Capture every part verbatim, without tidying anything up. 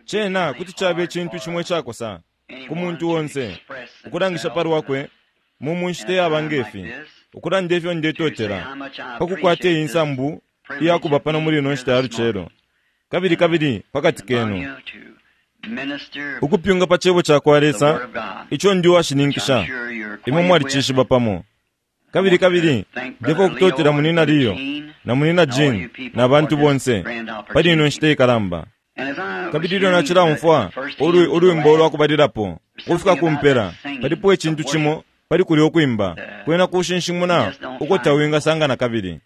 Cena kuti caba icintu cimo icakosa ku muntu onse ukulangisha palwakwe mu munshita iyaba ngefi, ukulanda ifyo ndetotela pakukwata iyi nsambu iyakuba pano muli ino nshita ya lucelo, kabili kabili pakati kenu, ukupyunga pa cebo cakwa Lesa ico ndi uwashininkisha imwe mwalicishiba pamo. Kabili kabili ndefwaya ukutotela munina Leo na munina Jean na bantu bonse pali ino nshita ikalamba. Kabili ilyo nacilaumfwa ulwimbo ulwakubalilapo ukufika ku mpela, palipo icintu cimo pali kulya ukwimba kwena kushinshimuna uko tawingasanga na kabili.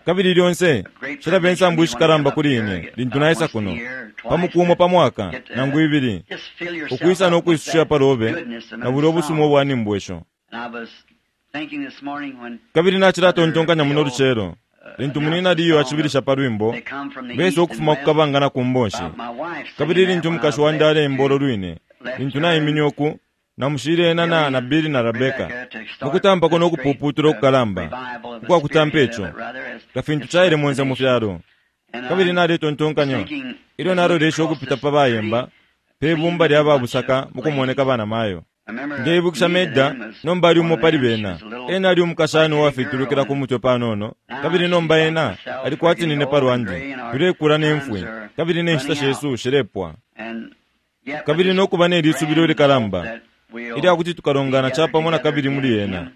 Kabili lyonse cilaba insambu ishikalamba kuli ine lintu naisa kuno pa muku umo pa mwaka nangu ibili, ukwisa no kwisusha palobe na bulya ubusuma ubwa nimbwesho. Kabili nacilatontonkanya muno lucelo lintu munina Leo acibilisha pa lwimbo besa ukufuma ku kabanga na ku mbonshi. Kabili lintu umukashi wandi aleimba ulo lwine, lintu naimine uku namushile ena na, na Billy na Rebecca mukutampako no kupuputula ukukalamba ukwakutampa ico nga fintu caile monse mu fyalo. Kabili naletontonkanya ilyo nalolesha ukupita pa bayemba pe bumba lya babusaka mukumoneka bana mayo. Ndeibukisha Meda nomba ali umo pali bena. Ena ali umukashana uwafitulukila ku mutwe panono, kabili nomba ena ali kwati nine palwandi, tulekula ne mfwi, kabili ne nshita shesu shilepwa. Kabili nokuba ne lisubilo likalamba ilya kuti tukalongana capamo na kabili muli ena.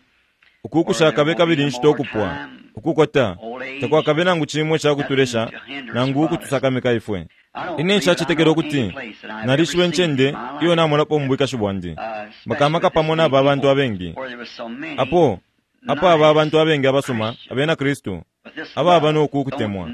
Uku kushakabe kabili nshita ukupwa, ukukota takwakabe nangu cimo icakutulesha nangu ukutusakamika ifwe. Ine nshacetekela ukuti nalishiba incende iyo namolapo mu bwikashi bwandi, makamaka pamo na aba bantu abengi. Apo apo aba bantu abengi abasuma abena Kristu ababa noku kutemwa,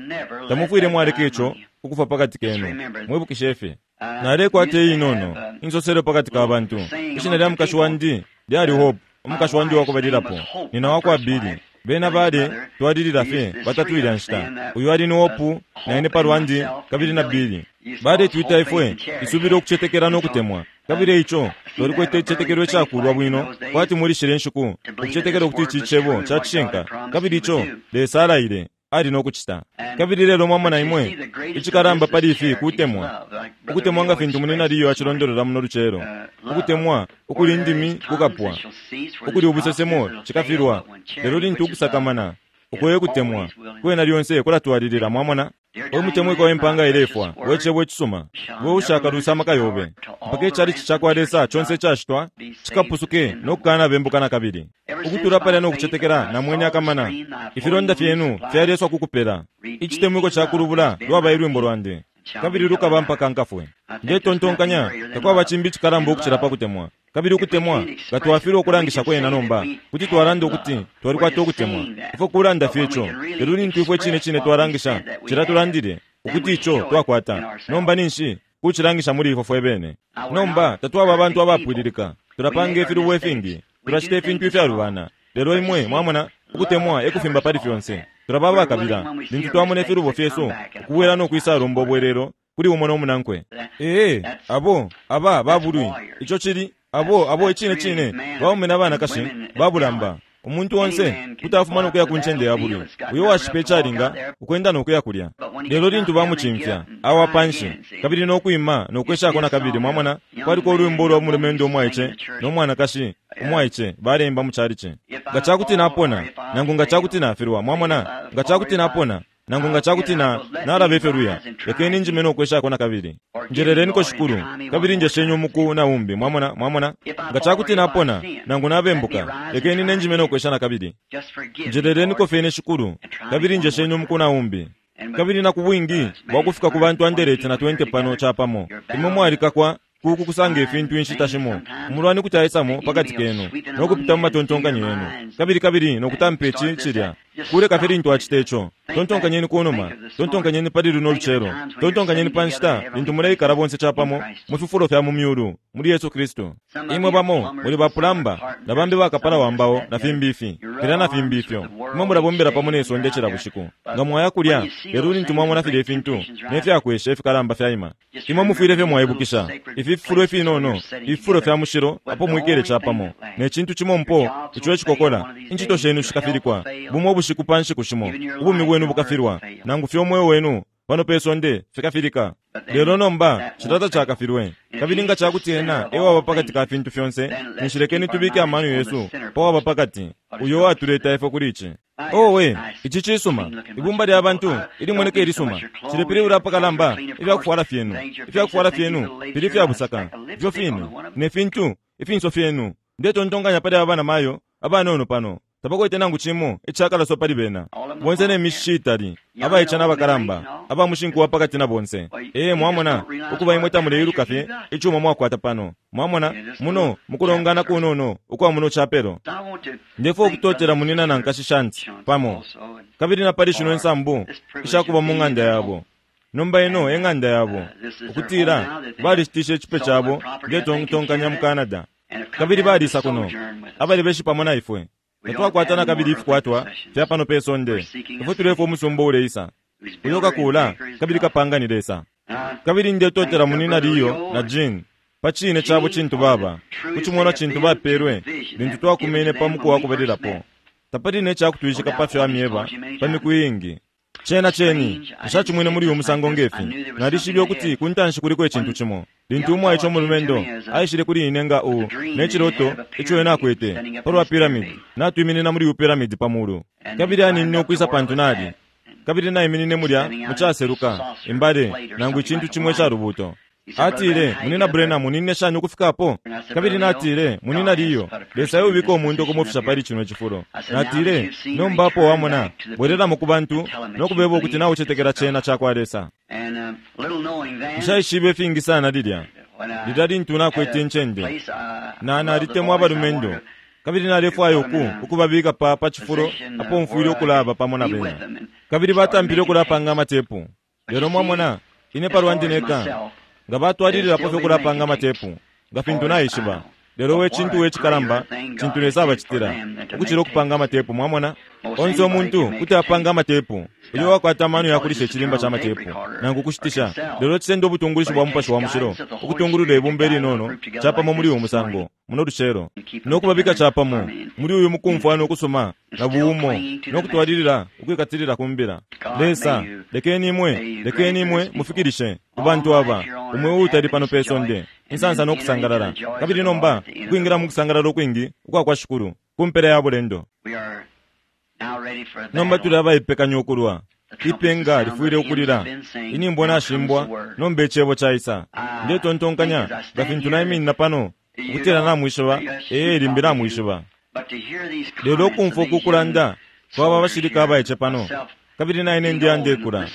tamufwile mwaleka ico ukufa pakati kenu. Mwibukishe fye nalekwata inono insoselo pakati ka bantu. Ishina lya mukashi wandi lyali Hope, umukashi wandi wakubalilapo nina wakwa Billy. Bena bale twalilila fye batatu ilya nshita. Uyu ali ni Hope, na ine palwandi, kabili na Billy. Baletwita ifwe isubilo ukucetekela no kutemwa. Kabili ico twalikwete icicetekelo icakulwa bwino kwati muli shile nshiku, ukucetekela ukuti ici cebo cacishinka, kabili ico Lesa alaile ali no kucita. Kabili lelo mwamona imwe icikalamba pali ifi kutemwa, ukutemwa nga fintu munina Leo acilondolola muno lucelo, ukutemwa ukuli indimi kukapwa, ukuli ubusesemo cikafilwa, lelo lintu ukusakamana uko kutemwa kwena lyonse kulatwalilila. Mwamona omutemwiko wempanga ilefwa wecebo icisuma we ushakalusa amaka yobe mpaka icalici cakwa Lesa conse icashitwa cikapusuke no kukana bembuka na kabili. Ukutula palya no kucetekela na mwene akamana ifilonda fyenu fyaleswa kukupela icitemwiko cakulubula lwaba ilwimbo lwandi kabili lukaba mpaka nkafwe. Ndetontonkanya takwaba cimbi icikalamba ukucila pa kutemwa. Kabili ukutemwa nga twafilwa ukulangisha kwena nomba kuti twalanda ukuti twalikwata ukutemwa ifwe kulanda fye ico, lelo lintu ifwe cine cine twalangisha cila tulandile ukuti ico twakwata nomba ninshi kucilangisha muli ifwe fwe bene. Nomba tatwaba abantu abapwililika, tulapanga ifilubo ifingi, tulacita ifintu ifyalubana, lelo imwe mwamona ukutemwa ekufimba pali fyonse. Tulaba abakabila lintu twamona ifilubo fyesu ukubwela no kwisalomba obwelelo kuli umo nomunankwe. Ee, abo aba babulwi ico cili abo abo icine cine baume na banakashi babulamba. Umuntu onse kuti afuma no kuya ku ncende ya bulwi uyo washipa icalinga ukwenda no kuya kulya, lelo lintu bamucimfya awa panshi kabili no kwima no kweshako na kabili. Mwamona kwaliko ulwimbo lwa mulumendo umwaice no mwanakashi umwaice balemba mu calici, nga cakuti napona nangu nga cakuti nafilwa. Mwamona nga cakuti napona nangu nga cakuti na nalaba ifyo luya, lekeni njime no kweshako na kabili. Njeleleniko Shikulu kabili njeshenye umuku na umbi. Mwamona mwamona nga cakuti napona nangu nabembuka, lekeni nenjime no kwesha na kabili. Njeleleniko fene Shikulu kabili njeshenye umuku na umbi. Kabili na kubwingi bwakufika ku bantu anderete na twenty pano capamo imwe mwalikakwa kuku kusanga ifintu inshita shimo umulwani kuti aisamo pakati kenu no kupita mu matontonkanyo yenu kabili kabili no kutampa ici cilya kuleka fye lintu acita ico. Tontonkanyeni kunuma, tontonkanyeni pali luno lucelo, tontonkanyeni pa nshita lintu muleikala bonse capamo mu fifulo fya mu myulu muli Yesu Kristu. Imwe bamo muli bapulamba na bambi bakapala wambao na fimbi ifi filya na fimbi ifyo. Imwe mulabombela pamo ne sonde cila bushiku nga mwaya kulya, lelo lintu mwamona filya ifintu ne fyakwesha ifikalamba fyaima, imwe mufwile fye mwaibukisha ifi fifulo ifinono, ififulo fya mushilo apo mwikele capamo ne cintu cimo mpo ico ecikokola incito shenu shikafilikwa bumo ubushiku pa nshiku shimo ubumi bwenu bukafilwa nangu fye umweo wenu pano pe sonde fikafilika. Lelo nomba cilya tacakafilwe. Kabili nga cakuti ena ewaba pakati ka fintu fyonse, ninshi lekeni tubike amano yesu pawaba pakati, uyo watuleta ifwe kuli ici. Owe, ici cisuma. Ibumba lya bantu ilimoneka ilisuma. Cilepilibula apakalamba ifyakufwala fyenu. Ifyakufwala fyenu fili ifya busaka, ifyo fine ne fintu ifinso fyenu. Ndetontonkanya pali aba banamayo abanono pano. Tabakwete nangu cimo icakalaso pali bena. Bonse ne mishishi itali, abaice n'abakalamba, abamushinku wa pakati na bonse. Ee, mwamona, ukuba imwe tamuleiluka fye icuma mwakwata pano. Mwamona, muno mukulongana kunono ukwa muno chapelo. Ndefo okutotela munina na nkashi Shanti pamo. Kabili na pali shino insambu ishakuba mu ng'anda yabo. Nomba ino e ng'anda yabo. Ukutila balishitishe icipe cabo ndetontonkanya mu Canada. Kabili balisa kuno. Abali beshi pamo na ifwe. Tatwakwata kabili ifikwatwa fya pano pe sonde. Ifwe tulefwa umusumba uleisa. Uyo kakula kabili kapanga ni Lesa. Kabili ndetotela munina Leo na Jean pa cine cabo cintu baba. Kucimona cintu bapelwe lintu twakumene pa muku wa kubalilapo. Tapali ne cakutwishika pa fyo amyeba pa miku iingi. Cena ceni nshacimwine muli uyu musango ngefi. Nalishibe ukuti ku ntanshi kuliko icintu cimo. Lintu umwaice umulumendo aishile kuli ine nga u ne ciloto ico ena akwete palwa pyramid, natwiminina muli uyu pyramid pa mulu. Kabili aninine ukwisa pantu nali. Kabili naiminine mulya mucaseluka imbale nangu icintu cimo icalubuto. Atile, munina Branham, munine shani ukufikapo? Kabili natile, munina Leo, Lesa eubika umuntu okumufisha pali cino cifulo. Natile, nomba apo wamona, bwerelamo ku bantu nokubeba ukuti naucetekela cena cakwa Lesa. Nshaishibe ifingi sana lilya. Lilya lintu nakwete incende. Na nalitemwa abalumendo. Kabili nalefwaya uku ukubabika pa pa cifulo apo mfwile ukulaba pamo na bena. Kabili batampile ukulapanga amatepu. Lelo mwamona, ine palwandi neka nga batwalililapo fye ukulapanga amatepu nga fintu naishiba. Lelo we cintu we cikalamba cintu Lesa abacitila ukucila ukupanga amatepu. Mwamona, onse umuntu kuti apanga amatepu uyo wakwata amano yakulisha icilimba ca matepu nangu kushitisha. Lelo cisenda ubutungulishi bwa Mupashi wa Mushilo ukutungulula ibumba ilinono capamo muli uyu musango muno lucelo, nokubabika capamo muli uyu mukumfwana ukusuma na buumo nokutwalilila ukwikatilila ku mbila. Lesa, lekeni imwe, lekeni imwe mufikilishe ku bantu aba umwe uutali pano pe sonde insansa nokusangalala. Kabili nomba ukwingira mu kusangalala ukwingi ukwa kwa Shikulu ku mpela ya bulendo. Nomba tuli abaipekanya ukulwa. Ipenga lifwile ukulila. Inimbo nashimbwa, nomba icebo caisa. Ndetontonkanya nga fintu naiminina pano ukutila namwishiba, ee limbi namwishiba. Lelo ukumfwa uku kulanda kwaba abashilika abaice pano. Kabili naine ndi andekula.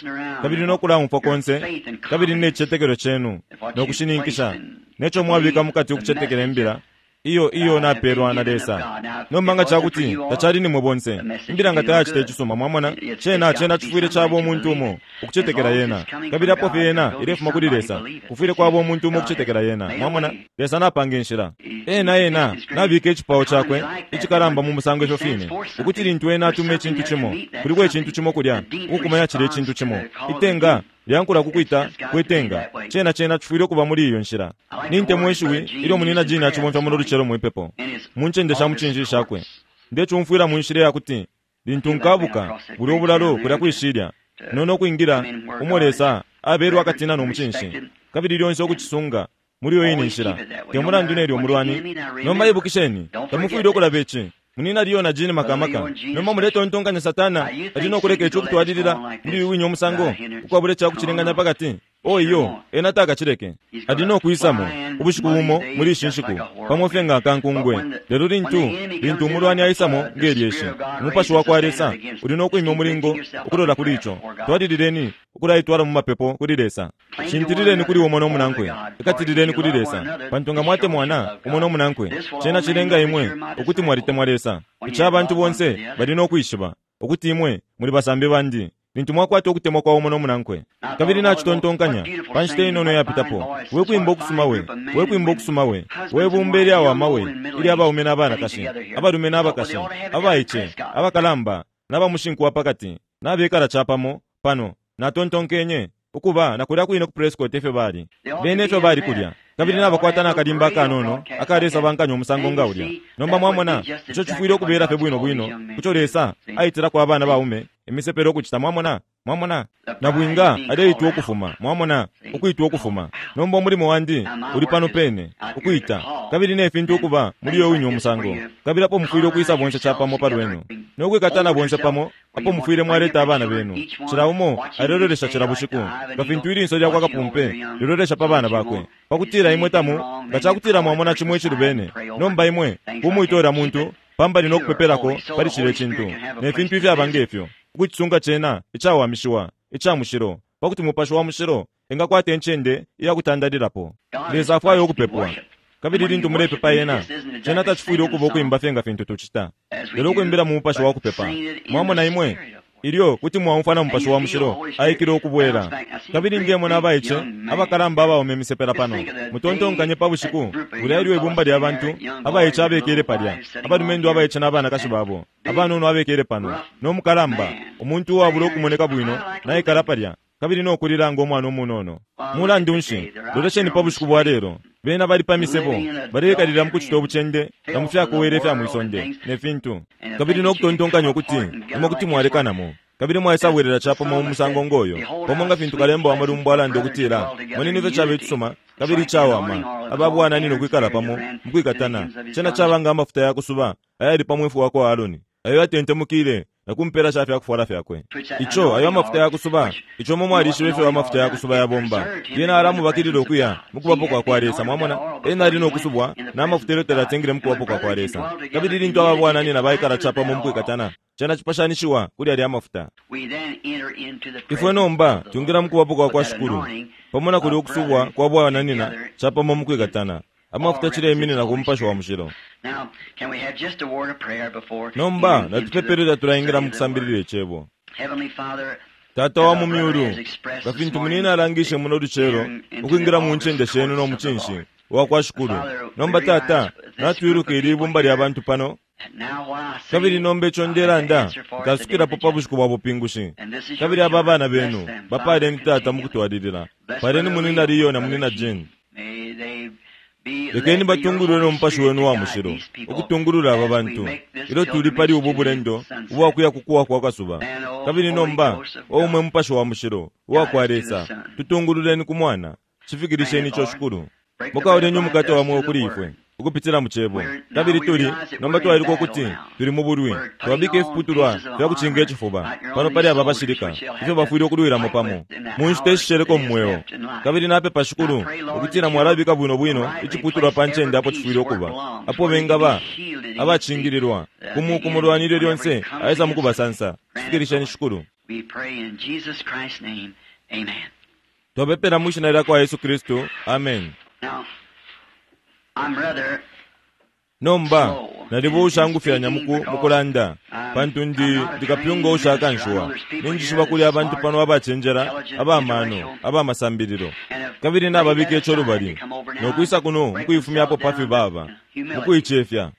Kabili nokulaumfwa konse, kabili ne cicetekelo cenu nokushininkisha neco mwabika mukati ukucetekela imbila iyo iyo napelwa na Lesa. Nomba nga cakuti tacali nimwe bonse, imbila nga tayacita icisuma. Mwamona, cena cena cifwile caba umuntu umo ukucetekela yena. Kabili apo fye yena ilefuma kuli Lesa, kufwile kwaba umuntu umo ukucetekela yena. Mwamona, Lesa napanga inshila. Ena ena nabika icipao cakwe icikalamba mu musango ifyo fine, ukuti lintu ena atuma icintu cimo, kuliko icintu cimo kulya ukukumanya cilya icintu cimo. Itenga lyankula kukwita kwetenga. Cena cena cifwile ukuba muli iyo nshila. Nintemwa ishiwi ilyo munina Jean acibomfya muno lucelo mwipepo mu ncende sha mucinshi shakwe. Ndecumfwila mu nshila yakuti lintu nkabuka buli obulalo kulya kwishilya nono okwingira umo Lesa abelwa akatina n'omucinshi, kabili lyonse okucisunga muli iyo ine nshila te mulandu nelyo omulwani. Nomba ibukisheni, tamufwile okulaba ici. Munina Leo na Jean makamaka. Nomba muletontonkanya Satana ali nokuleka ico okutwalilila muli uyu winye omusango ukwabula icakucilenganya pakati. O iyo ena takacileke. Ali nokwisamo ubushiku bumo muli ishi nshiku pamo fye nga akankungwe. Lelo lintu lintu umulwani aisamo ngelyeshi, umupashi wa kwa Lesa uli nokwimya umulingo ukulola kuli ico. Twalilileni ukulaitwala mu mapepo kuli Lesa. Shintilileni kuli umo n'omunankwe, ikatilileni kuli Lesa, pantu nga mwatemwana umo n'omunankwe, cena cilenga imwe ukuti mwalitemwa Lesa. Ica abantu bonse bali nokwishiba ukuti imwe muli basambi bandi lintu mwakwata ukutemwa kwa umo n'omunankwe. Kabili nacitontonkanya pa nshita inono yapitapo, we kwimba okusuma we, we kwimba okusuma we, we bumba ilyawama we, ilya abaume n'abanakashi, abalume n'abakashi, abaice, abakalamba, n'abamushinku wa pakati, n'abekala capamo pano. Natontonkenye ukuba nakulya kwine ku Prescott efyo bali. Bene efyo bali kulya. Kabili nabakwata n'akalimba akanono akalesabankanya umusango nga ulya. Nomba mwamona, ico cifwile ukubeela fye bwino bwino kuco Lesa aitilako abana baume imisepela ukucita. Mwamona, Mwamona, nabwinga aleitwa ukufuma. Mwamona, ukwitwa ukufuma. Nomba umulimo wandi uli pano pene, ukwita, kabili ne fintu ukuba muli yo winye umusango. Kabili apo mufwile ukwisa bonse chapamo pa lwenu nokwikatana bonse pamo, apo mufwile mwaleta abana benu. Cila umo alelolesha cila bushiku nga fintu ilinso lyakwa kapumpe lilolesha pa bana bakwe, pakutila imwe tamu nga cakutila mwamona cimo icilubene. Nomba imwe kumwitola muntu pambali nokupepelako pali cile cintu ne fintu ifyaba ngefyo, ukucisunga cena icawamishiwa icamushilo, pakuti mupashi wa mushilo engakwata incende iyakutandalilapo. Lesa afwaya ukupepwa, kabili lintu mulepepa yena, cena tacifwile ukuba ukwimba fye nga fintu tucita, lelo ukwimbila mu mupashi wa kupepa. Mwamona imwe ilyo kuti mwaumfwa na mupashi wa mushilo aikile ukubwela. Kabili ndemona abaice abakalamba abaume imisepela pano. Mutontonkanye pa bushiku bulya ilyo ibumba lya bantu abaice abekele palya, abalumendo abaice n'abanakashi babo abanono abekele pano, n'omukalamba umuntu uwabula ukumoneka bwino naikala palya, kabili nokulila ngo mwana umunono. Mulandu nshi, lolesheni pa bushiku bwa lelo, bena bali pa misebo, balekalila mu kucita ubucende na mu fyakuwela ifya mwisonde ne fintu, kabili nokutontonkanya ukuti imwe kuti mwalekanamo, kabili mwaisabwelela chapamo mu musango ngoyo, pamo nga fintu kalemba wa malumbo alanda ukutila, moneni ifyo caba icisuma kabili icawama ababwananina ukwikala pamo mukwikatana. Cena caba nga amafuta ya kusuba ayali pa mwefu wa kwa Aaroni, ayo yatentemukile na kumpela sha fyakufwala fyakwe. Ico ayo amafuta ya kusuba, ico mo mwalishiba ifyo amafuta ya kusuba yabomba. Lyena alamubakilila ukuya mukubapo kwa kwa Lesa. Mwamona, ena ali nokusubwa na mafuta elyo talatengile mukubapo kwa kwa Lesa. Kabili lintu ababwananina baikala chapamo mukwikatana, cena cipashanishiwa kuli alya amafuta. Ifwe nomba twingila mukubapo kwa kwa Shikulu, pamo na kuli ukusubwa kwa bwananina chapamo mukwikatana. Amafuta cileminina ku mupashi wa mushilo. Nomba natupepelera tulaingila mukusambilila icebo. Tata wa mu myulu, nga fintu munina alangishe muno lucelo ukwingila mu ncende shenu no mucinshi wa kwa Shikulu. Nomba Tata, natwiluka ili ibumba lya bantu pano, kabili nomba ico ndelanda nkasukilapo pa bushiku bwa bupingushi. Kabili aba bana benu bapaleni Tata mukutwalilila. Paleni munina Leo na munina Jane. Lekeni batungulule n'omupashi wenu wa mushilo ukutungulula aba bantu ilyo tuli pali ubu bulendo ubwakuya kukuwa kwa kasuba. Kabili nomba oumwe mupashi wa mushilo uwakwa Lesa, tutungululeni ku mwana, cifikilisheni ico Shikulu. Mukauleni umukate wa mweo kuli ifwe ukupitila mu cebo. Kabili tuli nomba twailuka ukuti tuli mu bulwi, twabika ifiputulwa fya kucinga icifuba pano pali aba bashilika ifyo bafwile ukulwilamo pamo mu nshita ishisheleko mu mweo. Kabili napepa Shikulu ukutila mwalabika bwino bwino iciputulwa pa ncende apo cifwile ukuba, apo bengaba abacingililwa kumu kumulwani ilyo lyonse aisa mukubasansa. Cifikilisheni Shikulu. Twapepela mu shina lya kwa Yesu Kristu. Amen. Nomba nalibo ushangufyanya muku mukulanda, pantu ndi ndikapyunga ushakanshiwa. Ninjishiba kuli abantu pano abacenjela, abamano, abamasambililo, kabili nababika ico lubali nokwisa kuno mukuifumyapo pafyo baba mukuicefya.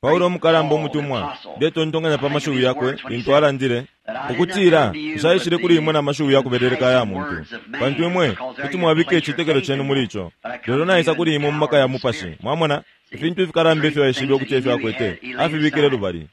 Paulo umukalamba umutumwa ndetontonkanya pa mashiwi yakwe lintu alandile ukutila nshaishile kuli imwe na mashiwi yakubeleleka aya muntu, pantu imwe kuti mwabika icitekelo cenu muli ico, lelo naisa kuli imwe mu maka ya mupashi. Mwamona ifintu ifikalamba ifyo aishibe ukuti efyo akwete afibikile lubali.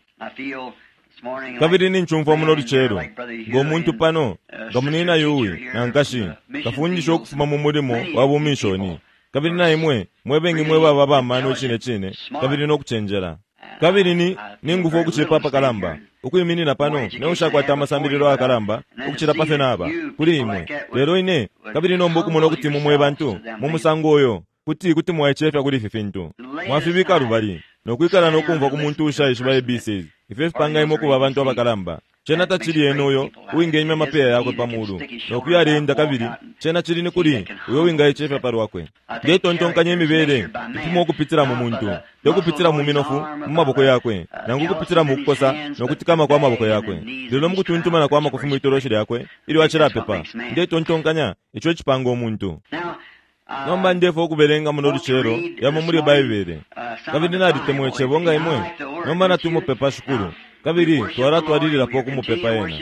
Kabili ninchumfwa muno lucelo ngo muntu pano nga munina yuwi na nkashi kafundisha ukufuma mu mulimo wa bumishoni, kabili na imwe mwebengi mwe baba bamano cine cine kabili nokucenjela. Kabili ni ningufu ukucipa apakalamba ukwiminina pano neushakwata amasambililo ayakalamba ukucila pafyo naba kuli imwe. Lelo ine kabili nomba ukumona ukuti mumwe bantu mu musango uyo kuti kuti mwaicefya kuli ifi fintu mwafibika lubali nokwikala nokumva ku muntu ushaishiba A B Cs ifyo fipanga imwe ukuba abantu abakalamba. Cena tacili ena uyo uwingenywa amapeya yakwe pa mulu nokuyalenda, kabili cena cili ni kuli uyo uwingaicefya palwakwe. Ndetontonkanya imibele ipimwa ukupitila mu muntu, tekupitila mu minofu mu maboko yakwe, nangu ukupitila mu kukosa nokutikama kwa maboko yakwe, lelo mu kutuntumana kwa makufi mwitoloshi lyakwe ilyo acilapepa. Ndetontonkanya ico icipanga umuntu. Nomba ndefo ukubelenga muno lucelo yamo muli Baibele, kabili nalitemwa icebo nga imwe. Nomba natumupepa Shikulu, kabili twalatwalililapo ukumupepa ena.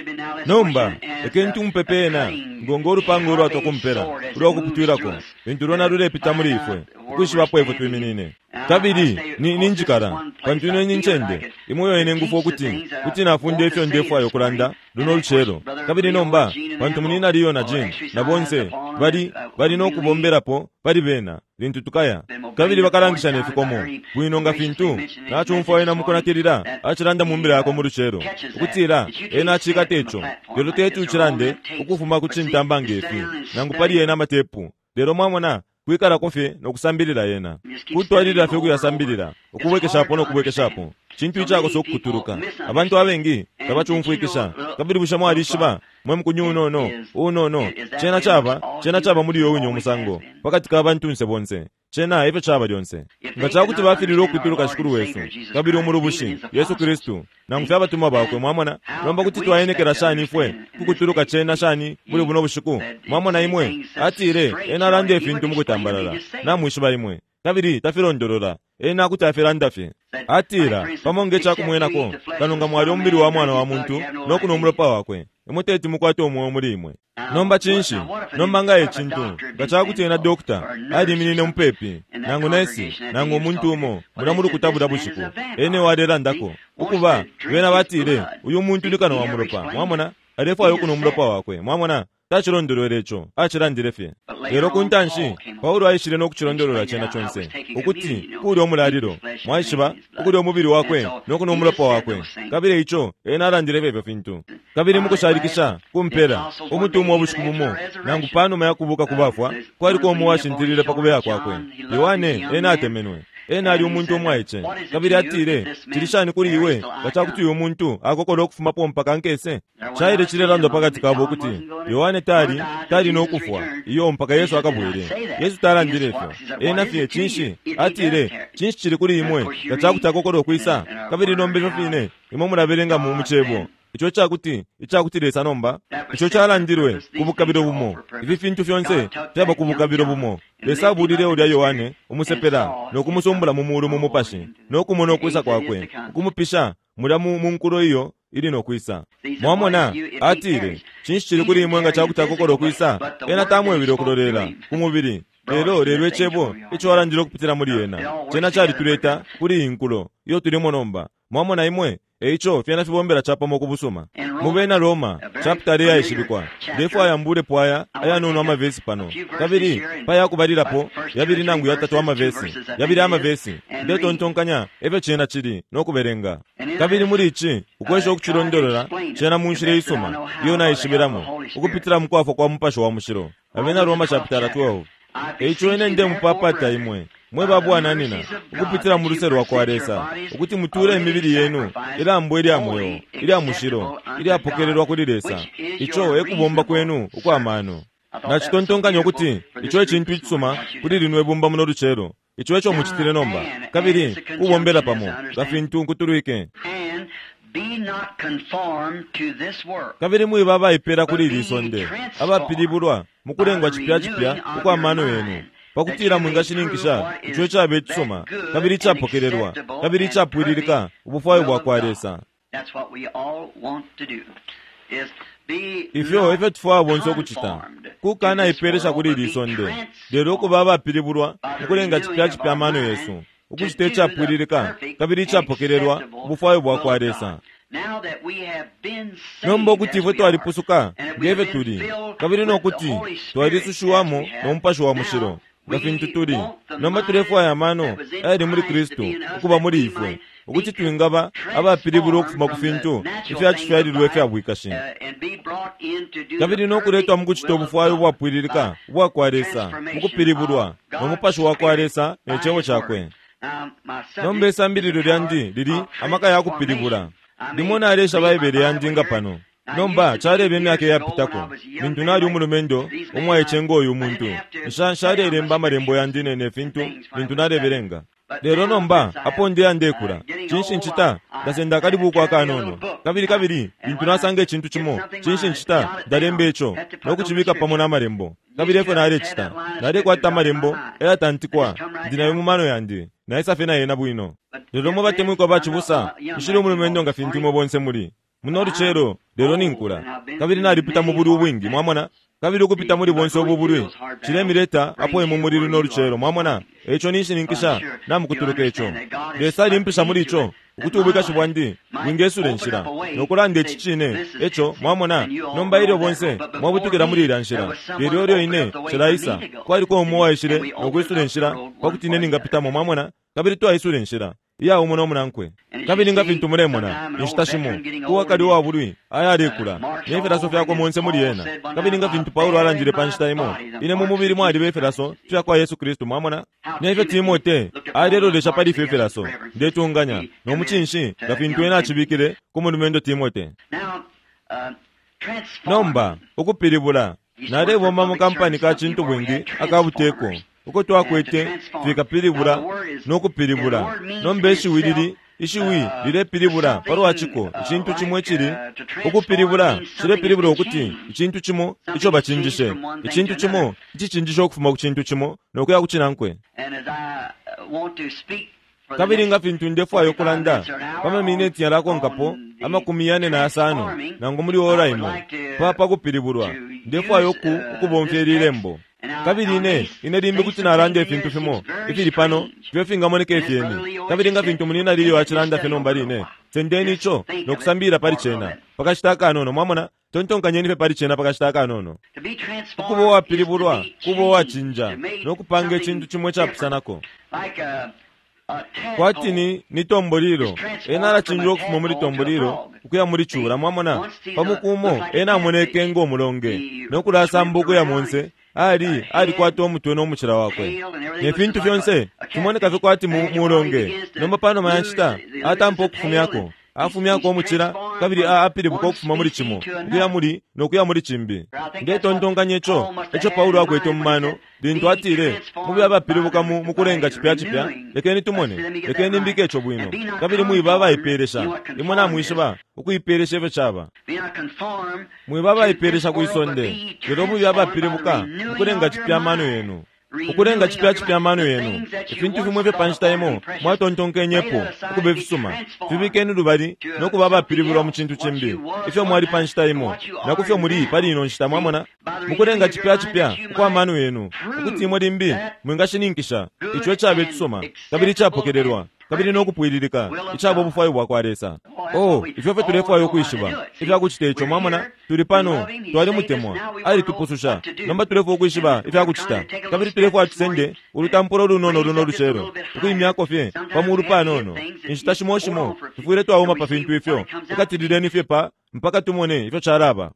Nomba lekeni tumupepe ena ngongo ulupanga ulwatwa kumpela ulwakuputwilako lintu lwena lulepita muli ifwe ukwishibapo ifwe twiminine. Kabili ni ninjikala pantu ino ni ncende imo yoyene ngufwa ukuti kuti nafunda ifyo ndefwaya ukulanda luno lucelo. Kabili nomba pantu munina Leo na Jean na bonse bali bali no kubomberapo pali bena lintu tukaya, kabili bakalangisha ne fikomo bwino nga fintu nachumfwa ena mukunatilila acilanda mu mbila yako mu lucelo ukutila ena acikata ico, lelo teti ucilande ukufuma ku cintamba ngefi nangu pali ena amatepu. Lelo mwamona kwikalako fye nokusambilila yena, kutwalilila fye ukuyasambilila, ukubwekeshapo nokubwekeshapo, cintu icakosa ukukutuluka. Abantu abengi tabacumfwikisha. Kabili bushe mwalishiba mwe mukunyu unono unono, cena caba cena caba muli uyo winye umusango pakati ka bantunse bonse, cena efyo caba lyonse. Nga cakuti bafililwe ukutuluka Shikulu wesu kabili umulubushi Yesu Kristu nangu fye abatumwa bakwe, mwamona, nomba kuti twaenekela shani ifwe kukutuluka cena shani muli buno bushiku? Mwamona imwe, atile ena alanda ifintu mukutambalala, namwishiba imwe, kabili tafilondolola, ena kuti afilanda fye. Atila pamo nge cakumwenako, kano nga mwali umubili wa mwana wa muntu nokunwa umulopa wakwe, imwe teti mukwate umweo muli imwe. Nomba cinshi? Nomba nga e cintu nga cakuti ena dokta aliminine mupepi nangu nesi nangu umuntu umo mulya mu lukuta bulya bushiku, ene walelandako ukuba bena batile uyu muntu ni kano wa mulopa, mwamona, alefwaya ukunwa umulopa wakwe, mwamona, tacilondolwele ico, acilandile fye. Lelo ku ntanshi Paulo aishile no kucilondolola cena conse ukuti kulya umulalilo, mwaishiba, ukulya umubili wakwe no kunwa umulopa wakwe, kabili ico ena alandile fye fintu. Kabili mukushalikisha kumpela umutumwa ubushiku bumo nangu panuma ya kubuka kubafwa, kwaliko umo washintilile pa kubeya kwakwe, Yohane. Ena atemenwe, ena ali umuntu umwaice, kabili atile, cili shani kuli iwe nga cakuti uyu muntu akokola ukufumapo mpaka nkese? Caile cilelandwa pakati kabo ukuti Yohane tali tali no kufwa iyo mpaka Yesu akabwele. Yesu talandile ifyo, ena fye cinshi atile, cinshi cili kuli imwe nga cakuti akokola ukwisa? Kabili nomba ifyo fine imwe mulabelenga mu mucebo ico cakuti icakuti Lesa nomba ico calandilwe ku bukabilo bumo, ifi fintu fyonse fyaba ku bukabilo bumo. Lesa abulile ulya Yohane umusepela no kumusumbula mu mulu mu mupashi no kumona ukwisa kwakwe, ukumupisha mulya mu nkulo iyo ili no kwisa. Mwamona, atile, cinshi cili kuli imwe nga cakuti akokola ukwisa? Ena tamwebile ukulolela ku mubili, lelo lelo icebo ico alandile ukupitila muli ena cena calituleta kuli iyi nkulo iyo tulimo nomba. Mwamona imwe, eico fyena fibombela capamo ku busuma. Mu bena Roma chapter yaishibikwa, ndefwaya mbulepo aya ayanono amavesi pano, kabili paya kubalilapo yabili nangu yatatu amavesi, yabili amavesi, ndetontonkanya efyo cena cili no kubelenga. Kabili muli ici ukwesha ukucilondolola cena mu nshila isuma iyo naishibilamo ukupitila mu kwafwa kwa Mupashi wa Mushilo. Abena Roma chapter twelve. Eico ine ndemupapata imwe mwe babwananina ukupitila mu luse lwa kwa Lesa ukuti mutule imibili yenu ilambo ilya mweo ilya mushilo ilyapokelelwa kuli Lesa, ico ekubomba kwenu ukwa mano. Nacitontonkanya ukuti ico ecintu icisuma kuli lino ibumba muno lucelo, ico eco mucitile nomba, kabili kubombela pamo nga fintu nkutulwike. Kabili mwiba abaipela kuli ili sonde, abapilibulwa mukulengwa cipya cipya ukwa mano yenu, pakutila mwingashininkisha ico icaba icisuma kabili icapokelelwa kabili icapwililika ubufwayo bwa kwa Lesa. Ifyo efyo tufwaya bonse ukucita, kukanaipelesha kuli ili sonde, lelo ukuba abapilibulwa mukulenga cipya cipya amano yesu, ukucita icapwililika kabili icapokelelwa ubufwayo bwa kwa Lesa. Nomba ukuti ifwe twalipusuka ngefyo tuli, kabili nokuti twalisushiwamo no Mupashi wa Mushilo nga fintu tuli, nomba tulefwaya amano ayali muli Kristu ukuba muli ifwe, ukuti twingaba abapilibulwa ukufuma ku fintu ifyacifyalilwe ifya bwikashi, kabili nokuletwa mu kucita ubufwayo ubwapwililika ubwa kwa Lesa mukupilibulwa no Mupashi wa kwa Lesa ne Cebo cakwe. Nomba isambililo lyandi lili amaka ya kupilibula. Limo nalesha Baibele yandi nga pano. Nomba caleba imyaka iyapitako lintu nali umulumendo umwaice ngoyu umuntu, nshalelemba amalembo yandi nene fintu lintu nalebelenga. Lelo nomba apo ndeya ndekula, cinshi ncita? Ndasenda akalibuku akanono, kabili kabili lintu nasanga icintu cimo, cinshi ncita? Ndalemba ico nokucibika pamo n'amalembo. Kabili efyo nalecita, nalekwata amalembo ayatantikwa ndi nayo mu mano yandi, naisa fye na yena bwino. Lelo mwe batemwikwa bacibusa, nshili umulumendo nga fintu imwe bonse muli muno lucelo, lelo ninkula kabili nalipita mu buli ubwingi, mwamona. Kabili ukupita muli bonse ubu bulwi cilemileta apo imwe muli luno lucelo, mwamona. Eico ninshininkisha namukutuluka ico. Lesa alimpisha muli ico ukuti ubwikashi bwandi bwingesula inshila nokulanda ici cine eco, mwamona. Nomba ilyo bonse mwabutukila muli ilya nshila, lelo ilyo ine nshilaisa, kwaliko umo uwaishile nokwisula inshila pakuti ine ningapitamo, mwamona. Kabili twaisula inshila iya umo no munankwe. Kabili nga fintu mulemona inshita shimo uwakali uwabulwi ayalekula ne filaso fyakwe monse muli ena. Kabili nga fintu Paulo alandile pa nshita imo, ine mu mubili mwaliba ifilaso fya kwa Yesu Kristu, mwamona. Nefyo Timote alelolesha pali ifyo ifilaso, ndetunganya no mucinshi nga fintu ena acibikile ku mulumendo Timote. Nomba ukupilibula, nalebomba mu kampani ka cintu bwingi akabuteko uko twakwete fikapilibula no kupilibula. Nomba ishiwi lili ishiwi lilepilibula palwa ciko icintu cimo icili ukupilibula cilepilibula ukuti icintu cimo ico bacinjishe, icintu cimo icicinjishe ukufuma ku cintu cimo nokuya ku cinankwe. Kabili nga fintu ndefwaya ukulanda pa mamineti yalakonkapo amakumi yane na yasano nangu muli ora imo pa pakupilibulwa, ndefwaya uku ukubomfya ili lembo. Kabili ine ine limbi kuti nalanda ifintu fimo ifili pano ifyo fingamoneka ifyeni. Kabili nga fintu munina lilyo acilanda fye nomba line, sendeni ico nokusambilila pali cena pakashita akanono, mwamona. Tontonkanyeni fye pali cena pakashita akanono. Ukuba uwapilibulwa kuba uwacinja nokupanga icintu cimo icapusanako. Kwati ni ni tombolilo, ena alacinja ukufuma muli tombolilo ukuya muli cula, mwamona. Pamuku umo ena amoneke ngo mulonge nokulasamba ukuya monse, ali alikwata umutwe nomucila wakwe ne fintu fyonse fimoneka fye kwati mulonge. Nomba panuma ya nshita atampa ukufumyako, afumyako umucila kabili apilibuka ukufuma muli cimo ukuya muli nokuya muli cimbi. Ndetontonkanya ico eco Paulo akwete mu mano lintu atile mube abapilibuka mu mukulenga cipya cipya. Lekeni tumone, lekeni mbike ico bwino. Kabili mwiba abaipelesha, imwe namwishiba ukuipelesha ifyo caba. Mwiba abaipelesha kwisonde, lelo mube abapilibuka mukulenga cipya amano yenu, ukulenga cipya cipya amano yenu. Ifintu fimwe fye pa nshita imo mwatontonkenyepo ukuba ifisuma, fibikeni lubali nokuba abapilibulwa mu cintu cimbi ifyo mwali pa nshita imo na kufyo muli pali ino nshita, mwamona. Mukulenga cipya cipya ukwa mano yenu, ukuti imwe limbi mwingashininkisha ico icaba icisuma kabili icapokelelwa kabili nokupwililika icaba ubufwayo bwakwa Lesa. Oh, ifyo fye tulefwaya ukwishiba ifya kucita ico, mwamona. Tuli pano, twalimutemwa, alitupususha. Nomba tulefwaya ukwishiba ifya kucita, kabili tulefwaya tusende ulutampulo lunono luno lucelo ukuimyako fye pamulu panono. Inshita shimo shimo tufwile twauma pa fintu ifyo, ikatilileni fye pa mpaka tumone ifyo calaba.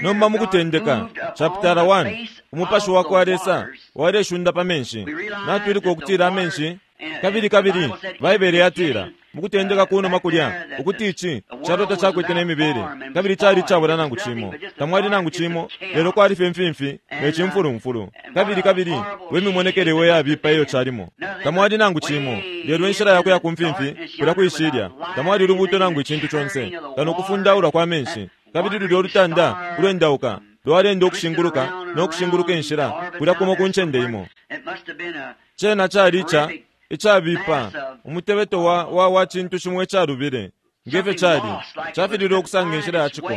Nomba mukutendeka chapter one, umupashi wakwa Lesa waleshunda pa menshi. Natwiluka ukutila amenshi kabili kabili Baibele yatila mukutendeka kunuma kulya ukuti ici calo tacakwete nemibele kabili cali icabula nangu cimo, tamwali nangu cimo, lelo kwali fye mfimfi ne cimfulumfulu. Kabili kabili we mimonekele we yabipa iyo calimo, tamwali nangu cimo, lelo inshila yakuya ku mfimfi kulya kwishilya, tamwali lubuto nangu icintu conse kano kufundaulwa kwa menshi. Kabili lulyo lutanda ulwendauka lwalenda ukushinguluka nokushinguluka inshila kulya kumo ku ncende imo. Cena cali ica icabipa umutebeto wa wa wa cintu cimo icalubile ngefyo cali cafilile ukusanga inshila ya ciko.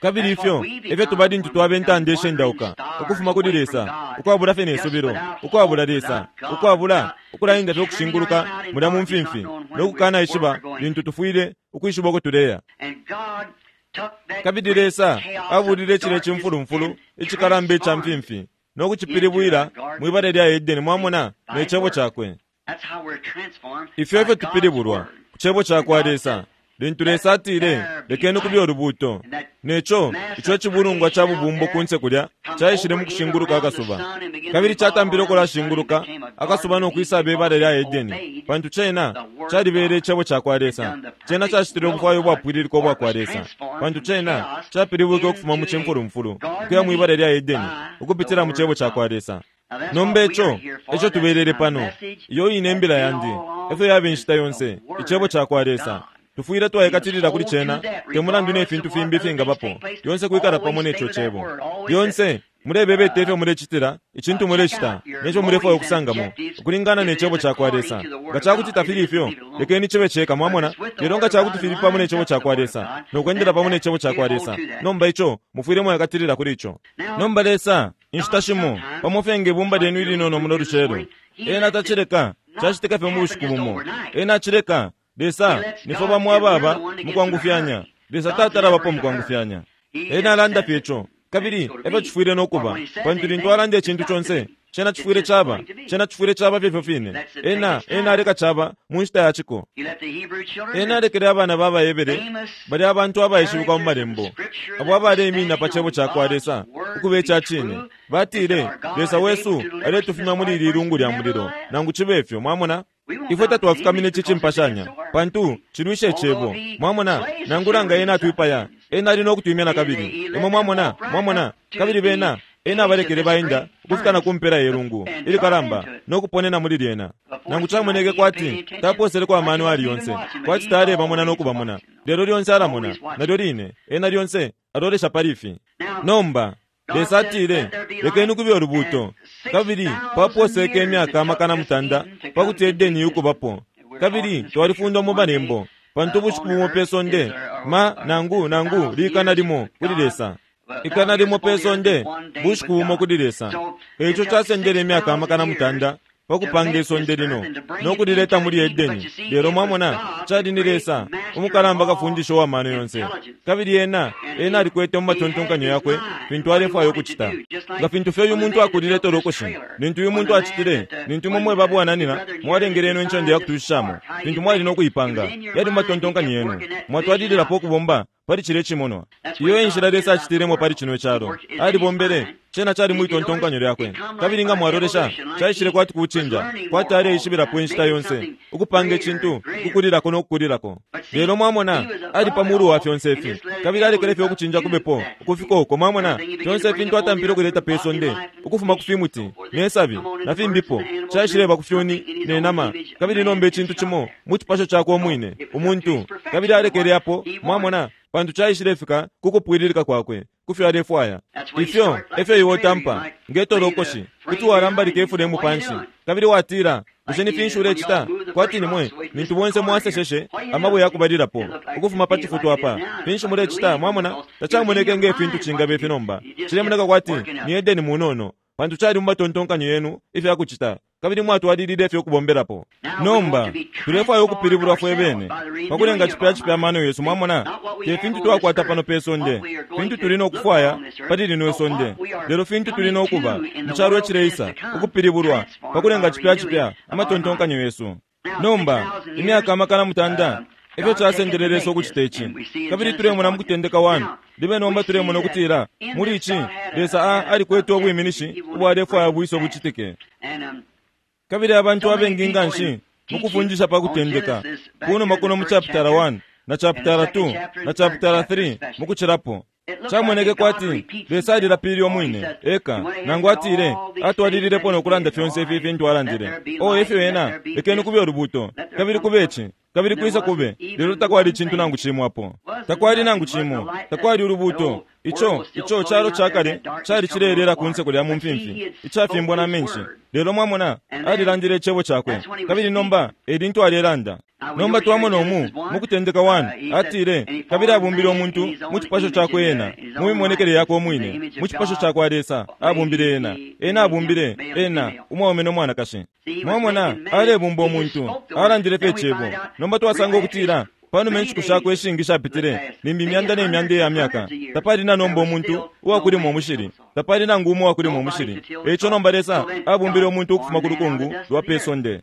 Kabili ifyo efyo tuba lintu twaba intanda ishendauka ukufuma kuli Lesa, ukwabula fye nesubilo, ukwabula Lesa, ukwabula ukulaenda fye ukushinguluka mulya mu mfimfi nokukana ishiba lintu tufwile ukwishiba uko tuleya. Kabili Lesa abulile icile cimfulumfulu icikalamba ica mfimfi nokucipilibwila mwibala lya Edeni, mwamona, ne cebo cakwe. Ifyo efyo tupilibulwa ku cebo cakwa Lesa. Lintu Lesa atile lekeni kube ulubuto, neco ico icibulungwa ca bubumbo kunse kulya caishile mu kushinguluka akasuba, kabili catampile ukulashinguluka akasuba nokwisaba ibala lya Edeni, pantu cena calibele icebo cakwa Lesa. Cena cacitile ubufwayo ubwapwililika ubwakwa Lesa, pantu cena capilibwike ukufuma mu cimfulumfulu ukuya mwibala lya Edeni ukupitila mu cebo cakwa Lesa. Nomba ico eco tubelele pano, iyo ine imbila yandi efyo yaba inshita yonse, icebo cakwa Lesa. Tufwile twaikatilila kuli cena te mulandu ne fintu fimbi ifingabapo, lyonse kwikala pamo neco cebo, lyonse Mulebebeta ifyo mulecitila, icintu mulecita, neco mulefwaya ukusangamo, ukulingana ne cebo cakwa Lesa. Nga cakuti tafili ifyo, lekeni cibe ceka, mwamona. Lelo nga cakuti fili pamo ne cebo cakwa Lesa, no kwendela pamo ne cebo cakwa Lesa, nomba ico mufwile mwayakatilila kuli ico. Nomba Lesa, inshita shimo, pamo fye nge bumba lyenu ilinono muno lucelo, ena tacileka cacitika fye mu bushiku bumo. Ena acileka Lesa nifwe bamo ababa mukwangufyanya. Lesa tatalabapo mukwangufyanya. Ena alanda fye ico, kabili efyo cifwile nokuba, pantu lintu alanda icintu conse, cena cifwile caba, cena cifwile caba fye ifyo fine. Ena ena aleka caba mu nshita ya ciko. Ena alekele abana ba baHebere, bali abantu abaishibikwa mu malembo, abo abaleiminina pa cebo cakwa Lesa ukuba ica cine. Batile, Lesa wesu aletufumya muli ili lungu lya mulilo, nangu cibe ifyo, mwamona. Ifwe tatwafukamine ici cimpashanya, pantu cilwisha icebo. Mwamona, nangula nga ena atwipaya, ena ali nokutwimya na kabili. Imwe mwamona, mwamona, kabili bena ena abalekele baenda ukufika na kumpela ye lungu ilikalamba nokuponena muli lyena. Nangu camoneke kwati taposeleko amano ali yonse, kwati talebamona nokubamona, lelo lyonse alamona, nalyo line ena lyonse alolesha pali ifi. Nomba Lesa atile, lekeni kube ulubuuto, kabili paposeke imyaka amakana mutanda pakuti Edeni yukubapo. Kabili twalifundwa mu malembo, pantu ubushiku bumo pe sonde ma nangu nangu likana limo kuli Lesa, ikana limo pe sonde bushiku bumo kuli Lesa. Eico casendele imyaka amakana mutanda pakupanga isonde lino nokulileta muli Edeni. Lelo mwamona, cali ni Lesa umukalamba kafundisha uwa mano yonse, kabili ena ena alikwete mu matontonkanyo yakwe fintu alefwaya ukucita. Nga fintu fye uyu muntu akulile tolokoshi, lintu uyu muntu acitile, lintu imwe mweba bwananina mwalengele ino incende yakutushishamo, fintu mwali nokuipanga, yali mu matontonkanyo yenu, mwatwalililapo ukubomba pali cile cimonwa. Iyo enshila Lesa acitilemo pali cino calo. Alibombele, cena cali mwitontonkanyo lyakwe. Kabili nga mwalolesha, caishile kwati kucinja, kwati aleishibilapo inshita yonse, ukupanga icintu, kukulilako nokukulilako. Lelo mwamona, ali pa mulu wa fyonse ifi, kabili alekele fye ukucinja kubepo, ukufika uko, mwamona, fyonse ifintu atampile ukuleta pe sonde, ukufuma ku fimuti, ne sabi, na fimbipo, caishileba ku fyuni, ne nama, kabili nomba icintu cimo, mu cipasho cakwe umwine, umuntu, kabili alekele apo, mwamona, pantu caishilefika kukupwililika kwakwe, kufyo alefwaya. Ifyo efyo iwe utampa nge tolokoshi, kuti walambalika ifulemu panshi, kabili watila, bushe ni finshi ulecita? Kwati nimwe lintu bonse mwaseseshe amabwe yakubalilapo ukufuma pa cifutu apa, finshi mulecita? Mwamona, tacamoneke nge fintu cingabe ifi nomba, cilemoneka kwati ni Edeni munono, pantu cali mu matontonkanyo yenu ifyakucita, kabili mwatwalilile ifyo kubombelapo. Nomba tulefwaya ukupilibulwa fwe bene pakulenga cipya cipya amano yesu. Mwamona, te fintu twakwata pano pe sonde, fintu tuli nokufwaya pali lino isonde, lelo fintu tuli nokuba mu calo icileisa, ukupilibulwa pakulenga cipya cipya amatontonkanyo yesu. Nomba imyaka amakana mutanda efyo casendele Lesa ukucita ici, kabili tulemona mu kutendeka one libe nomba tulemona ukutila muli ici Lesa a alikwete ubwiminishi ubwalefwaya bwiso bucitike. Kabili abantu abengi nga nshi mukufundisha pa kutendeka kunuma kuno mu chapitala one na chapitala two na chapitala three mukucilapo, camoneke kwati Lesa alilapilile umwine eka, nangu atile atwalililepo nokulanda fyonse ifi fintu alandile. O efyo ena, lekeni kube ulubuuto, kabili kube ici, kabili kwisa kube, lelo takwali icintu nangu cimo apo. Takwali nangu cimo, takwali ulubuuto. Ico ico calo cakale cali cileelela kunse kulya mu mfimfi, icafimbwa na menshi. Lelo mwamona, alilandile icebo cakwe, kabili nomba elintu alelanda. Nomba twamona umu mukutendeka one atile, kabili abumbile umuntu mu cipasho cakwe ena, mu mimonekele yakwe umwine, mu cipasho cakwa Lesa abumbile ena, ena abumbile ena umwaume no mwanakashi. Mwamona, alebumba umuntu, alandile fye icebo. Nomba twasanga ukutila panuma inshiku shakwe ishingi shapitile, limbi imyanda ne myanda iya myaka, tapali na nomba umuntu uwakulima umushili, tapali nangu umo uwakulima umushili. Eico nomba Lesa abumbile umuntu ukufuma ku lukungu lwa pe sonde.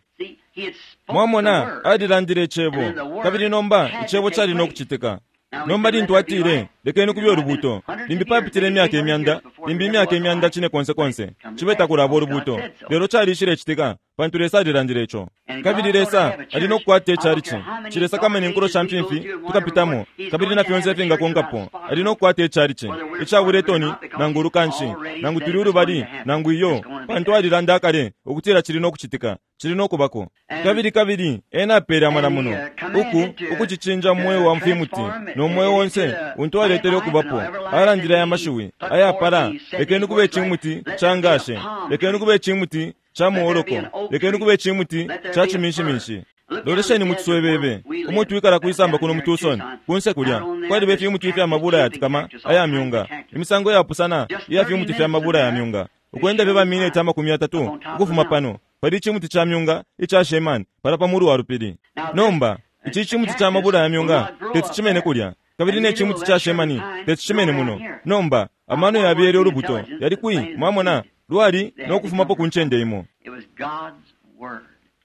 Mwamona, alilandile icebo, kabili nomba icebo cali nokucitika. Nomba lintu atile, lekeni kube ulubuuto, limbi papitile imyaka imyanda, limbi imyaka imyanda cine konse konse, cibe takulaba ulubuuto, lelo calishilecitika, pantu Lesa alilandile ico. Kabili Lesa ali nokukwata icalici, cilesakamana inkulo sha mfimfi tukapitamo, kabili na fyonse ifingakonkapo, ali nokukwata icalici, icabula itoni nangu ulukanshi, nangu tuli ulubali nangu iyo, pantu alilanda akale ukutila cili nokucitika, Cili nokubako. Kabili kabili ena apele amalamuno uku ukucicinja mweo wa mfimuti no mweo onse untu aletele okubapo. Alandile aya mashiwi ayapala, lekeni kube icimuti ca ngashe, lekeni kube icimuti ca muoloko, lekeni kube icimuti ca ciminshiminshi. Lolesheni mu ciswebebe umo twikala kwisamba kuno mu Tucson, kunse kulya kwaliba ifimuti ifya mabula yatikama aya myunga, imisango yapusana iya fimuti fya mabula ya myunga. Ukwenda fye bamineti amakumi yatatu ukufuma pano pali icimuti ca myunga ica Sheman pala pa mulu wa lupili. Nomba ici cimuti ca mabula ya myunga teti cimene kulya, kabili ne cimuti ca Shemani teti cimene muno. Nomba amano yabyele ulubuto yali kwi, mwamona, lwali nokufumapo ku ncende imo.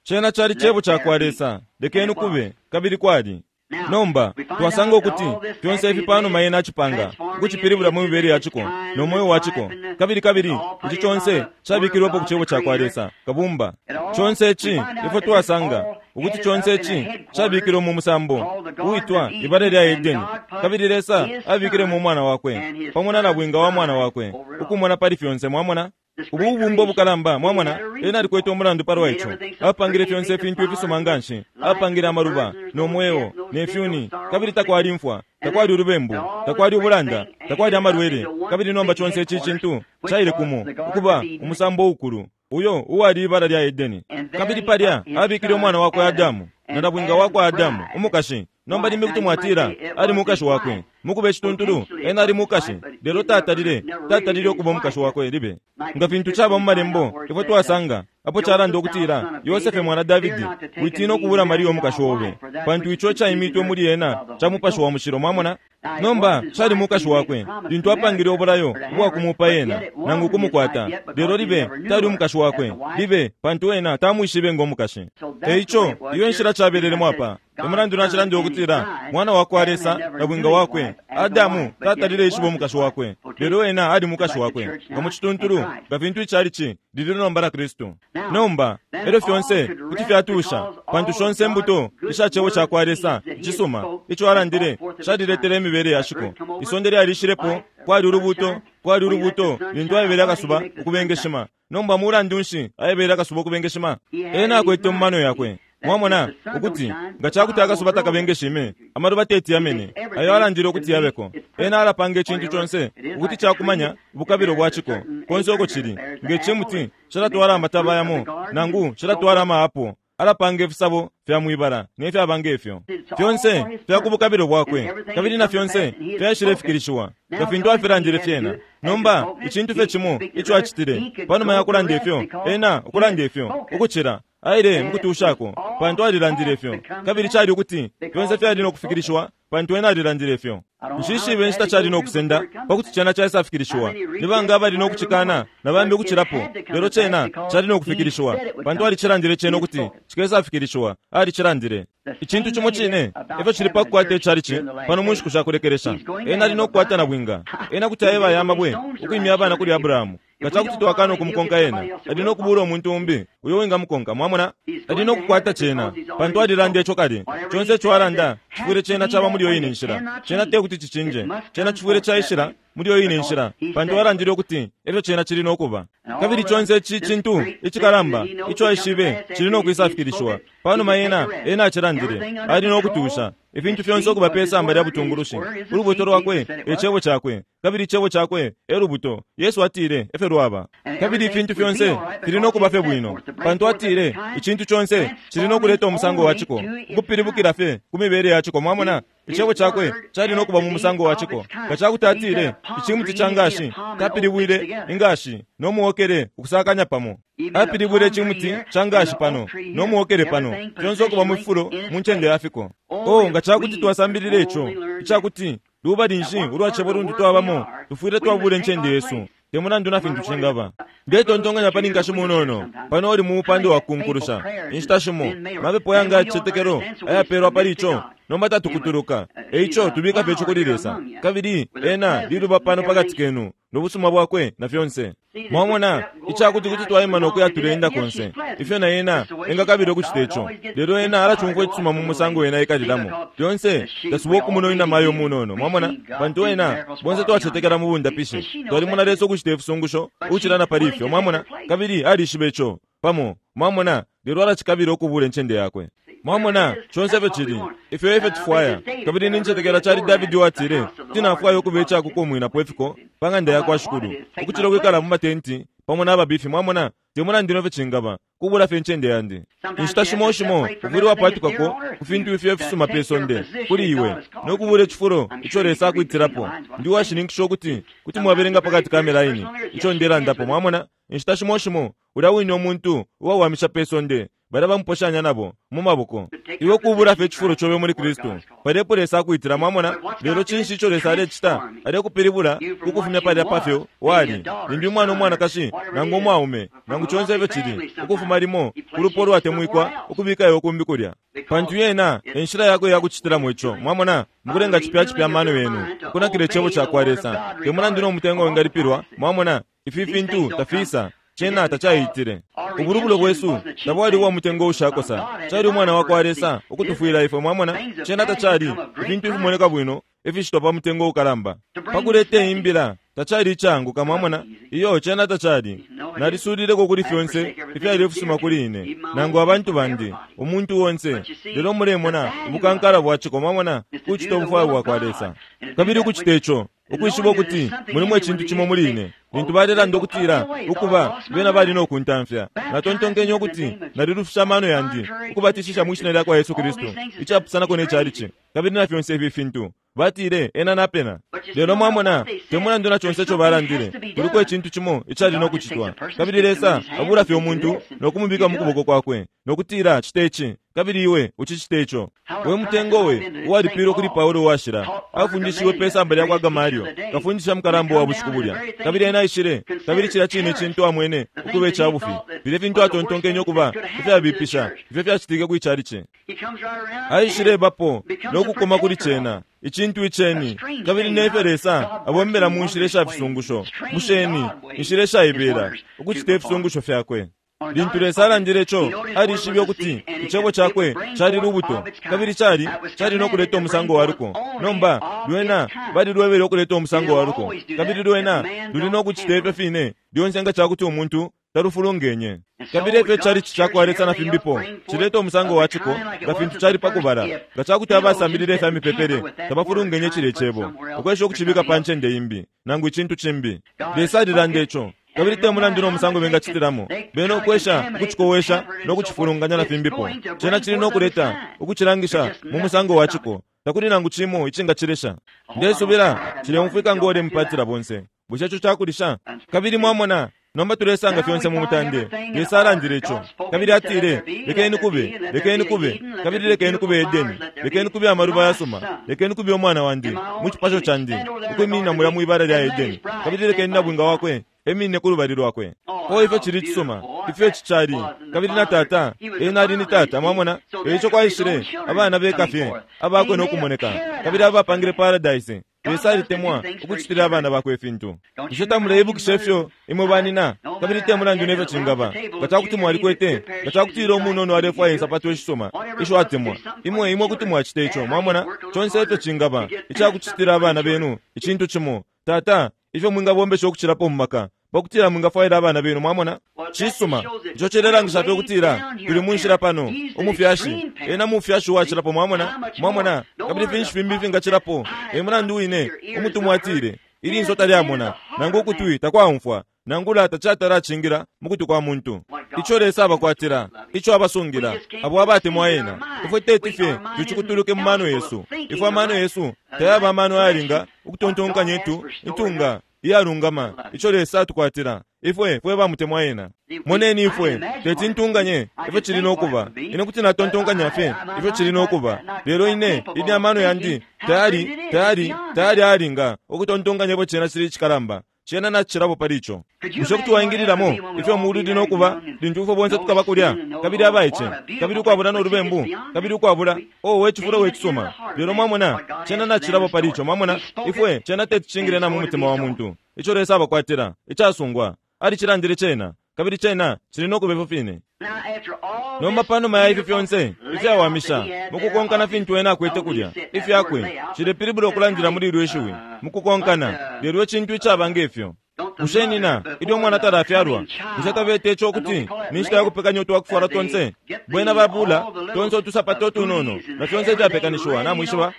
Cena cali cebo ca kwa Lesa, lekeni kube, kabili kwali. Nomba twasanga ukuti fyonse ifi panuma yena acipanga ukucipilibula mu mibele ya ciko no mweo wa ciko, kabili kabili ici conse cabikilwepo ku cebo ca kwa Lesa kabumba. Conse ici ifyo twasanga ukuti conse ici cabikilwe mu musambo uitwa ibala lya Edeni, kabili Lesa abikile mu mwana wakwe pamo na nabwinga wa mwana wakwe ukumona pali fyonse. Mwamona ubu bubumbo bukalamba, mwamona ena alikwete umulandu palwa ico. Apangile fyonse ifintu ifisuma nganshi, apangile amaluba no mweo ne fyuni, kabili takwali mfwa, takwali ulubembu, takwali ubulanda, takwali amalwele. Kabili nomba conse ici cintu caile kumo ukuba umusambo ukulu uyo uwali ibala lya Edeni. Kabili palya abikile umwana wakwe Adamu na nabwinga wakwe Adamu umukashi. Nomba limbi kuti mwatila ali mukashi wakwe, mukuba icituntulu ena ali mukashi, lelo tatalile tatalile ukuba umukashi wakwe libe. Nga fintu caba mu malembo ifwe twasanga apo calanda ukutila Yosefe mwana Davidi, witina ukubula Mariya umukashi obe, pantu ico caimitwe muli ena ca mupashi wa mushilo. Mwamona, nomba cali mukashi wakwe lintu apangile obulayo ubwakumupa ena nangu kumukwata, lelo libe tali umukashi wakwe libe, pantu ena tamwishibe ngo mukashi. Eico iyo nshila cabelelemo apa. Emulandu nacilanda ukutila mwana wakwa Lesa na bwinga wakwe Adamu tatalile ishiba umukashi wakwe, lelo ena ali mukashi wakwe nga mu cituntulu nga fintu icalici lili nomba na Kristu. Nomba elyo fyonse kuti fyatusha, pantu shonse imbuto isha cebo ca kwa Lesa cisuma ico alandile caliletele imibele ya shiko. Isonde lyalishilepo, kwali ulubuto, kwali ulubuto lintu aebele akasuba ukubengeshima. Nomba mulandu nshi aebele akasuba ukubengeshima? Ena akwete mu mano yakwe, mwamona, ukuti nga cakuti akasuba takabengeshime, amaluba teti yamene ayo alandile ukuti yabeko. Ena alapanga icintu conse ukuti cakumanya ubukabilo bwa ciko konse uko cili. Nge cimuti calatwala amataba yamo nangu calatwala amaapo, alapanga ifisabo fya mwibala ne fyabanga ifyo fyonse fyakubukabilo bwakwe, kabili na fyonse fyashilefikilishiwa nga fintu afilandile fyena. Nomba icintu fye cimo ico acitile panuma ya kulanda ifyo, ena ukulanda ifyo ukucila aile mukutushako, pantu alilandile ifyo, kabili cali ukuti fyonse fyali nokufikilishiwa pantu ena alilandile ifyo. Nshishibe inshita cali nokusenda pakuti cena caisafikilishiwa, nibanga abali nokucikana na bambi ukucilapo, lelo cena cali nokufikilishiwa pantu alicilandile cena ukuti cikesafikilishiwa, alicilandile. Icintu cimo cine efyo cili pakukwata icalici pano mu nshiku shakulekelesha. Ena ali nokukwata na bwinga, ena kuti aeba aya mabwe ukwimya abana kuli Abrahamu. Nga cakuti twakana ukumukonka ena, ali nokubula umuntu umbi uyo wingamukonka. Mwamona, ali nokukwata cena pantu alilanda ico kale. Conse ico alanda cifwile cena caba muli yo ine nshila, cena tekuti cicinje, cena cifwile caishila muli yo ine nshila pantu alandile ukuti efyo cena cili nokuba. Kabili conse ici cintu icikalamba ico aishibe cili nokwisafikilishiwa panuma ena ena acilandile, ali nokutusha ifintu fyonse ukuba pe samba lya butungulushi. Ulubuto lwakwe e cebo cakwe, kabili icebo cakwe e lubuto. Yesu atile efyo lwaba, kabili ifintu fyonse fili nokuba fye bwino pantu atile icintu conse cili nokuleta umusango wa ciko ukupilibukila fye ku mibele ya ciko. Mwamona, icebo cakwe cali nokuba mu musango wa ciko. Nga cakuti atile icimuti ca ngashi, tapilibwile ingashi no muokele ukusakanya pamo. Apilibwile icimuti ca ngashi pano no muokele pano, fyonse ukuba mu fifulo mu ncende ya fiko. Oh, nga cakuti twasambilile ico icakuti lubali nshi ulwa cebo luntu twabamo, tufwile twabula incende yesu te mulandu na fintu cingaba. Ndetontonkanya pali nkashi munono pano uli mu mupando wa kunkulusha inshita shimo mapepo yanga yacicetekelo ayapelwa pali ico, nomba tatukutuluka. Eico tubika fye ico kuli Lesa, kabili ena liluba pano pakati kenu nobusuma bwakwe na fyonse. Mwamona, icakuti kuti twaima nokuya tuleenda konse ifyo na ena engakabila ukucita ico, lelo ena alacumfwa icisuma mu musango ena ekalilamo lyonse. Tasuba okumuna inamayo munono, mwamona, pantu ena bonse twacetekela mu bundapishi, twalimona Lesa ukucita ifisungusho ukucila na pali ifyo, mwamona, kabili alishiba ico pamo. Mwamona, lelo alacikabila ukubula incende yakwe. Mwamona, conse efyo cili, ifyo efyo tifwaya. Kabili nincetekela cali Davidi watile, tinafwaya ukuba icakukumwinapo ifiko pa ng'anda yakwa Shikulu, ukucila ukwikala mu matenti pamo n'ababifi. Mwamona, te mulandu nefyo cingaba, kubula fye incende yandi. Inshita shimo shimo ufwile wapatukako ku fintu ifyo ifisuma pe sonde kuli iwe, no kubula icifulo ico Lesa akwitirapo. Ndi washininkisha ukuti kuti mwabelenga pakati ka milaini ico ndelandapo. Mwamona, inshita shimo shimo ulya wine umuntu uwawamisha pe sonde bala bamuposhanya nabo mu maboko. Iwe kubula fye icifulo cobe muli Kristu, palepo Lesa akwitira. Mwamona, lelo cinshi ico Lesa alecita? Alekupilibula ukufumya palya pafyo wali limbi umwana umwanakashi nangu umwaume nangu conse efyo cili, ukufuma limo kulupo lwatemwikwa ukubika iwe kumbi kulya, pantu yena enshila yakwe yakucitilamo ico. Mwamona, mukulenga cipya cipya amano yenu ukunakila icebo cakwa Lesa, te mulandu no mutengo wingalipilwa. Mwamona, ifi fintu tafisa cena tacaitile. Ubulubulo bwesu tabwali ubwa mutengo ushakosa, cali umwana wakwa Lesa ukutufwila ifwe. Mwamona, cena tacali ifintu ifimoneka bwino ifishitwa pa mutengo ukalamba pakuleta imbila, tacali icanguka. Mwamona, iyo cena tacali. Nalisulileko kuli fyonse ifyali ifisuma kuli ine nangu abantu bandi, umuntu onse. Lelo mulemona ubukankala bwaciko. Mwamona, kucita ubufwayo bwakwa Lesa, kabili ukucita ico ukwishiba ukuti mulimo icintu cimo muli ine. Lintu balelanda ukutila ukuba bena bali no kuntamfya, natontonkenye ukuti nalilufisha amano yandi ukubatishisha mwishina lyakwa Yesu Kristu, icapusanako ne calici kabili na fyonse ifi fintu. Batile ena napena. Lelo mwamona, te mulandu na conse ico balandile, kuliko icintu cimo icali no kucitwa. Kabili Lesa abula fye umuntu no kumubika mu kuboko kwakwe no kutila cite ici, kabili iwe ucicite ico. We mutengo we uwalipilwe kuli Paulo uwashila, afundishiwe pe samba lyakwa Gamalio, kafundisha mukalamba wa bushiku bulya. Kabili ena aishile, kabili cilya cine cintu amwene ukuba icabufi, filya fintu atontonkenye ukuba ifyabipisha ifyo fyacitike kwi calici. Aishile bapo no kukoma kuli cena icintu iceni, kabili nefyo Lesa abombela mu nshila ishafisungusho, musheni inshila ishaibela ukucita ifisungusho fyakwe. Lintu Lesa alandile ico, alishibe ukuti icebo cakwe cali lubuto, kabili cali cali no kuleta umusango wa luko. Nomba lwena balilwebele ukuleta umusango wa luko, kabili lwena luli no kucita ifyo fine lyonse nga cakuti umuntu talufulungenye. Kabili efyo calici cakwa Lesa na fimbipo cileta umusango wa ciko nga fintu cali pakubala, nga cakuti abasambilile ifya mipepele tabafulungenye cile cebo ukwesha ukucibika pa ncende imbi nangu icintu cimbi. Lesa alilanda ico, kabili te mulandu no musango bengacitilamo, bena ukwesha ukucikowesha no kucifulunganya na fimbipo, cena cili no kuleta ukucilangisha mu musango wa ciko. Takuli nangu cimo icingacilesha. Ndesubila cileumfwika ngole mupatila bonse. Bushe ico cakulisha? Kabili mwamona, nomba tulesanga fyonse mu mutande. Lesa alandile ico, kabili atile, lekeni kube, lekeni kube, kabili lekeni kube Edeni, lekeni kube amaluba yasuma, lekeni kube umwana wandi mu cipasho candi ukwiminina mulya mwibala lya Edeni, kabili lekeni nabwinga wakwe eminine ku lubali lwakwe. O ifyo cili cisuma, ifyo ici cali. Kabili na tata ena ali ni tata. Mwamona, eico kwaishile abana beka fye abakwe no kumoneka, kabili abapangile paradise. Lesa alitemwa ukucitila abana bakwe ifintu. Bushe tamuleibukisha ifyo imwe banina? Kabili te mulandu nefyo cingaba, nga cakuti mwalikwete, nga cakutila umunono alefwaya insapato ishisuma isho atemwa, imwe imwe kuti mwacita ico. Mwamona, conse ifyo cingaba icakucitila abana benu icintu cimo, tata, ifyo mwingabombesha ukucilapo mu maka pakutila mwingafwaila abana benu. Mwamona, cisuma ico cilelangisha fye ukutila tuli mu nshila pano. Umufyashi ena mufyashi uwacilapo. Mwamona, mwamona, kabili finshi fimbi fingacilapo? E mulandu wine umutumwa atile, ilinso talyamona nangu ukutwi takwaumfwa nangula tacatala acingila mu kutwi kwa muntu ico Lesa abakwatila, ico abasungila abo abatemwa ena. Ifwe teti fye tucikutuluke mu mano yesu. Ifwe amano yesu tayaba amano ayalinga ukutontonkanya itu intunga iyalungama ico Lesa atukwatila ifwe fwe bamutemwa ena. Moneni, ifwe teti ntunganye ifyo cili no kuba. Ine kuti natontonkanya fye ifyo cili no kuba, lelo ine ine amano yandi tayali tayali tayali ayalinga ukutontonkanya ifyo cena cili icikalamba. Cena nacilapo pali ico. Bushe kuti waingililamo ifyo mulu no kuba lintu ifwe bonse tukaba kulya, kabili abaice, kabili ukwabula n'olubembu, kabili ukwabula o wechifulo wecisuma? Lelo mwamona, cena nacilapo pali ico. Mwamona, ifwe cena tetucingile na mu mutima wa muntu ico Lesa abakwatila icasungwa. Alicilandile cena, kabili cena cili no kuba ifyo fine. Nomba panuma ya ifi fyonse ifyawamisha mukukonkana fintu ena akwete kulya ifyakwe, cilepilibula ukulandila muli ilyo ishiwi mukukonkana, lelo icintu icaba ngefyo. Bushe nina ilyo umwana talafyalwa bushe tabete ico ukuti ni nshita ya kupekanya utwakufwala tonse? Bwena babula tonse utusapato utunono na fyonse ifyapekanishiwa, namwishiba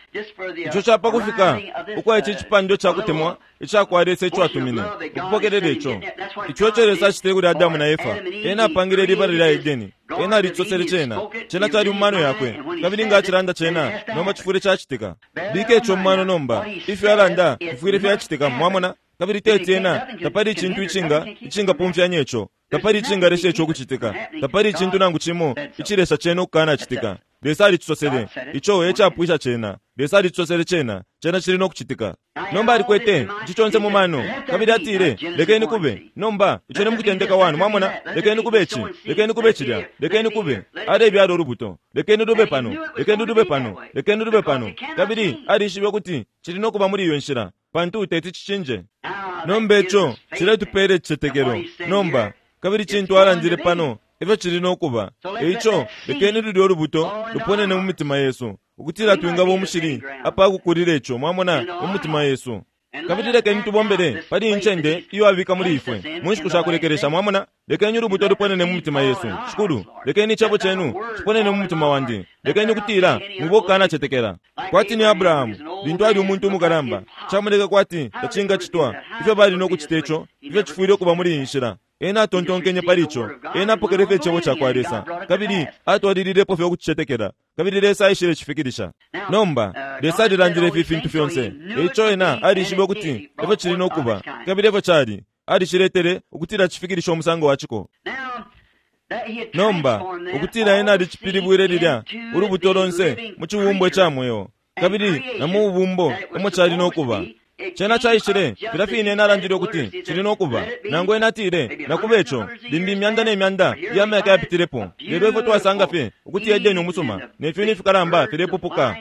ico capa kufika ukwa ici cipando ca kutemwa icakwa Lesa ico atumine ukupokelela ico. Ico ico Lesa acitile kuli Adamu na Efa, ena apangile libala lya Edeni, ena alisosele cena, cena cali mu mano yakwe, kabili nga acilanda cena nomba cifwile cacitika. Bika ico mu mano nomba, ifyo alanda fifwile fyacitika, mwamona? Kabili teti ena tapali icintu icinga icingapumfyanya ico, tapali icingalesha ico kucitika, tapali icintu nangu cimo icilesha cena ukukanacitika. Lesa alicisosele, ico ecapwisha cena. Lesa alicisosele cena, cena cili no kucitika. Nomba alikwete ici conse mu mano, kabili atile lekeni kube. Nomba ico ni mukutendeka wanu, mwamona? Lekeni kube ici, lekeni kube cilya, lekeni kube. Alebyala ulubuto, lekeni lube pano, lekeni lube pano, lekeni lube pano. Kabili alishibe ukuti cili no kuba muli iyo nshila, pantu teti cicinje. Nomba ico ciletupela icicetekelo nomba, kabili cintu alandile pano efyo cili no kuba. Eico lekeni lulya ulubuto luponene mu mitima yesu, ukutila twingaba umushili apakukulila ico, mwamona, mu mitima yesu. Kabili lekeni tubombele pali incende iyo abika muli ifwe mu nshiku sha kulekelesha, mwamona? Lekeni ulubuto luponene mu mitima yesu. Shikulu, lekeni icebo cenu ciponene mu mutima wandi. Lekeni ukutila mwiba ukukanacetekela. Kwati ni Abrahamu lintu ali umuntu umukalamba, camoneka kwati tacingacitwa ifyo bali no kucita ico, ifyo cifwile ukuba muli iyi nshila. Ena atontonkenye pali ico, ena apokele fye icebo cakwa Lesa, kabili atwalililepo fye ukucicetekela, kabili Lesa aishile cifikilisha. Nomba Lesa alilandile ifi fintu fyonse, eico ena alishibe ukuti efyo cili no kuba, kabili efyo cali. Aliciletele ukutila cifikilisha umusango wa ciko. Nomba ukutila ena alicipilibwile lilya ulubuto lonse mu cibumbwa ca mweo, kabili na mu bubumbo emo cali no kuba. Cena caishile filya fine ena alandile ukuti cili no kuba. Nangu ena atile nakuba ico limbi imyanda ne myanda iya myaka yapitilepo, lelo ifwe twasanga fye ukuti Edeni umusuma ne fyuni fikalamba filepupuka.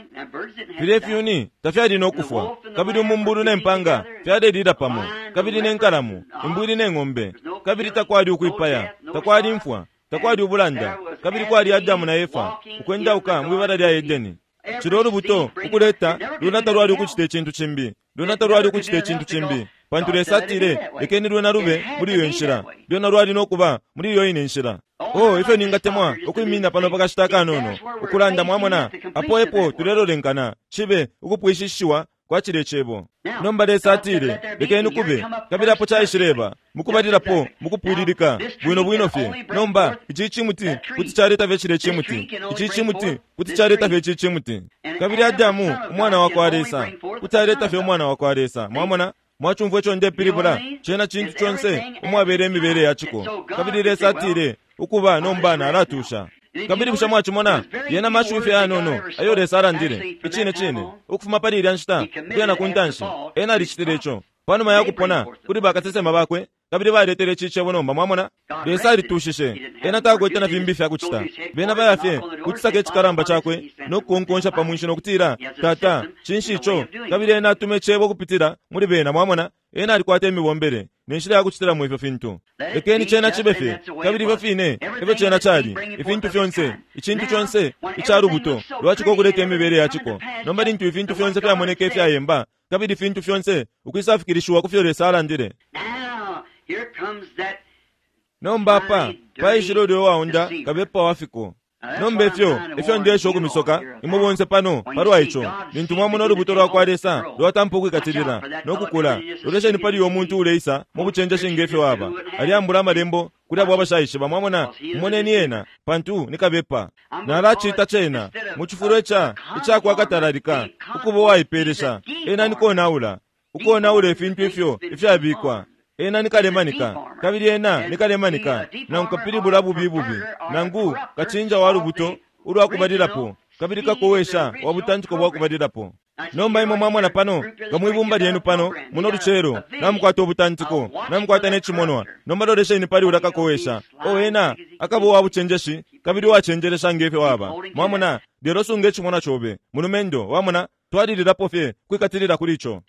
Filya ifyuni tafyali no kufwa, kabili umumbulu ne mpanga fyalelila pamo, kabili ne nkalamu, imbwili ne ng'ombe, kabili takwali ukwipaya, takwali imfwa, takwali ubulanda, kabili kwali Adamu na Efa ukwendauka mwibala lya Edeni. Cilo ulubuto ukuleta luna talwali ukucita icintu cimbi, luna talwali ukucita icintu cimbi, pantu Lesa atile lekeni lwena lube muli iyo nshila, lwena lwali no kuba muli iyo ine nshila. Oh, ifyo ningatemwa ukwimina pano pakashita kanono ukulanda, mwamona, apo epo tulelolenkana cibe ukupwishishiwa kwa cile cebo. Nomba Lesa atile lekeni kube, kabili apo caishileba mukubalilapo mukupwililika bwino bwino fye. Nomba ici cimuti kuti caleta fye cile cimuti, ici cimuti kuti caleta fye ici cimuti, kabili Adamu umwana wa kwa Lesa kuti aleta fye umwana wa kwa Lesa. Mwamona, mwacumfwa ico ndepilibula? Cena cintu conse umwabele imibele ya ciko. Kabili Lesa atile ukuba nomba nalatusha. Kabili bushe mwacimona yena mashiwi fye yanono ayo Lesa alandile icine cine ukufuma pali ilya nshita ukuya na ku ntanshi. Ena alicitile ico panuma ya kupona kuli bakasesema bakwe, kabili baletele ici cebo nomba, mwamona? Lesa alitushishe, ena takwete na fimbi fya kucita. Bena baya fye kucisaka icikalamba cakwe no kukonkonsha pa mwinshi no kutila tata cinshi ico, kabili ena atume icebo kupitila muli bena, mwamona? Ena alikwata imibombele ne nshila ya kucitilamo ifyo fintu. Lekeni cena cibe fye, kabili ifyo fine efyo cena cali. Ifintu fyonse, icintu conse ica lubuto lwaciko ukuleta imibele ya ciko. Nomba lintu ifintu fyonse fyamoneka ifyayemba, kabili ifintu fyonse ukwisafikilishiwa ku fyo Lesa alandile. Nomba apa paishile ulya uwaunda kabepa wa fiko. Nomba ifyo ifyo ndesha ukumisoka imwe bonse pano palwa ico, lintu mwamona ulubuto lwa kwa Lesa lwatampa ukwikatilila no kukula, lolesheni pali uyo muntu uleisa mu bucenjeshi ngefyo waba aliambula amalembo kuli abo abashaishiba, mwamona? Mumoneni ena, pantu ni kabepa. Nalacita cena mu cifulo ica icakwakatalalika ukuba uwaipelesha. Ena ni konaula, ukonaula ifintu ifyo ifyabikwa. Ena ni kalemanika, kabili ena ni kalemanika, nangu kapilibula bubi bubi, nangu kacinja wa lubuto ulwa kubalilapo, kabili kakowesha wa butantiko bwa kubalilapo. Nomba imwe mwamona pano nga mwibumba lyenu pano muno lucelo namukwata ubutantiko, namukwata ne cimonwa. Nomba lolesheni pali ulya kakowesha. O ena akaba uwa bucenjeshi kabili uwacenjelesha ngefyo waba, mwamona? Lelo sunga icimonwa cobe mulumendo, wamona? Twalililapo fye kwikatilila kuli ico.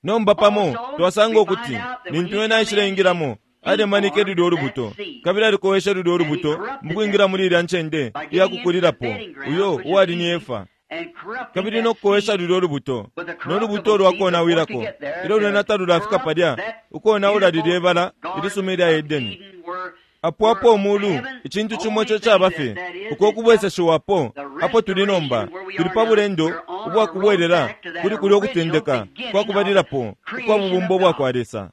Nomba pamo twasanga ukuti lintu ena aishile alemanike lulya ulubuto, kabili alikowesha lulya ulubuto mukwingira muli ilya ncende iya kukulilapo, uyo uwali ni Efa. Kabili no kukowesha lulyo lubuto, no lubuto lwakonawilako ilyo lwena talulafika palya ukonaula lilye ibala ilisuma ilya Edeni. Apo apo umulu icintu cimo ico caba fye uko kubweseshiwapo apo tuli nomba, tuli pa bulendo ubwakubwelela kuli kulya ukutendeka kwakubalilapo ukwa bubumbo bwakwa Lesa,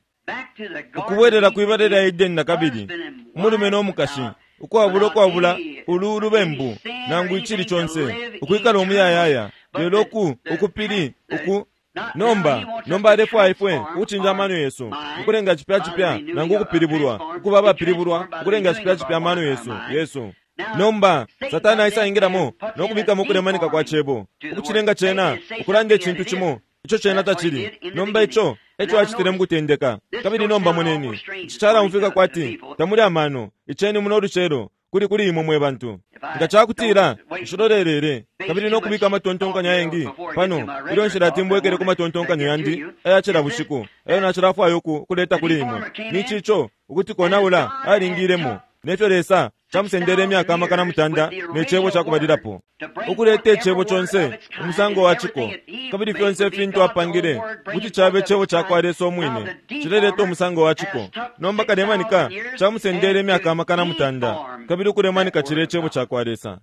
ukubwelela kwibala lya Edeni na kabili, umulume no mukashi, ukwabula ukwabula ulu ulubembu nangu icili conse, ukwikala umuyayaya. Lelo ku ukupili uku nomba nomba alefwaya ifwe ukucinja amano yesu, ukulenga cipya cipya nangu ukupilibulwa, ukuba abapilibulwa, ukulenga cipya cipya amano yesu yesu. Nomba Satani aisaingilamo no kubikamo ukulemanika kwa cebo, ukucilenga cena ukulanda icintu cimo ico cena tacili. Nomba ico eco acitile mukutendeka. Kabili nomba moneni, ici calaumfwika kwati tamuli amano iceni muno lucelo kuli kuli imwe mwe bantu. Nga cakutila nshilolelele kabili no kubika amatontonkanyo ayengi pano ilyo nshilatimbwekele ku matontonkanyo yandi aya cila bushiku ayo nacilafwaya uku kuleta kuli imwe, ni cico ukuti konaula alingilemo nefyo Lesa camusendele imyaka amakana mutanda ne cebo cakubalilapo, ukuleta icebo conse umusango wa ciko, kabili fyonse ifintu apangile kuti cabe cebo cakwa Lesa umwine cileleta umusango wa ciko. Nomba kalemanika camusendele imyaka amakana mutanda kabili ukulemanika cile cebo cakwa Lesa.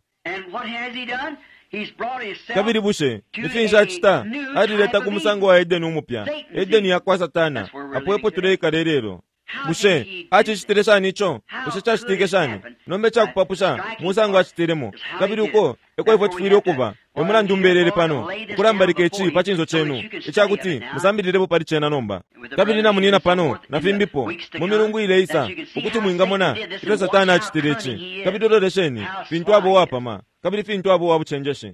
Kabili bushe ifinshi acita? Alileta ku musango wa Edeni umupya, Edeni yakwa Satana, apo epo tuleikala ilelo. Bushe acicitile shani ico? Bushe cacitike shani? Nomba icakupapusha musango acitilemo, kabili uko eko ifwe tufwile ukuba. Emulandu mbelele pano ukulambalika ici pa cinso cenu icakuti musambililepo pali cena nomba. Kabili namunina pano na fimbipo mu milungu ileisa ukuti mwingamona ifyo Satani acitile ici. Kabili lolesheni fintu abo wapama, kabili fintu abo wabucenjeshi.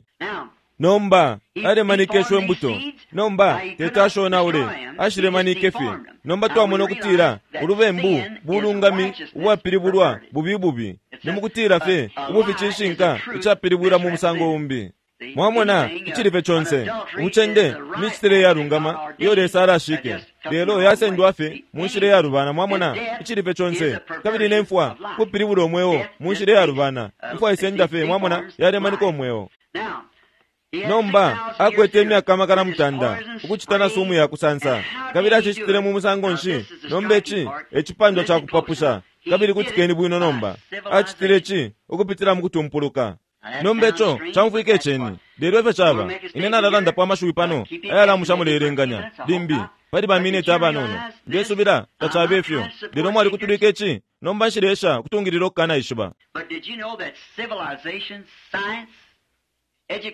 Nomba alemanika isho imbuto, nomba tetashonaule ashilemanike fye. Nomba twamona ukutila ulubembu bulungami ubwapilibulwa bubi bubi, ni mukutila fye ubufi cishinka icapilibwila mu musango umbi. Mwamona icilife conse ubucende micitile iyalungama iyo Lesa alashike, lelo yasendwa fye mu nshila iyalubana. Mwamona icilife conse kabili nemfwa kupilibula umweo mu nshila iyalubana, imfwa isenda fye. Mwamona yalemanika umweo. Nomba akwete imyaka amakana mutanda ukucita na sumu ya kusansa, kabili acicitile mu musango nshi? Nomba ici ecipandwa cakupapusha, kabili kutikeni bwino. Nomba acitile ici ukupitila mu kutumpuluka. Nomba ico camfwika iceni, lelo efyo caba. Ine nalalandapo amashiwi pano ayalamusha muleelenganya limbi pali bamineti abanono. Ndesubila tacabe ifyo, lelo mwalikutulika ici. Nomba nshilesha kutungilila okukanaishiba.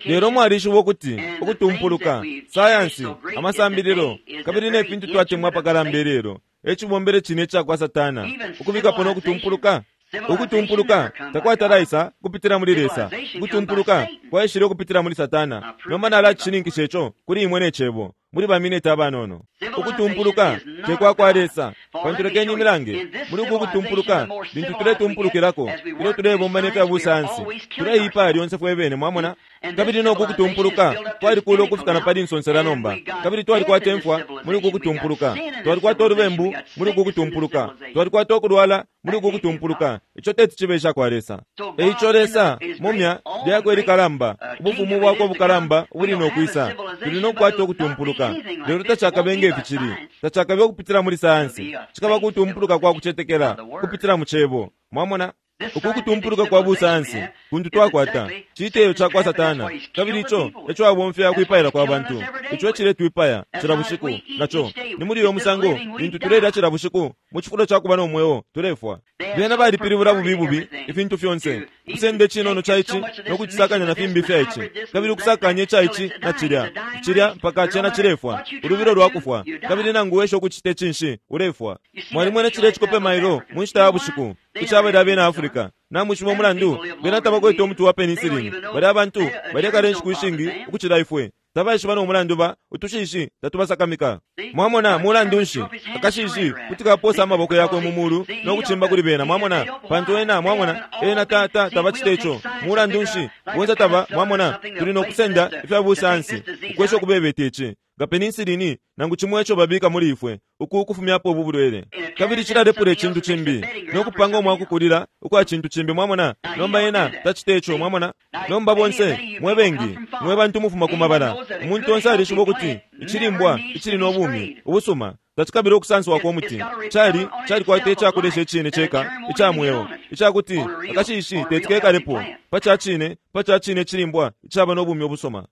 Lelo mwalishiba ukuti ukutumpuluka, sayansi, amasambililo kabili ne fintu twatemwa apakalamba ilelo ecibombele cine icakwa Satana ukubikapo no kutumpuluka. Ukutumpuluka takwatalaisa kupitila muli Lesa, ukutumpuluka kwaishile ukupitila muli Satana. Nomba nalacishininkisha ico kuli imwe ne cebo muli bamineti abanono. Ukutumpuluka tekwakwa Lesa, pantu lekeni imilange muli uku kutumpuluka lintu tuletumpulukilako ilyo tulebomba ne fya busayansi tuleipaya lyonse fwe bene. Mwamona? Kabili noku kutumpuluka twalikula ukufika na pali nsonsela nomba, kabili twalikwata imfwa muli uku kutumpuluka, twalikwata ulubembu muli uku kutumpuluka, twalikwata ukulwala muli uku kutumpuluka. Ico teti cibe icakwa Lesa. Eico Lesa mumya lyakwe likalamba, ubufumu bwakwe bukalamba ubuli nokwisa, tuli nokukwata ukutumpuluka. Lelo tacakabe nge ficili, tacakabe ukupitila muli sayansi, cikaba kutumpuluka kwa kucetekela kupitila mu cebo. Mwamona? Uku kutumpuluka kwa busayansi kuntu twakwata citeyo cakwa Satana, kabili ico eco abomfya kwipaila kwa bantu. Ico eciletwipaya cila bushiku naco ni muli uyo musango lintu tulelya cila bushiku mu cifulo ca kuba no mweo tulefwa. Bena balipilibula bubi bubi ifintu fyonse, ukusenda icinono ca ici no kucisakanya na fimbi fya ici, kabili ukusakanya ica ici na cilya cilya mpaka cena cilefwa, ulubilo lwa kufwa. Kabili nangu wesha ukucita icinshi ulefwa. Mwalimwene cilya icikope mailo mu nshita ya bushiku icabali abena Afrika. Namwishiba umulandu bena tabakwete umuti wa penicillin. Bali abantu balekala inshiku ishingi ukucila ifwe, tabaishiba no mulandu ba utushishi tatubasakamika. Mwamona mulandu nshi akashishi kuti kaposa amaboko yakwe mu mulu no kucimba kuli bena. Mwamona pantu ena mwamona ena tata tabacita ico. Mulandu nshi bonse taba mwamona tuli no kusenda ifya busayansi ukwesha ukubebeta ici nga penicillin nangu cimo ico babika muli ifwe uku ukufumyapo ubu bulwele, kabili cilalepula icintu cimbi no kupanga umwakukulila ukwa cintu cimbi. Mwamona? Nomba ena tacita ico. Mwamona? Nomba bonse mwe bengi mwe bantu mufuma ku mabala, umuntu onse alishiba ukuti icilimbwa icili no bumi ubusuma tacikabila ukusanswako umuti. Cali calikwata icakulesha icine ceka ica mweo, icakuti akashishi teti kekalepo pa ca cine, pa ca cine icilimbwa icaba no bumi ubusuma.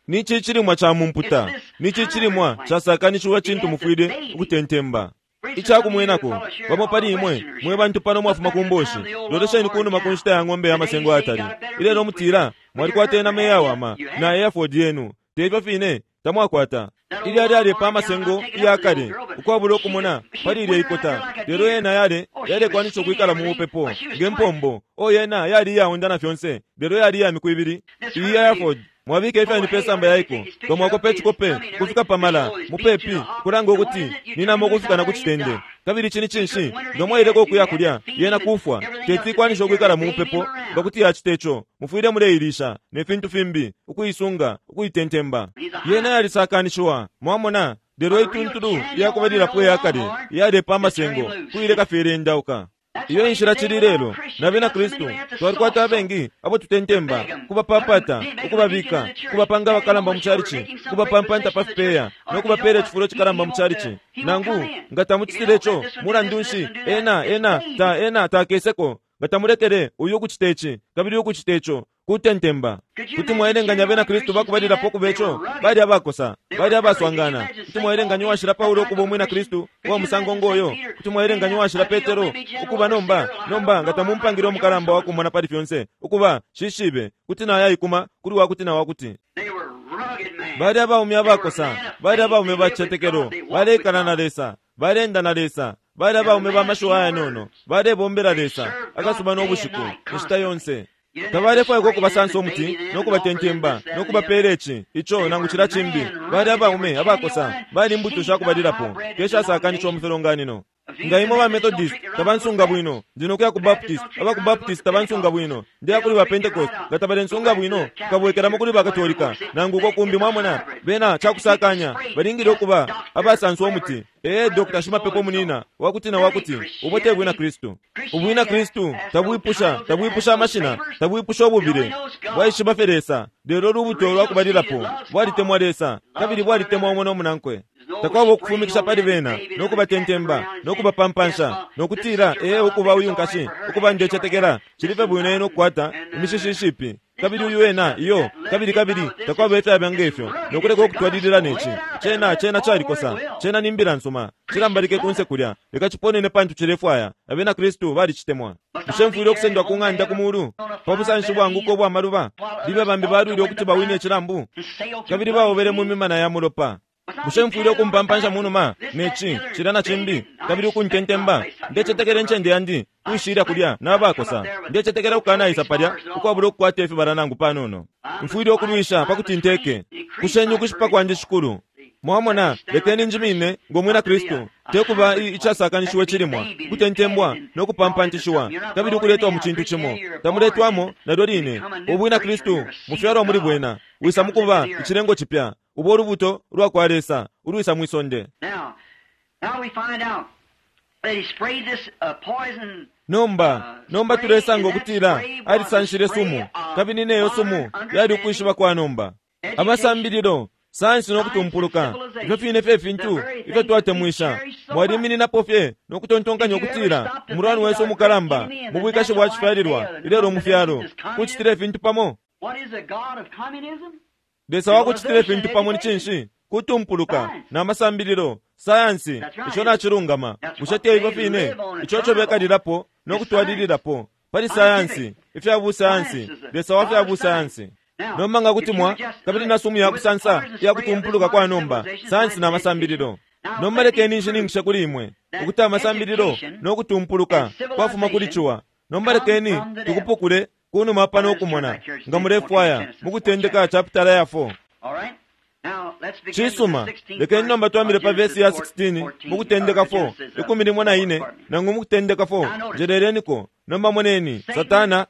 Nici icilimwa ca mumputa, nici icilimwa casakanishiwa cintu mufwile ukutentemba. Icakumwenako, bamo pali imwe mwe bantu pano mwafuma ku mboshi, lolesheni kunuma ku nshita ya ng'ombe ya masengo atali. Ilelo mutila mwalikwata inama iyawama na Hereford yenu, teifyo fine tamwakwata. Ilya lyalepa amasengo iyakale ukwabula ukumona pali ilya ikota, lelo yena yale yalekwanisha ukwikala mu bupepo nge mpombo. O yena yali iyaunda na fyonse, lelo yali iya miku ibili. Iyi Hereford mwabika ifyani pe samba yaiko, nga mwakopa icikope kufika pamala mupepi kulanga ukuti ninama ukufika na ku citende. Kabili chini cinshi nga mwaileko ukuya kulya yena kufwa, teti ikwanisha ukwikala mu bupepo nga kuti yacita ico. Mufwile muleilisha ne fintu fimbi, ukuisunga, ukuitentemba. Yena yalisakanishiwa, mwamona, lelo ituntulu iyakubalilapo iyakale iyalepa amasengo kuileka fye ilendauka. Iyo inshila cili lelo na bena Kristu twalikwata abengi abo tutentemba, kubapapata, ukubabika, kubapanga abakalamba mu chalichi, kubapampanta pa fipeya no kubapela icifulo cikalamba mu chalichi. Nangu nga tamucitile ico, mulandu nshi, ena ena ta ena takeseko. Nga tamulekele uyu ukucita ici kabili ukucita ico, kutentemba. Kuti mwaelenganya abena Kristu bakubalilapo ukuba ico? Bali abakosa, bali abaswangana. Kuti mwaelenganya uwashila Paulo ukuba umwina Kristu uwa musango ngoyo? Kuti mwaelenganya uwashila Petero ukuba nomba nomba nga tamumpangile umukalamba wa kumona pali fyonse ukuba shishibe kuti nayayikuma kuli wakuti na wakuti. Bali abaume abakosa, bali abaume ba cicetekelo, baleikala na Lesa, balenda na Lesa, bali abaume ba mashiwi ayanono, balebombela Lesa akasuba no bushiku inshita yonse. Tabalefwaikwa ukubasansa umuti no kubatentemba no kubapeela ici ico nangu cila cimbi. Bali abaume abakosa, bali imbuto shakubalilapo keshasakanishiwa mu filonganino. Nga imwe ba Methodist tabansunga bwino, ndi nokuya ku Baptist, aba ku Baptist tabansunga bwino, ndiya kuli ba Pentecost, nga tabalensunga bwino, nkabwekelamo kuli ba Katolika nangu uko kumbi. Mwamona, bena cakusakanya balingile ukuba abasanswa umuti. Ee, Doctor Shimapepo munina wakuti na wakuti, ubo te bwina Kristu. Ubwina Kristu tabwipusha, tabwipusha amashina, tabwipusha ububile. Bwaishiba fye Lesa, lelo lubuto lwakubalilapo bwalitemwa Lesa kabili bwalitemwa umo no munankwe. Takwaba ukufumikisha pali bena no kubatentemba no kubapampansha no kutila ee ukuba uyu nkashi ukuba ndecetekela cili fye bwino ena ukukwata imishishi ishipi kabili uyu ena iyo kabili kabili takwaba ifyaba ngefyo no kuleka ukutwalilila neci. Cena cena calikosa, cena ni mbila nsuma, cilambalike kunse kulya, leka ciponene pantu cilefwaya. Abena Kristu balicitemwa. Bushe mfwile ukusendwa ku ng'anda ku mulu pa busanshi bwanguka ubwa maluba? Libe bambi balwile ukuti bawine icilambu kabili baobele mu mimana ya mulopa. Bushe mfwile ukumpampansha munuma neci cilya na cimbi kabili ukuntentemba? Ndecetekela incende yandi kwishilya kulya nabakosa. Ndecetekela ukukanaisa palya ukwabula ukukwata ifibala nangu panono. Mfwile ukulwisha pakuti nteke. Kusheni ukushipa kwandi Shikulu. Mwamona, lekeni njimine ngo mwina Kristu, tekuba icasakanishiwe cilimwa, kutentembwa no kupampantishiwa kabili ukuletwa mu cintu cimo. Tamuletwamo nalyo line. Ubwina Kristu mufyalwa muli bwena, wisa mukuba icilengo cipya, ubo ulubuto lwa kwa Lesa ulwisa mwisonde. Nomba nomba tulesanga ukutila alisanshile sumu, kabili neyo sumu yali ukwishiba kwa nomba. Amasambililo, sayansi no kutumpuluka, ifyo fine fye fintu ifyo twatemwisha. Mwalimininapo fye no kutontonkanya ukutila umulwani wesu umukalamba mu bwikashi bwa cifyalilwa ilelo mu fyalo kucitila ifintu pamo. Lesa wakucitila ifintu pamo ni cinshi? Kutumpuluka na masambililo, sayansi, ico nacilungama. Bushe te ifyo fine ico co bekalilapo no kutwalililapo pali sayansi, ifya busayansi, Lesa wa fya busayansi. Nomba nga kuti mwa kabili na sumu ya kusansa ya kutumpuluka kwa nomba, sayansi na masambililo. Nomba lekeni nshininkishe kuli imwe ukuti amasambililo no kutumpuluka kwafuma kuli ciwa. Nomba lekeni tukupukule kunuma pano ukumona nga mulefwaya mu kutendeka chapitala ya four. Cisuma, lekeni nomba twambile pa vesi ya sixteen mu kutendeka four, ikumi limo na ine nangu mu kutendeka four. Njeleleniko. Nomba moneni Satana.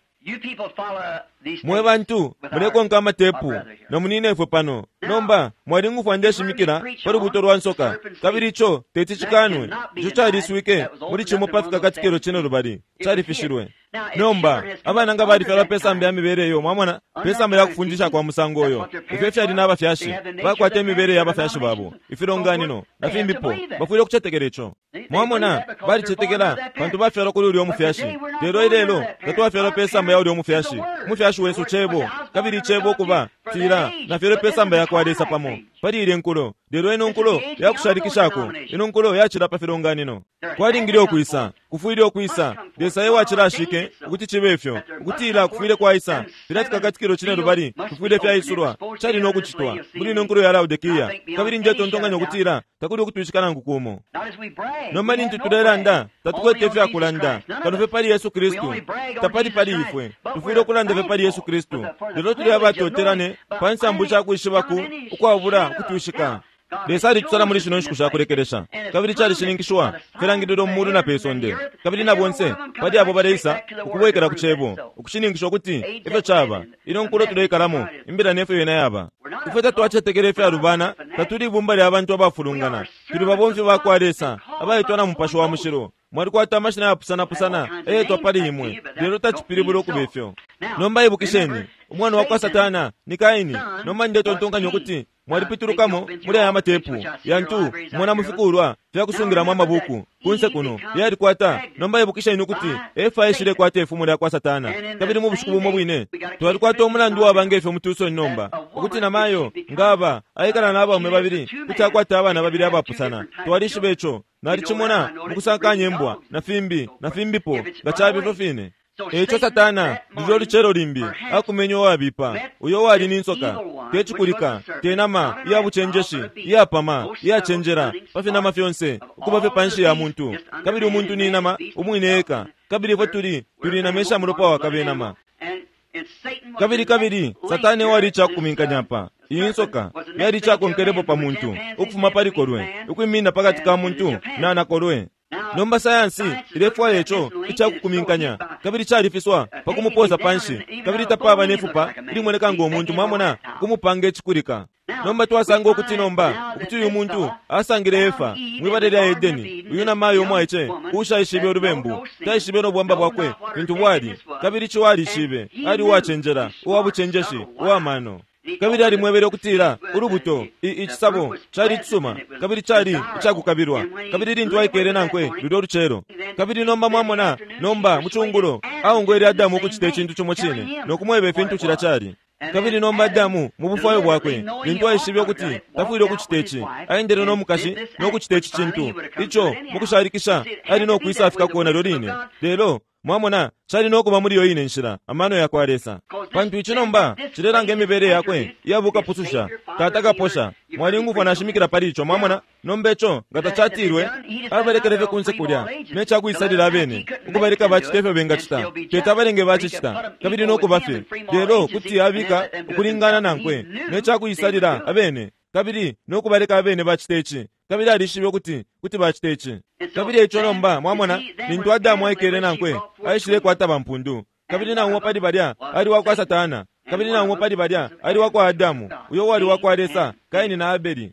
Mwe bantu mulekonka amatepu na munine ifwe pano Nomba mwalingufwa ndeshimikila pa lubuto lwa nsoka, kabili ico teti cikanwe. Ico caliswike muli cimo pa Fikakatikilo cine lubali, califishilwe. Nomba abana nga balifyalwa pe samba ya mibele iyo, mwamona, pe samba ya kufundisha kwa musango uyo, ifyo ifyali n'abafyashi bakwata imibele ya bafyashi babo, ifilonganino na fimbipo, bafwile ukucetekela ico. Mwamona, balicetekela pantu bafyalwa kuli ulya umufyashi. Lelo ilelo tatwafyalwa pe samba ya ulya umufyashi. Umufyashi wesu Cebo, kabili Icebo kuba tila nafyalwe pe samba ya kwa Lesa pamo pali ile nkulo. Lelo ino nkulo yakushalikishako, ino nkulo yacila pa filonganino. Kwalingile ukwisa, kufwile ukwisa. Lesa ewacilashike ukuti cibe ifyo, ukutila kufwile kwaisa. Filya Fikakatikilo cine lubali kufwile fyaisulwa, cali no kucitwa muli ino nkulo ya Laodikia. Kabili njetontonkanya ukutila takuli ukutwishika nangu kumo. Nomba lintu tulelanda, tatukwete ifyakulanda kano fye pali Yesu Kristu. Tapali pali ifwe, tufwile ukulanda fye pali Yesu Kristu. Lelo tuli abatotelane pa nsambu cakwishiba ku ukwabula ukutwishika. Lesa alitusala muli shino nshiku shakulekelesha, kabili calishininkishwa filangililo mu mulu na pe sonde, kabili na bonse pali abo baleisa ukubwekela ku Cebo, ukushininkisha ukuti ifyo caba. Ino nkulo tuleikalamo, imbila nefyo yena yaba. Ifwe tatwacetekela ifyalubana, tatuli ibumba lya bantu abafulungana. Tuli babomfi ba kwa Lesa abaitwa na Mupashi wa Mushilo. Mwalikwata amashina yapusanapusana eyetwa pali imwe, lelo tacipilibula ukuba ifyo. Nomba ibukisheni, umwana wa kwa Satana ni Kaini. Nomba ndetontonkanya ukuti mwalipitulukamo muli aya matepu yantu mona mufikulwa fyakusungilamo amabuku kunse kuno yalikwata. Nomba ibukisheni ukuti Efa aishilekwata ifumo lya kwa Satana, kabili mu bushiku bumo bwine twalikwata umulandu waba ngefyo mu Tucson nomba, ukuti namayo ngaba aikala n'abaume babili kuti akwata abana babili abapusana. Twalishiba ico, nalicimona mukusakanya imbwa na fimbi na fimbipo nga cabe ifyo fine. Eico Satana lulyo lucelo limbi akumenye uwabipa, uyo wali ni nsoka, te cikulika, te nama iya bucenjeshi, iyapama, iyacenjela pa finama fyonse, ukuba fye panshi ya muntu. Kabili umuntu ni nama umwine eka, kabili ifwe tuli tuli nama isha mulopa wa kabenama. Kabili kabili Satani wali icakuminkanya pa iyi nsoka yali icakonkelepo pa muntu ukufuma pali kolwe, ukwimina pakati ka muntu na nakolwe. Nomba sayansi ilefwaya ico icakukuminkanya, kabili califiswa pa kumuposa panshi, kabili tapaba nefupa ilimoneka ngo muntu, mwamona, kumupanga icikulika. Nomba twasanga ukuti nomba ukuti uyu muntu asangile Efa mwibala lya Edeni, uyu namayo umwaice ushaishibe ulubembu, taishibe no bwamba bwakwe fintu bwali, kabili ico alishibe ali uwacenjela, uwabucenjeshi, uwamano. Kabili alimwebele ukutila ulubuto icisabo cali icisuma, kabili cali icakukabilwa, kabili lintu aikele nankwe lulyo lucelo. Kabili nomba mwamona, nomba mucungulo aongwele Adamu ukucita icintu cimo cine no kumweba ifintu cila cali. Kabili nomba Adamu mu bufwayo bwakwe, lintu aishibe ukuti tafwile ukucita ici, aendele no mukashi no kucita ici cintu ico mukushalikisha ali no kwisa afikako nalyo line. Lelo mwamona, cali no kuba muli iyo ine nshila amano ya kwa Lesa, pantu ici nomba cilelanga imibele yakwe iyabukapususha, tata kaposha. Mwalingufwa nashimikila pali ico, mwamona. Nomba ico nga tacatilwe, abalekele fye kunse kulya ne cakwisalila abene, ukubaleka bacita ifyo bengacita, tete abalenge bacicita, kabili no kuba fye. Lelo kuti abika ukulingana nankwe ne cakwisalila abene, kabili no kubaleka abene bacita ici, kabili alishibe ukuti kuti bacita ici. Kabili ico nomba mwamona, lintu Adamu aikele nankwe aishilekwata bampundu, kabili na umo pali balya ali wa kwa Satana, kabili na umo pali balya ali wa kwa Adamu, uyo wali wa kwa Lesa, Kaini na Abeli.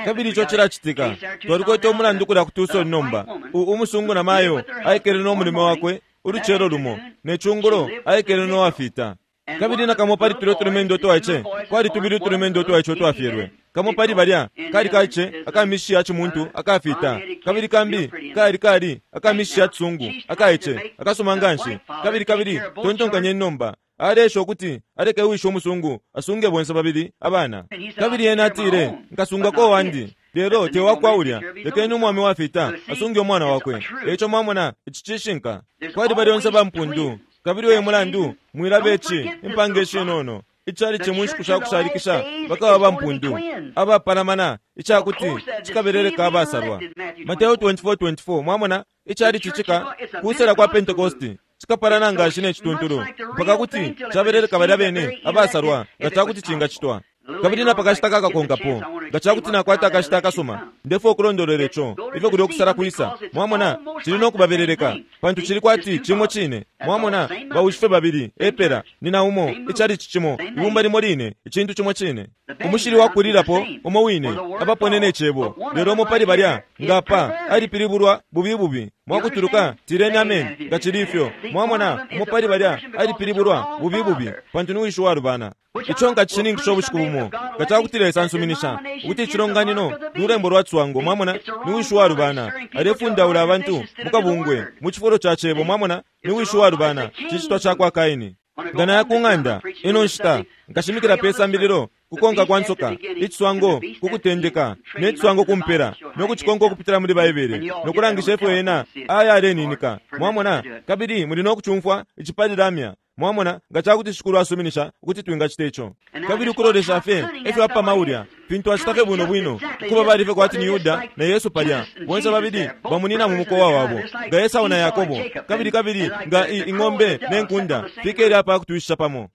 Kabili ico cilacitika. Twalikwete umulandu kulya ku Tucson nomba. Umusungu na mayo aikele no mulimo wakwe ulucelo lumo, ne cungulo aikele no wafita. Kabili na kamo pali tulyo tulumendo twaice, kwali tubili tulumendo twaice twafyelwe. Kamo pali balya kali kaice akamishi ya chimuntu akafita, kabili kambi kali kali akamishi ya tsungu akaice akasoma nganshi. Kabili kabili tontonkanye nomba alesha ukuti aleke wishe umusungu asunge bonse babili abana. Kabili yena atile, nkasungako wandi, lelo te wakwa ulya, lekeni umwami wafita asunge umwana wakwe. Eico mwamona ici cishinka. Kwali balyonse bampundu, kabili uyu mulandu mwilabe ici impanga ishinono icali cimunshiku shakushalikisha bakaba bampundu abapalamana icakuti cikabeleleka abasalwa. Mateo twenty-four twenty-four. Mwamona icali cicika kusela kwa Pentecosti cikapalana ngashi ne cituntulu mpaka kuti cabeleleka balya bene abasalwa nga cakuti cingacitwa. Kabili napakashita kakakonkapo Nga cakuti nakwata akashita akasuma, ndefwaya ukulondolwela ico ifyo kulyo kusala kwisa. Mwamona, cili no kubabeleleka, pantu cili kwati cimo cine. Mwamona, bawishife babili epela nina umo, icalici cimo, ibumba limo line, icintu cimo cine, umushili wakulirapo umo wine, abaponene icebo. Lelo umo pali balya ngapa alipilibulwa bubi bubi. Mwakutuluka tireni amen nga cili ifyo. Mwamona, umo pali balya alipilibulwa bubi bubi, pantu ni wishi walubana. Ico nkacishininkisha ubushiku bumo, nga cakuti Lesa ansuminisha ukuti icilonganino lulembo lwa tswango. Mwamona, ni wishi walubana alefundaula abantu mukabungwe mu cifulo ca cebo. Mwamona, ni wishi walubana, cicitwa ca kwa Kaini. Nga naya ku ng'anda ino nshita, nkashimikila pe sambililo kukonka kwa nsoka, iciswango kukutendeka ne ciswango kumpela, no kucikonka ukupitila muli Baibele, no kulangisha ifyo ena aya aleninika. Mwamona, kabili muli no kucumfwa icipalilamya. Mwamona, nga cakuti Shikulu asuminisha ukuti twingacita ico. Kabili ukulolesha fye efyo apama ulya fintu acita fye bwino bwino, ukuba bali fye kwati ni Yuda na Yesu palya, bonse babili bamunina mu mukowa wabo, nga Esau na Yakobo, kabili kabili nga ing'ombe ne nkunda fikele apa kutwishisha pamo.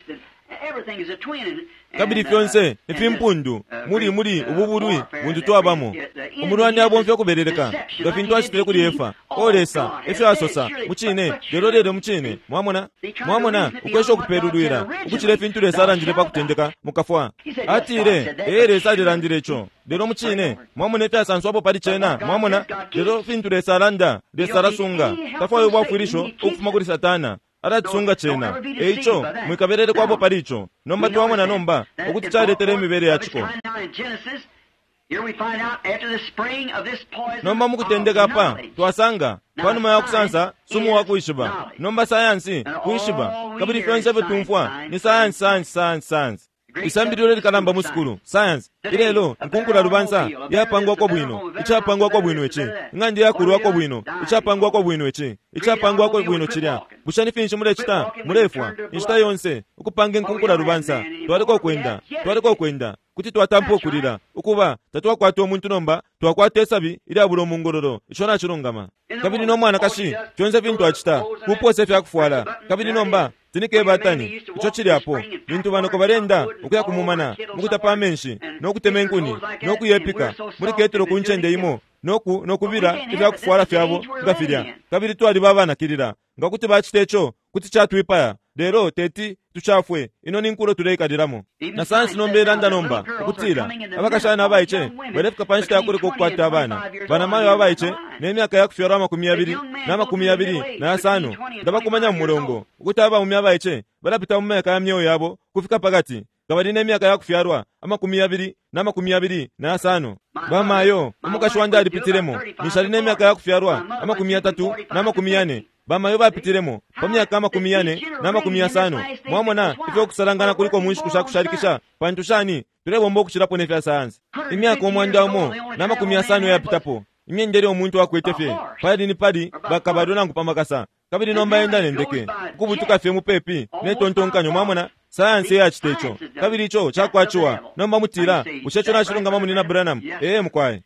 Kabili fyonse ifimpundu muli muli ububulwi buntu twabamo. Umulwani abomfya ukubeleleka nga fintu acitile kuli Efa. O Lesa efyo asosa mucine, lelo lelo mucine. Mwamona, mwamona ukwesha ukupelulwila ukucila ifintu Lesa alandile pa kutendeka mukafwa. Atile ee, Lesa alilandile ico, lelo mucine. Mwamona ifyasanswapo pali cena. Mwamona, lelo fintu Lesa alanda, Lesa alasunga. Tafwayo ubwafwilisho ukufuma kuli Satana, alatisunga cena. Eico mwikabelele kwapo pali ico. Nomba twamona nomba ukuti caletele imibele ya ciko. Nomba mukutendeka apa twasanga panuma ya kusansa sumu wa kuishiba. Nomba sayansi kuishiba, kabili fyonse ifyo tumfwa ni sayansi, sayansi, sayansi, sayansi. Isambililo likalamba mu sukulu science ilelo nkunkula lubansa yapangwako bwino, icapangwako bwino ici, ing'anda yakulwako bwino, icapangwako bwino ici, icapangwako bwino cilya. Bushe ni finshi mulecita? Mulefwa inshita yonse ukupanga inkunkula lubansa. Twaliko kwenda, twaliko kwenda, kuti twatampa ukulila ukuba tatwakwata umuntu. Nomba twakwata isabi ilyabula umungololo. Ico nacilungama. Kabili no mwanakashi fyonse fintu acita kuposa ifyakufwala. Kabili nomba tinike batani ico cili apo lintu banoko balenda ukuya kumumana mukutapa amenshi no kutema inkuni no kuyepika muli ketelo ku ncende imo noku nokubila ifyakufwala fyabo nga filya. Kabili twaliba abanakilila nga kuti bacita ico kuti catwipaya, lelo teti tuchafwe. Ino ni nkulo tuleikalilamo. Na sayansi nomba ilanda nomba ukutila abakashana abaice balefika pa nshita yakuleka ukukwata abana. Banamayo abaice ne myaka ya kufyalwa amakumi yabili na makumi yabili na yasano ndabakumanya mu mulongo ukuti abaume abaice balapita mu myaka ya myeo yabo kufika pakati nga bali ne myaka ya kufyalwa amakumi yabili na makumi yabili na yasano. Bamayo umukashi wandi alipitilemo nishali ne myaka ya kufyalwa amakumi yatatu na makumi yane. Bamayo bapitilemo pa myaka amakumi yane na makumi yasano. Mwamona ifyo kusalangana kuliko mu nshiku sha kushalikisha, pantu shani tulebomba ukucilapo ne fya sayansi. Imyaka umwanda umo na makumi yasano yapitapo, imyendele umuntu akwete fye pali ni pali bakabalwe nangu pa makasa. Kabili nomba enda nendeke ukubutuka fye mupepi ne tontonkanyo. Mwamona sayansi eyacita ico, kabili ico cakwaciwa. Nomba mutila, bushe ico nacilungama munina Branham? Ee mukwaye.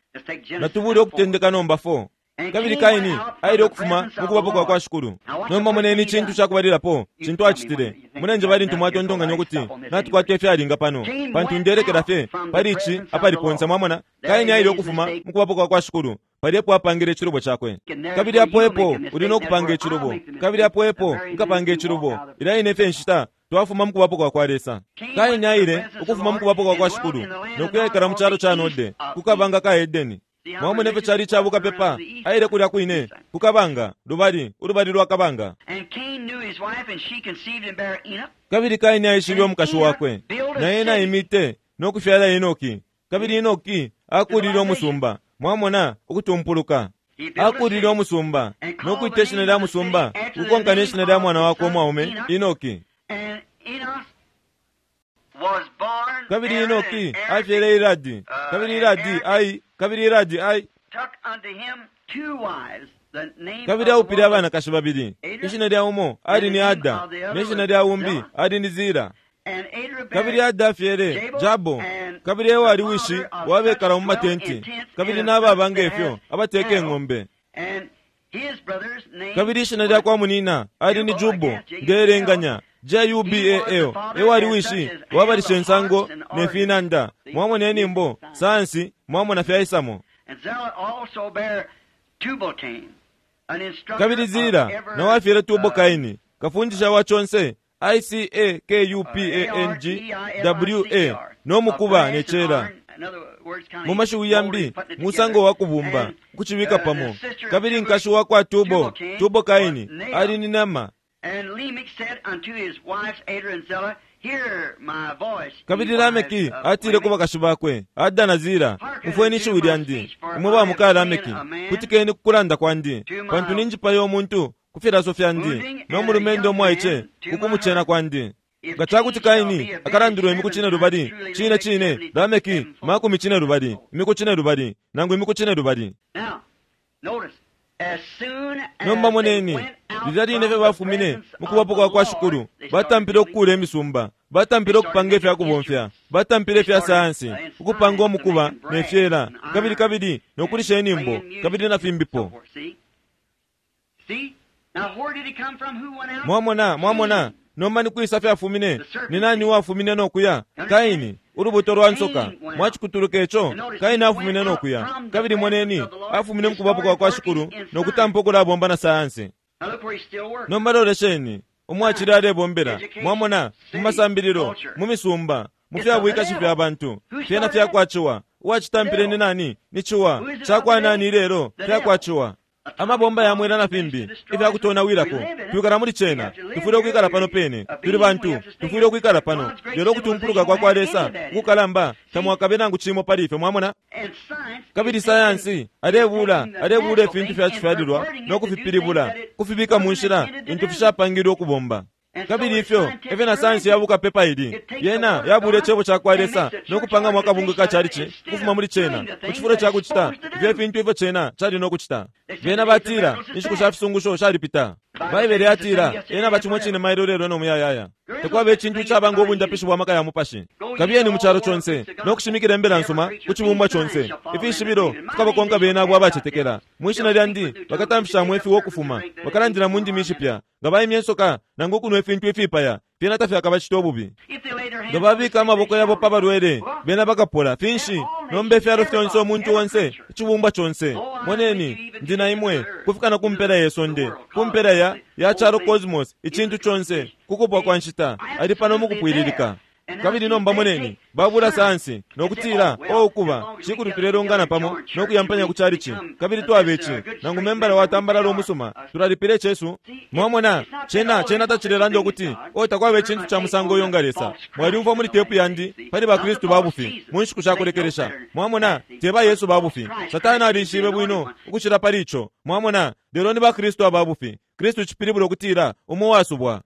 Natubule ukutendeka nomba four. Kabili Kaini aile ukufuma mukubapo kwa kwa Shikulu. Nomba moneni icintu cakubalilapo cintu acitile. Munenje bali ntu mwatontonkanya ukuti natukwata ifyalinga pano, pantu ndelekela fye pali ici apali ponse. Mwamona, Kaini aile ukufuma mukubapo kwa kwa Shikulu, pali epo apangile icilubo cakwe. Kabili apo epo uli no kupanga icilubo, kabili apo epo nkapanga icilubo. Ila ine fye nshita twafuma mukubapo kwa kwa Lesa. Kaini aile ukufuma mukubapo kwa kwa Shikulu no kuyekala mu calo ca Node, ku kabanga ka Edeni. Mwamona ifyo cali icabuka pepa aile kulya kwine ku kabanga, lubali ulubali lwa kabanga. Kabili Kaini aishibe umukashi wakwe, na ena aimite no kufyala Enoki. Kabili Enoki akulile umusumba. Mwamona ukutumpuluka, akulile umusumba no kwita ishina lya musumba ukukonka ne shina lya mwana wakwe umwaume Enoki. Kabili Enoki afyele Iradi, kabili Iradi ai kabili Iradi ai kabili aupile abanakashi babili. Ishina lya umo ali ni Ada, ne shina lya umbi ali ni Zira. Kabili Ada afyele Jabo, kabili ewo ali wishi wabekala mu matenti, kabili n'ababa ngefyo abateka eng'ombe. Kabili ishina lya kwa munina ali ni Jubo, ndelenganya J U B A L, ewali wishi wabalisha ensango ne finanda. Mwamona enyimbo, sayansi, mwamona fyaisamo. Kabili Zila nawafyele Tubo Kaini, kafundisha wa chonse I C A K U P A N G W A no mukuba ne chela. Mu mashiwi yambi musango wa kubumba kuchibika pamo. Kabili nkashi wa kwa Tubo, Tubo Kaini ali ni nama. Kabili Lameki atile ku bakashi bakwe, Ada na Zila, umfweni ishiwi lyandi, imwe ba muka Lameki, kutikeni kukulanda kwandi, pantu ninjipayo omuntu ku filaso fyandi, no mulumendo omwaiche kukumuchena kwandi. Nga cakuti Kaini akalandilwe imiku cine lubali, cine cine Lameki makumi cine lubali, imiku cine lubali, nangu imiku cine lubali. Nomba moneni, lilya line fye bafumine mu kubapo kwa kwa Shikulu, batampile okukula emisumba, batampile okupanga ifyakubomfya, batampile ifya sayansi, ukupanga omukuba ne fyela, kabili kabili nokulisha enyimbo, kabili na fimbipo. Mwamona, mwamona, nomba ni kwisa fyafumine, ni nani uwafumine nokuya? Kaini, ulubuto lwa nsoka. Mwachikutuluka echo, Kaini afumine nokuya. Kabili moneni, afumine mukubapo kwa kwa Shikulu, nokutampa okulabomba na sayansi. Nomba lolesheni, umwachili alebombela, mwamona, mu masambililo, mu misumba, mu fyabwikashi fya bantu, fyena fyakwachiwa. Uwachitampile ni nani? Ni chiwa. Chakwa nani ilelo? Fyakwachiwa. Amabomba yamwela na fimbi ifyakutonawilako. Twikala muli chena, tufwile okwikala pano pene, tuli bantu, tufwile okwikala pano. Lelo okutumpuluka kwa kwa Lesa ukukalamba tamwakabe nangu chimo pali ife, mwamona. Kabili sayansi alebula alebula ifintu fyachifyalilwa nokufipilibula kufibika mu nshila intu fishapangilwe okubomba. Kabili ifyo efyo na sayansi yabuka pepa ili yena yabula icebo ca kwa Lesa nokupanga mwaka bungu ka chalichi kufuma muli chena mu chifulo cha kuchita ifyo ifintu ifyo chena chali nokuchita. Bena batila inshiku sha fisungusho shalipita. Baibele yatila ena bachimwe chine mailo lelo no muyayaya. Tekwaba echintu chabanga obundapishi bwa maka ya mupashi. Kabiyeni mu chalo chonse nokushimikila embela nsuma ku chibumbwa chonse. Ifishibilo fikabakonka bena abo abachetekela. Mwishina lyandi bakatamfisha mwefi wokufuma, bakalandila mu ndimi ishipya. Nga baimya ensoka nangu okunwa efintu ifipaya, fyena tafyakabachita obubi. Nga babika amaboko yabo pa balwele, bena bakapola. Finshi nomba efyalo fyonse, omuntu onse, ichibumbwa chonse. Moneni, ndi na imwe kufika na kumpela yesonde, kumpela ya ya chalo cosmos, ichintu chonse kukupwa kwa nshita ali pano mukupwililika. Kabili nomba moneni, babula sayansi nokutila o ukuba chikulu tulelongana pamo nokuyampanya ku chalichi. Kabili twabechi nangu membala watambalala omusuma tulalipile chesu. Mwamona, chena chena tachilelanda okuti o takwabe chintu cha musango oyo nga Lesa. Mwalimva muli tepu yandi pali bakristu babufi mu nshiku shakulekelesha. Mwamona, teba Yesu babufi. Satani alishibe bwino ukuchila pali icho. Mwamona, lelo ni bakristu ababufi. Kristu chipilibula okutila umo wasubwa.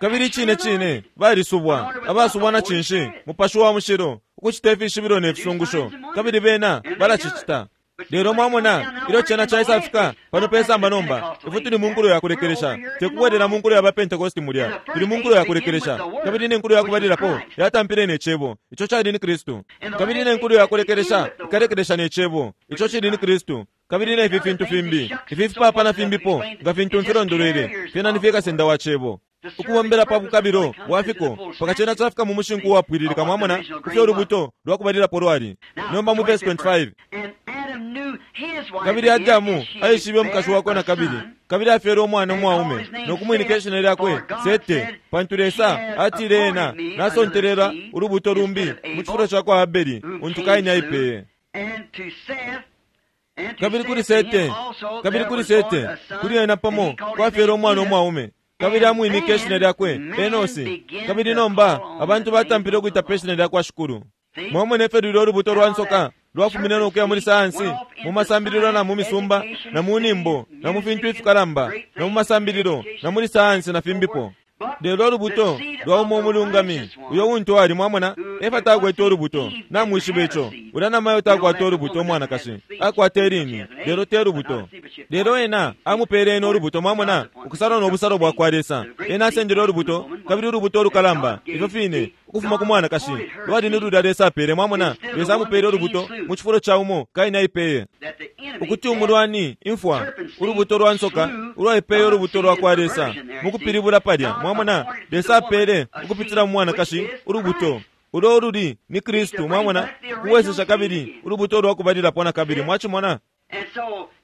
Kabili chine chine balisubwa, abasubwa na chinshi mupashi wa mushilo ukuchita ifishibilo ne fisungusho. Kabili bena balachichita. Lelo mwamona, ilo chena chaisafika pano pesamba nomba ifu tuli mu nkulo yakulekelesha, tekubwelela mu nkulo ya bapentekosti mulya, tuli mu nkulo yakulekelesha. Kabili ne nkulo yakubalilapo yatampile ne chebo, icho chali ni Kristu. Kabili ne nkulo yakulekelesha ikalekelesha ne chebo, icho chili ni Kristu. Kabili ne ifi fintu fimbi ifi fipapa na fimbipo nga fintu mfilondolwele fyena ni fyekasenda wa chebo ukubombela pa bukabilo bwafiko paka chena chafika mu mushinku wapwililika. Mwamona kufyo ulubuto lwakubalilapo lwali. Nomba mu verse twenty-five, kabili Adamu aishibe omukashi wakwe na kabili, kabili afyele omwana omwaume nokumwinika ishina lyakwe Sete, pantu Lesa atile ena nasontelela ulubuto lumbi mu chifulo cha kwa Abeli untu Kaini aipeye. Kabili kuli Sete, kabili kuli Sete, kuli ena pamo kwafyele omwana omwaume, kabili amwinike ishina lyakwe Enosi. Kabili nomba abantu batampile okuita pe ishina lyakwa Shikulu. Mwamona efyo lulya olubuto lwa nsoka lwafumine nokuya muli sayansi, mu masambililo na mu misumba na mu nimbo na mu fintu ifikalamba na mu masambililo na muli sayansi na fimbipo. Lelo olubuto lwa umo omulungami uyo untu ali, mwamona, Efa takwete ulubuto, namwishiba ico. Ulya namayo takwata ulubuto umwanakashi, akwata ilini, lelo te lubuto. Lelo ena amupele ena ulubuto, mwamona, ukusalwa no busalo bwakwa Lesa. Ena asendele ulubuto, kabili ulubuto ulukalamba, ifyo fine, ukufuma ku mwanakashi, lwali ni lulya Lesa apele, mwamona, Lesa amupele ulubuto mu cifulo ca umo Kaini aipeye. Ukuti umulwani, imfwa, ulubuto lwa nsoka, ulwaipeye ulubuto lwa kwa Lesa, mukupilibula palya, mwamona, Lesa apele ukupitila mu mwanakashi ulubuto ulo ululi ni Kristu, mwamona, kuwesesha kabili ulubuto lwa kubalilapo na kabili, mwachimona.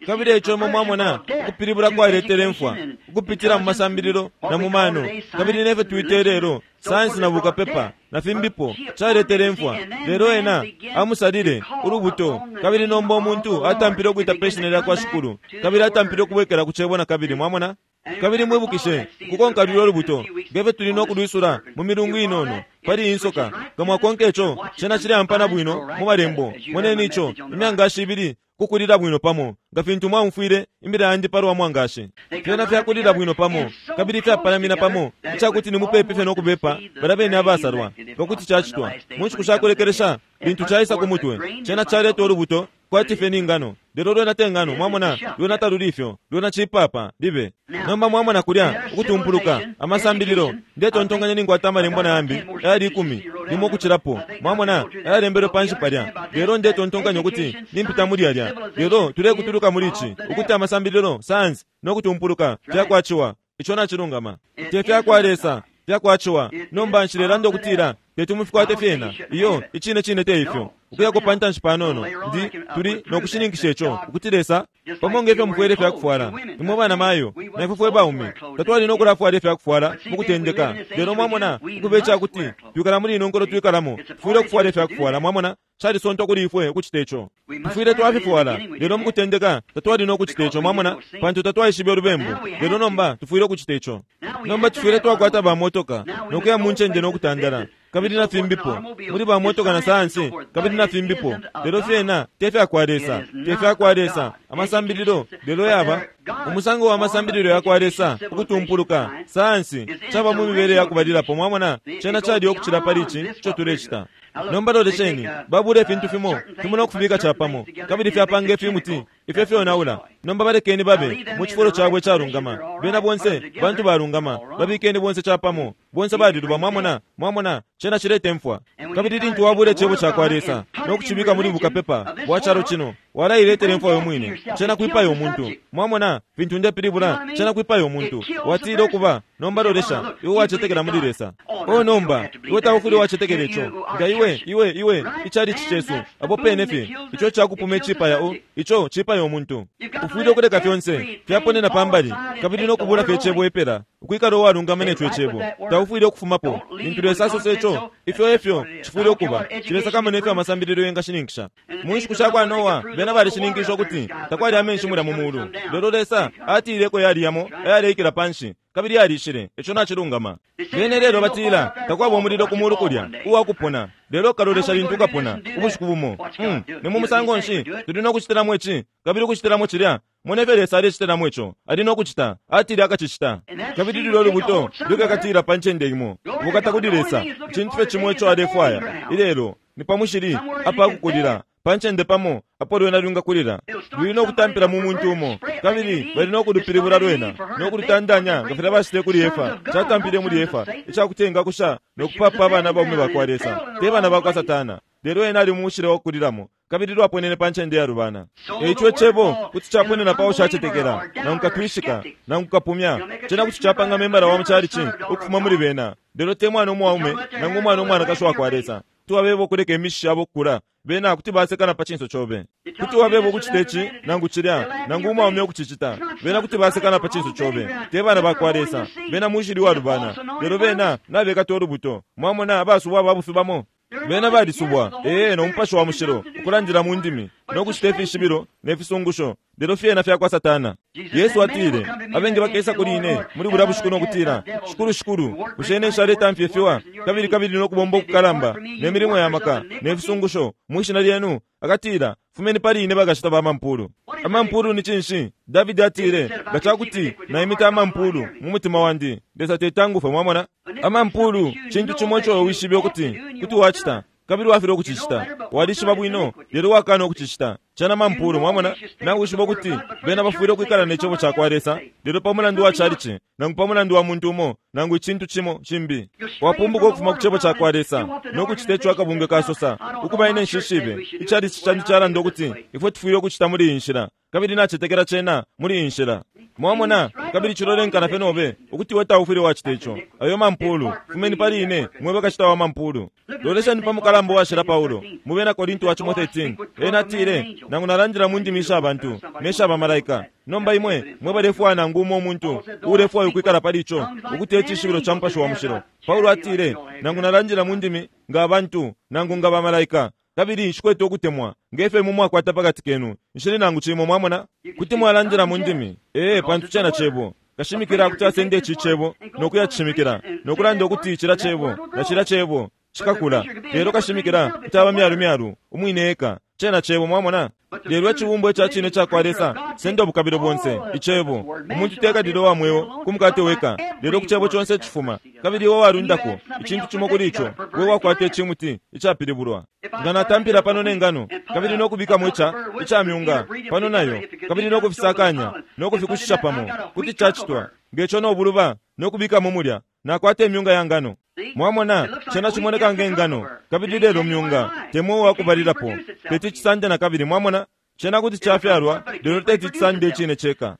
Kabili eco imwe mwamona ukupilibula kwaletele imfwa ukupitila mu masambililo na mu mano, kabili nefyo twite lelo sayansi na bukapepa na fimbipo, caletele imfwa. Lelo ena amusalile ulubuto, kabili nomba umuntu atampile ukuita pe shina lya kwa Shikulu, kabili atampile ukubwekela ku cebo na kabili, mwamona. Kabili mwibukishe kukonka lulyo lubuto ngefyo tuli no kulwisula mu milungu inono pali insoka. Nga mwakonka ico, cena cileampana bwino mu malembo. Moneni ico, imyangashi ibili kukulila bwino pamo, nga fintu mwaumfwile imbila yandi palwa mwangashi. Fyena fyakulila bwino pamo, kabili fyapalamina pamo, icakuti ni mupepi fye no kubepa balya bene abasalwa, nga kuti cacitwa mu nshiku shakulekelesha. Lintu caisa ku mutwe, cena caleta ulubuto kwati fye ni ngano, lelo lwena te ngano, mwamona, lwena taluli ifyo, lwena cipapa libe. Nomba mwamona kulya ukutumpuluka amasambililo. Ndetontonkanya ninkwata amalembo na yambi ayali ikumi limo ukucilapo, mwamona, ayalembelwe panshi palya. Lelo ndetontonkanya ukuti nimpita muli yalya. Lelo tulekutuluka muli ici ukuti amasambililo, sayansi no kutumpuluka fyakwaciwa. Ico nacilungama, te fyakwa Lesa, fyakwaciwa. Nomba nshilelanda ukutila teti mufikwate fyena, iyo, icine cine te ifyo. Ukuyako pa ntanshi panono, ndi tuli no kushininkisha ico ukuti Lesa, pamo ngefyo mufwele fyakufwala imwe bana mayo na ifwe fwe baume, tatwali no kulafwala ifyakufwala mu kutendeka. Lelo mwamona, ukuba icakuti twikala muli ino nkolo twikalamo, tufwile ukufwala ifyakufwala, mwamona, calisontwa kuli ifwe ukucita ico. Tufwile twafifwala, lelo mu kutendeka tatwali no kucita ico, mwamona, pantu tatwaishibe ulubembu. Lelo nomba tufwile ukucita ico. Nomba tufwile twakwata bamotoka no kuya mu ncende no kutandala, kabili na fimbipo muli bamotoka na sayansi, kabili na fimbipo. Lelo fyena te fyakwa Lesa, te fyakwa Lesa amasambililo. Lelo yaba umusango wa masambililo yakwa Lesa, ukutumpuluka sayansi, caba mu mibele yakubalilapo, mwamona, cena cali ukucila pali ici ico tulecita. Nomba lolesheni, babula ifintu fimo fimo no kufibika capamo, kabili fyapanga ifimuti ifyo fyonaula. Nomba balekeni babe mu cifulo cabo icalungama, bena bonse bantu balungama, babikeni bonse capamo, bonse baliluba, mwamona, mwamona, cena cileta imfwa. Kabili lintu wabula icebo cakwa Lesa no kucibika muli bukapepa bwa calo cino, walailetela imfwa yomwine, cena kwipaya umuntu. Mwamona fintu ndepilibula, cena kwipaya umuntu. Watile ukuba, nomba lolesha, iwe wacetekela muli Lesa. O nomba iwe taufwile wacetekela ico, nga iwe iwe iwe icalichi cesu apo pene fye, ico cakupuma icipaya o ico cipaya umuntu. Ufwile ukuleka fyonse fyaponena pambali, kabili no kubula fye icebo epela, ukwikala uwalungama neco icebo. Taufwile ukufumapo. Lintu Lesa asosa ico, ifyo efyo cifwile ukuba. Cilesakamana ifyo amasambililo yengashininkisha. Mu nshiku shakwa Noa, bena balishininkisha ukuti takwali amenshi mulya mu mulu. Lelo Lesa atileko yali yamo ayaleikila panshi, kabili yalishile. Ico nacilungama. Bene lelo batila takwaba umulilo ku mulu kulya uwakupona, lelo kalolesha lintu ukapona ubushiku bumo. Mm, ni mu musango nshi tuli no kucitilamo ici kabili ukucitilamo cilya? Mone ifyo Lesa alecitilamo ico ali no kucita, atile akacicita. Kabili lulyo lubuto lukakatila pa ncende imo, bukata kuli Lesa. Icintu fye cimo ico alefwaya ilelo ni pa mushili apakukulila, pa ncende pamo apo lwena lwingakulila. Luli no kutampila mu muntu umo, kabili bali no kulupilibula lwena no kulutandanya nga filya bacitile kuli Efa. Catampile muli Efa icakuti engakusha no kupapa abana baume bakwa Lesa, te bana bakwa Satana. Lelo ena ali mu mushili wakukulilamo, kabili lwaponene pa ncende yalubana. Eico icebo kuti caponena pa ushacetekela, nangu katwishika, nangu kapumya. Cena kuti capanga membala wa mucalici ukufuma muli bena, lelo te mwana umwaume nangu umwana umwanakashi wakwa Lesa. Kuti wabeba ukuleka imishishi yabo kukula, bena kuti basekana pa cinso cobe. Kuti wabeba ukucita ici nangu cilya, nangu umwaume ukucicita, bena kuti basekana pa cinso cobe. Te bana bakwa Lesa, bena mushili walubana. Lelo bena nabekata ulubuto, mwamona, abasubwa ababufi bamo. Bena balisubwa, ee, no mupashi wa mushilo, ukulandila mu ndimi, no kucita ifishibilo ne fisungusho, lelo fyena fyakwa Satana. Yesu atile, abengi bakesa kuli ine muli bulya bushiku no kutila, Shikulu, Shikulu, bushe ine nshaletamfya ifiwa, kabili kabili no kubomba ukukalamba, ne milimo ya maka, ne fisungusho, mwi shina lyenu? Akatila, Fumeni pali ine bakashita ba mampulu. Amampulu ni cinshi? Davidi atile, nga cakuti naimita amampulu mu mutima wandi, Lesa tetangufe, mwamona? Amampulu cintu cimo ico wishibe ukuti kuti wacita, kabili wafilwa ukucicita. Walishiba bwino, lelo wakana ukucicita. Cena mampulu, mwamona? Nawishiba ukuti bena bafwile ukwikala ne cebo cakwa Lesa, lelo pa mulandu wa chalichi, nangu pa mulandu wa muntu umo, nangu icintu cimo cimbi. Wapumbuka ukufuma ku cebo cakwa Lesa, no kucita ico akabungwe kasosa. Ukuba ine nshishibe, ichalichi candi calanda ukuti ifwe tufwile ukucita muli iyi nshila, kabili nacetekela cena muli iyi nshila. Mwamona, kabili cilolenkana fye nobe ukuti we taufwile wacita ico. Ayo mampulu, fumeni pali ine, mwe bakacita wa mampulu. Lolesheni pa mukalamba washila Paulo, mu bena Korinto wa cimo thirteen. Ena atile, nangu nalandila mu ndimi sha bantu ne sha bamalaika. Nomba imwe mwe balefwaya nangu umo umuntu uulefwaya ukwikala pali ico, ukuti ecishibilo ca Mupashi wa Mushilo. Paulo atile, nangu nalandila mu ndimi nga abantu nangu nga bamalaika, kabili nshikwete ukutemwa nge fyo imwe mwakwata pakati kenu, nshili nangu cimo. Mwamona, kuti mwalandila mu ndimi, ee, pantu cena cebo. Kashimikila kuti asende ici cebo no kuyacishimikila no kulanda ukuti cila cebo na cila cebo cikakula, lelo kashimikila kuti aba myalu myalu umwine eka. Cena cebo, mwamona. Lelo icibumbwa ica cine cakwa Lesa senda ubukabilo bonse icebo. Umuntu tekalile wa mweo ku mukate weka, lelo ku cebo conse icifuma. Kabili iwe walundako icintu cimo kuli ico, we wakwata icimuti icapilibulwa. Nga natampila pano ne ngano, kabili no kubikamo ica ica myunga pano nayo, kabili no kufisakanya no kufikushisha pamo, kuti cacitwa ngeco no buluba no kubikamo mulya, nakwata imyunga ya ngano. Mwamona, cena cimoneka nge ngano, kabili lelo myunga temwe wakubalilapo, teti cisande na kabili. Mwamona, cena kuti cafyalwa, lelo teti cisande icine ceka.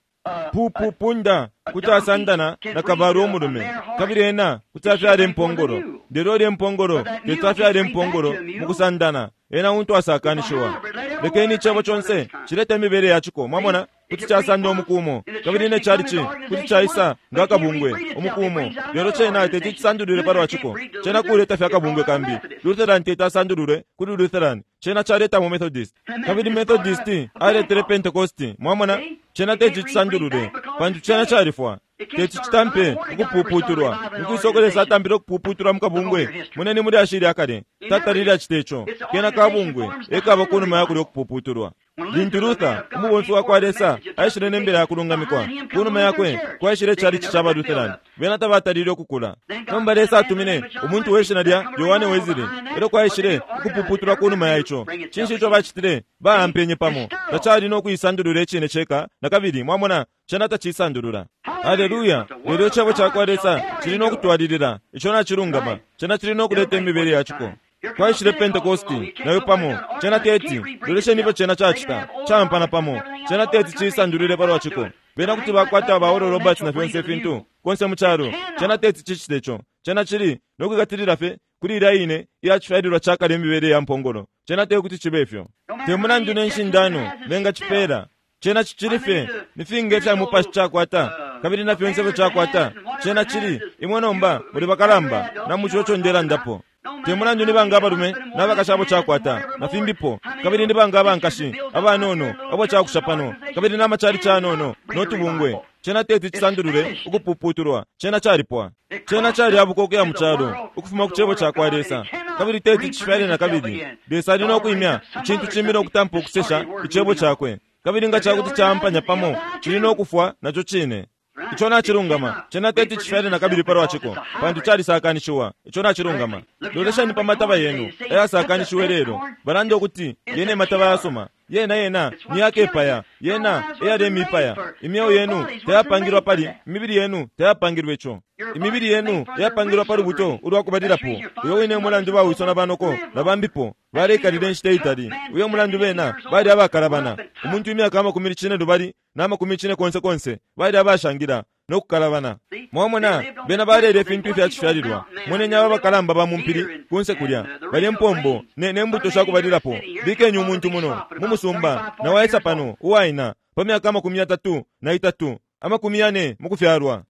Pupu punda kuti asandana na kabalu umulume, kabili ena kuti afyala impongolo, lelo lye mpongolo teti afyala impongolo mu kusandana, ena untu asakanishiwa. Lekeni icebo conse cilete imibele yaciko. Mwamona, kuti casanda umukumo, kabili ne chalichi kuti caisa nga kabungwe umukumo, lelo cena teti cisandulule palwa ciko. Cena kuleta fya kabungwe kambi. Lutheran teti asandulule kuli Lutheran, cena caleta mu Methodist, kabili Methodist aletele Pentecost. Mwamona, cena teti cisandulule pantu cena califwa. Teti citampe ukupuputulwa mukwisokolesa atambile ukupuputulwa mukabungwe. Muneni muli ashili akale tatalile acita ico, kena kabungwe ekaba kunuma yakulya ukupuputulwa. Lintu Luther umubomfi wakwa Lesa aishile ne mbila ya kulungamikwa, kunuma yakwe kwaishile chalichi ca ba Lutheran, bena tabatalile ukukula. Nomba Lesa atumine umuntu we shina lya Yohane Wesley, elyo kwaishile ukupuputulwa kunuma ya ico. Cinshi ico bacitile? Baampenye pamo, tacali no kuisandulula icine ceka na kabili. Mwamona, cena tacisandulula. Haleluya! Lelo icebo cakwa Lesa cili no kutwalilila, ico nacilungama, cena cili no kuleta imibele yaciko. Kwaishile Pentecosti nayo pamo, cena teti lolesheni ifyo cena cacita, campana pamo, cena teti cisandulile palwa ciko. Bena kuti bakwata ba Oral Roberts na fyonse ifintu konse mu calo, cena teti cicite ico. Cena cili no kwikatilila fye kuli ilya ine iyacifyalilwa cakale imibele ya mpongolo. Cena te kuti cibe ifyo. Te mulandu ne nshindano bengacipela, cena cicili fye ni finga ifya mupashi cakwata, kabili na fyonse ifyo cakwata. Cena cili imwe nomba muli bakalamba na muco ndelandapo. Te mulandu ni banga abalume n'abakashi abo cakwata na fimbipo, kabili ni banga abankashi abanono abo cakusha pano, kabili n'amacali canono n'otubungwe. Cena teti cisandulule ukupuputulwa, cena calipwa. Cena calyabuka ukuya mu calo ukufuma ku cebo cakwa Lesa, kabili teti cifyale na kabili. Lesa ali no kwimya icintu cimbi no kutampa ukusesha icebo cakwe, kabili nga cakuti caampanya pamo cili no kufwa naco cine. Ico nacilungama, cena teti cifyale na kabili palwa ciko, pantu calisakanishiwa. Ico nacilungama. Lolesheni pa mataba yenu ayasakanishiwe lelo. Balanda ukuti yene mataba yasuma, yena yena ni yakepaya, yena eyalemipaya. Imyeo yenu tayapangilwa pali, imibili yenu tayapangilwa ico. Imibili yenu yapangilwa pa lubuto ulwakubalilapo. Uyo wine mulandu bawiso na banoko na bambipo balekalile inshita itali. Uyo mulandu bena bali abakalabana. Umuntu imyaka amakumi cine lubali na amakumi cine konse konse bali abashangila no kukalabana. Mwamona, bena balele ifintu ifyacifyalilwa. Moneni aba bakalamba ba mumpili kunse kulya balye mpombo ne, ne mbuto shakubalilapo. Bikenye umuntu muno mu musumba na waisa pano uwaina pa myaka amakumi yatatu na itatu amakumi yane mukufyalwa,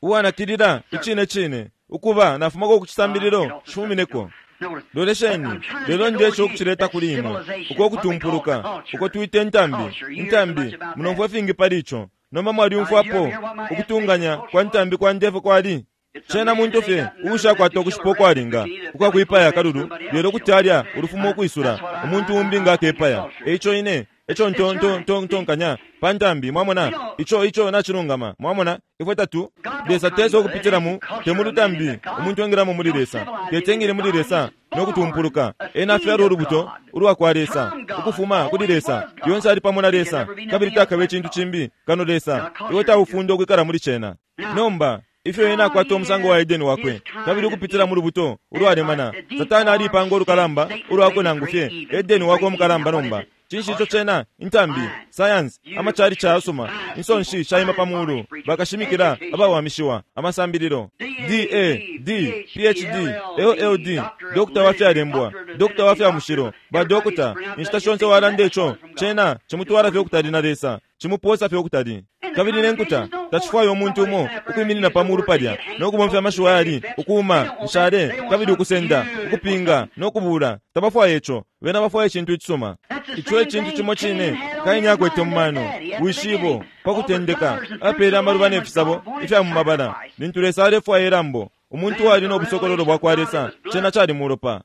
uwanakilila icine cine ukuba nafumako kucisambililo cifumineko. Lolesheni, lelo ndesha ukucileta kuli imwe uko kutumpuluka uko twita intambi. Intambi munomfwa ifingi pali ico. Nomba mwalyumfwapo ukutunganya kwa ntambi kwa ndefu kwali. Cena muntu fye uushakwata ukushipa ukwalinga ukwakwipaya akalulu, lelo kuti alya ulufumo ukwisula umuntu umbi nga akepaya. Eico ine eco ntontonkanya pa ntambi, mwamona, ico ico nacilungama, mwamona. Ifwe tatu Lesa tesa ukupitila mu te mu lutambi umuntu engilamo muli Lesa, tetengile muli Lesa no kutumpuluka. Ena afyalwa ulubuto ulwa kwa Lesa ukufuma kuli Lesa, lyonse ali pamo na Lesa, kabili takabe icintu cimbi kano Lesa. Iwe taufunda ukwikala muli cena. Nomba ifyo ena akwata umusango wa Edeni wakwe, kabili ukupitila mu lubuto ulwalemana, Satani alipanga ulukalamba ulwakwe nangu fye Edeni wakwe umukalamba. Nomba cinshi ico cena? Intambi, science, amachali chayasuma, insonshi shaima pa mulu, bakashimikila abawamishiwa, amasambililo D A D P H D L L D, dokta wa fyalembwa, dokta wa fya mushilo, ba dokta, inshita shonse walanda ico cena chimutwala fye ukutali na Lesa, chimuposa fye ukutali. Kabili nenkuta tachifwayo umuntu umo ukwiminina pa mulu palya no kubomfya amashiwi ayali ukuuma nshale kabili ukusenda ukupinga no kubula. Tabafwaya ico, bena bafwaya icintu icisuma. Ico icintu cimo cine Kaini akwete mu mano wishibo pa kutendeka apele amaluba ne fisabo ifya mu mabala. Lintu Lesa alefwaya ilambo, umuntu wali no busokololo bwa kwa Lesa, cena cali mulopa.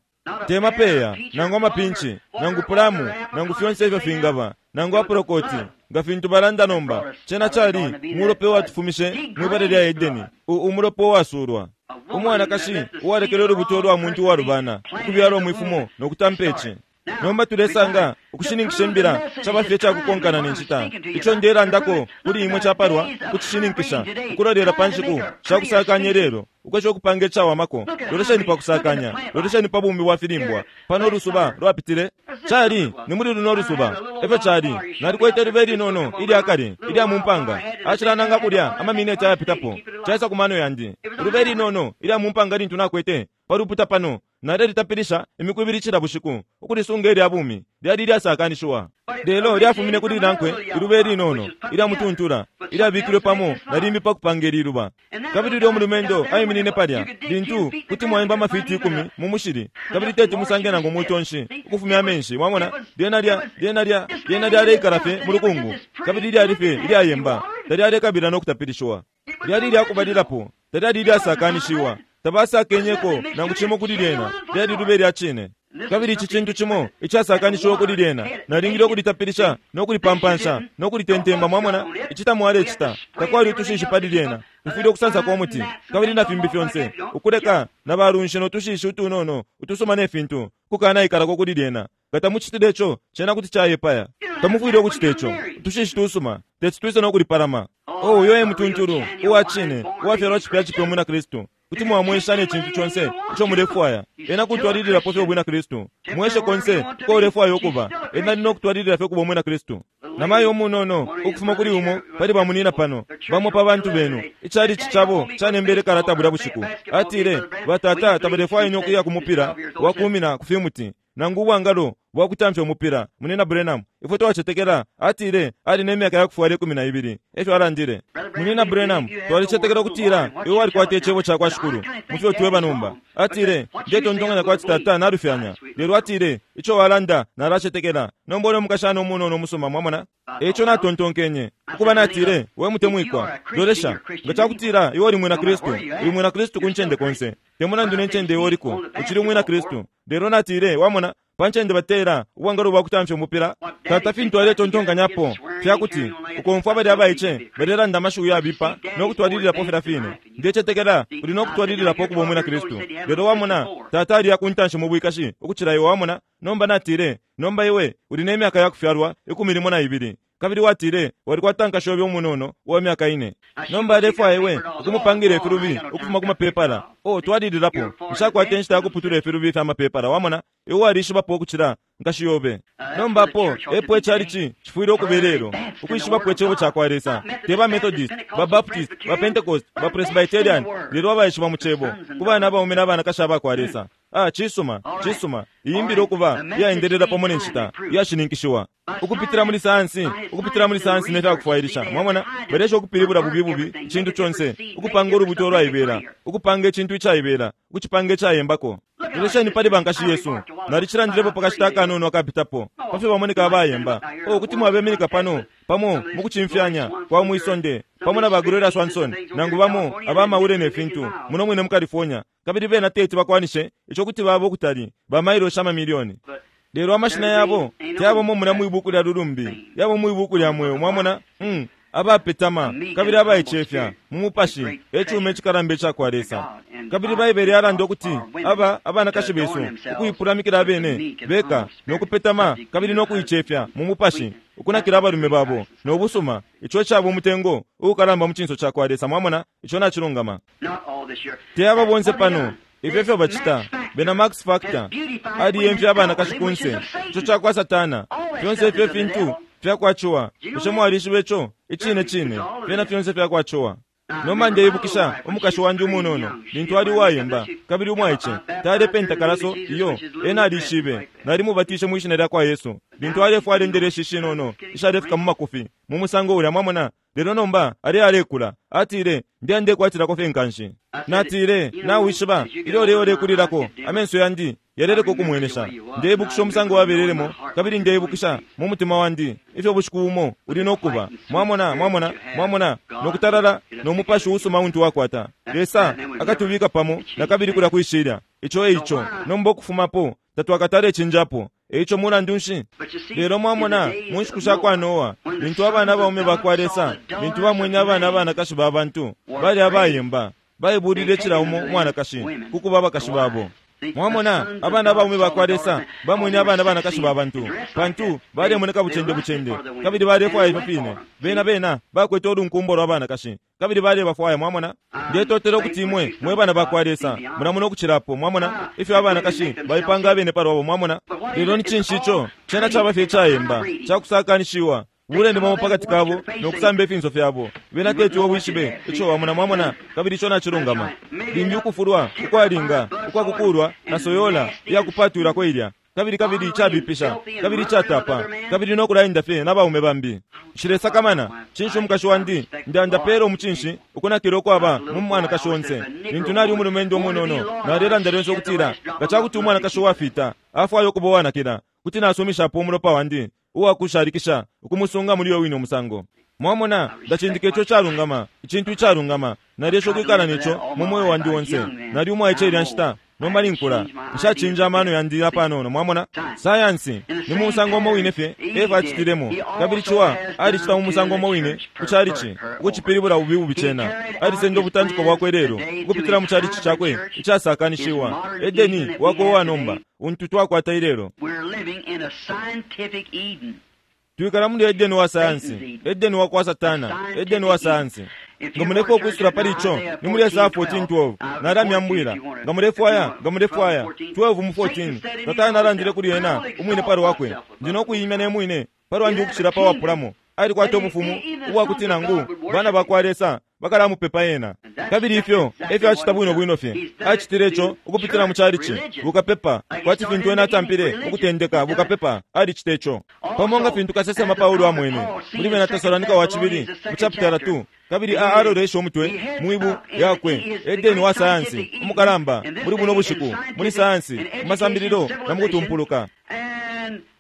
Te mapeya nangu amapinchi nangu pulamu nangu fyonse ifyo fingaba nangu aprokoti nga fintu balanda nomba, cena cali mulope watufumishe mwibale lya Edeni, umulope wasulwa. Umwanakashi uwalekele ulubuto lwa muntu walubana ukubyalwa mwifumo nokutampa ici. Nomba tulesanga ukushininkisha imbila caba fye cakukonkana ne nshita. Ico ndelandako kuli imwe capalwa kucishininkisha ukulolela pa nshiku shakusakanya lelo ukwesha ukupanga icawamako. Lolesheni pa kusakanya, lolesheni pa bumi bwa filimbwa. Pano ulusuba lwapitile cali ni muli luno lusuba efyo cali. Nalikwete libe linono ilya kale ilya mumpanga acilananga kulya amamineti ayapitapo caisa ku mano yandi. Libe linono ilya mumpanga lintu nakwete paluputa pano nalelitapilisha imiku ibili cila bushiku ukulisunga ilya bumi lyali lyasakanishiwa. Lelo lyafumine kuli nankwe ilube linono ilya mutuntula ilyabikilwe pamo na limbi pa kupanga ililuba. Kabili ulyo mulumendo aiminine palya lintu kuti mwaimba amafiti ikumi mu mushili kabili teti musange nangu mutonshi ukufumya amenshi. Mwamona lyena lya lyena lya lyena lyaleikala fye mu lukungu kabili lyali fye ilyayemba, talyalekabila no kutapilishiwa. Lyali lyakubalilapo, talyali lyasakanishiwa, tabasakenyeko nangu cimo kuli lyena, lyali lube lya cine. Kabili ici cintu cimo icasakanishiwa kuli lyena nalingile ukulitapilisha no kulipampansha no kulitentemba. Mwamona ici tamwalecita, takwali utushishi pali lyena, mufwile ukusansako umuti kabili na fimbi fyonse ukuleka na balunshi no tushishi utunono utusuma ne fintu kukanaikalako kuli lyena. Nga tamucitile ico cena kuti cayepaya. Tamufwile ukucita ico, utushishi tusuma teti twise no kulipalama. Oh, uyo e mutuntulu uwa cine uwafyalwa cipya cipya umwina Kristu kuti mwamwesha ne cintu conse ico mulefwaya. Ena kutwalililapo fye ubwina Kristu, mweshe konse uko ulefwaya ukuba, ena ali no kutwalilila fye kuba umwina Kristu. Namayo umunono ukufuma kuli umo pali bamunina pano bamo pa bantu benu icali cicabo canembele kalata bulya bushiku. Atile batata tabalefwaya ine ukuya ku mupira wakumina ku fimuti nangu ubwangalo bwakutamfya umupira. Munina Branham, ifwe twacetekela. Atile ali ne myaka yakufwala ikumi na ibili efyo alandile. Munina Branham, twalicetekela ukutila iwe walikwata icebo ca kwa Shikulu mufyo tweba nomba. Atile ndetontonkanya kwati tata nalufyanya, lelo atile ico walanda nalacetekela. Nomba ule mukashana umunono umusuma, mwamona. Eico natontonkenye ukuba natile we mutemwikwa, lolesha nga cakutila iwe uli mwina Kristu, uli mwina Kristu ku ncende konse, te mulandu ne ncende iwe uliko, uchili mwina Kristu. Lelo natile wamona pa ncende batera ubwangalo bwakutamfya umupira, tata fintu aletontonkanyapo fyakuti ukomfwa bali abaice balelanda amashiwi yabipa no kutwalililapo filya fine. Ndecetekela uli no kutwalililapo kuba umwina Kristu. Lelo wamona tata ali yakuntanshi mu bwikashi ukucila iwe, wamona. Nomba natile nomba iwe uli ne myaka yakufyalwa ikumi limo na ibili kabili watile walikwata nkashobe umunono uwa myaka ine. Nomba alefwaya iwe ukumupangira ifilubi ukufuma ku mapepala. Oh, twalililapo nshakwata inshita yakuputula ifilubi fya mapepala, wamona. Iwe walishibapo ukucila nkashiyobe. Nomba apo epo icalici cifwile ukuba lelo ukwishibapo icebo ca kwa Lesa. Te ba Methodist, ba Baptist, ba Pentecost, ba Presbyterian, lelo abaishiba mu cebo ku bana abaume n'abanakashi aba kwa Lesa. Ah, cisuma cisuma iyimbile ukuba iyaendelela pamo ne nshita iyashininkishiwa ukupitila muli sayansi, ukupitila muli sayansi ne fyakufwailisha. Mwamona balesha ukupilibula bubi bubi icintu conse, ukupanga ulubuto olwaibela, ukupanga icintu icaibela, ukucipanga icayembako. Lolesheni pali bankashi yesu. Nalicilandilepo pakashita akanono akapitapo pafyo bamoneka abayemba. O kuti mwabeminika pano pamo mukucimfyanya kwa mwisonde pamo na ba Gloria Swanson nangu bamo abamaule ne fintu muno mwine mu California, kabili bena teti bakwanishe ico kuti baba ukutali ba mailo amamilioni. Lelo amashina yabo teyabo muna mwibuku lya lulumbi, yabo mwibuku lya mweo. Mwamona? Mm. Abapetama kabili abaicefya mu mupashi ecume icikalamba icakwa Lesa. Kabili Baibele yalanda ukuti aba abanakashi besu ukuipulamikila abene beka nokupetama kabili nokuicefya mu mupashi ukunakila abalume babo nobusuma, ico caba umutengo uukalamba mu cinso cakwa Lesa. Mwamona? Ico nacilungama. Teyaba bonse pano ifyo ifyo bacita. Bena Max Factor aliyemfya abanakashi kunse, ico cakwa Satana. Fyonse ifyo fintu fyakwaciwa. Bushe mwalishiba ico? Icine cine fyena fyonse fyakwaciwa. Nomba ndeibukisha umukashi wandi umunono lintu ali uwayemba kabili umwaice talepenta kalaso iyo ena alishibe. Nalimubatishe mwishina lyakwa Yesu lintu alefwala indeleshi ishinono ishalefika mu makufi mu musango ulya. Mwamona? Lelo nomba ali alekula. Atile, ndiya ndekwatilako fye nkanshi. Natile, nawishiba ilyo leo lekulilako amenso yandi yaleleka ukumwenesha. Ndeibukisha umusango wabelelemo kabili ndeibukisha mu mutima wandi ifyo bushiku bumo uli nokuba. Mwamona? Mwamona? Mwamona? Nokutalala no mupashi usuma untu wakwata Lesa akatubika pamo nakabili kulya kwishilya. Ico eico nomba okufumapo tatwakatale cinjapo. Eico mulandu nshi? Lelo mwamona mu nshiku sha kwa Noa lintu abana baume bakwa Lesa lintu bamwene abana abanakashi ba bantu bali abayemba, baibulile cila umo umwanakashi kukuba abakashi babo. Mwamona abana baume bakwa Lesa bamwene abana banakashi ba bantu pantu balemoneka bucende bucende kabili balefwaya ifyo fine. Bena bena bakwete olunkumbo lwa banakashi kabili balebafwaya. Mwamona? Ndetotela ukuti imwe mwe bana bakwa Lesa mulamona ukucilapo. Mwamona ifyo abanakashi baipanga abene palwabo. Mwamona? Lelo ni cinshi ico? Cena caba fye icayemba cakusakanishiwa bulende bamo pakati kabo nokusamba ifinso fyabo. Bena teti obwishibe ico wamona. Mwamona? Kabili ico nacilungama. Limbi ukufulwa ukwalinga ukwakukulwa na soyola iyakupatwilako ilya kabili kabili icabipisha kabili icatapa kabili nokulaenda fye nabaume bambi. Nshilesakamana cinshi umukashi wandi ndandapela umucinshi ukunakila ukwaba mu mwanakashi onse. Lintu nali umulumendo umunono nalelanda lyonse ukutila nga cakuti umwanakashi uwafita afwaya ukuba uwanakila kuti nasumishapo umulopa wandi uwakushalikisha ukumusunga muli uyo wine umusango. Mwamona, ndacindika ico calungama, icintu icalungama. Nalesha ukwikala neco mu moyo wandi onse. Nali umwaice ilya nshita, nomba ninkula nshacinja amano yandi apanono. Mwamona? Sayansi ni mu musango umo wine fye Eva acitilemo, kabili ciwa alicita mu musango umo wine ku calici ukucipilibula bubi bubi cena. Alisenda ubutantiko bwakwe lelo ukupitila mu calici cakwe icasakanishiwa. Edeni wakwe uwa nomba untu twakwata ilelo. Twikala muli Edeni wa sayansi, Edeni wa kwa Satana, Edeni wa sayansi. Nga mulefwaya ukwisula pali ico ni muli Esaya fourteen twelve. Nalamyambwila nga mulefwaya, nga mulefwaya twelve mu fourteen. Satana alandile kuli ena umwine pali wakwe, ndi nokuyimya ne mwine pali wandi ukucila pa wapulamo. Alikwata ubufumu ubwakuti nangu bana bakwa Lesa bakalamupepa ena. Kabili ifyo efyo acita bwino bwino fye. Acitile ico ukupitila mu calici bukapepa, kwati fintu ena atampile ukutendeka bukapepa. Alicita ico pamo nga fintu kasesema Paulo amwene muli bena Tesalonika wa cibili mu chapter two. Kabili alolesha umutwe mwibu yakwe Edeni wa sayansi umukalamba muli buno bushiku muli sayansi mu masambililo na mu kutumpuluka.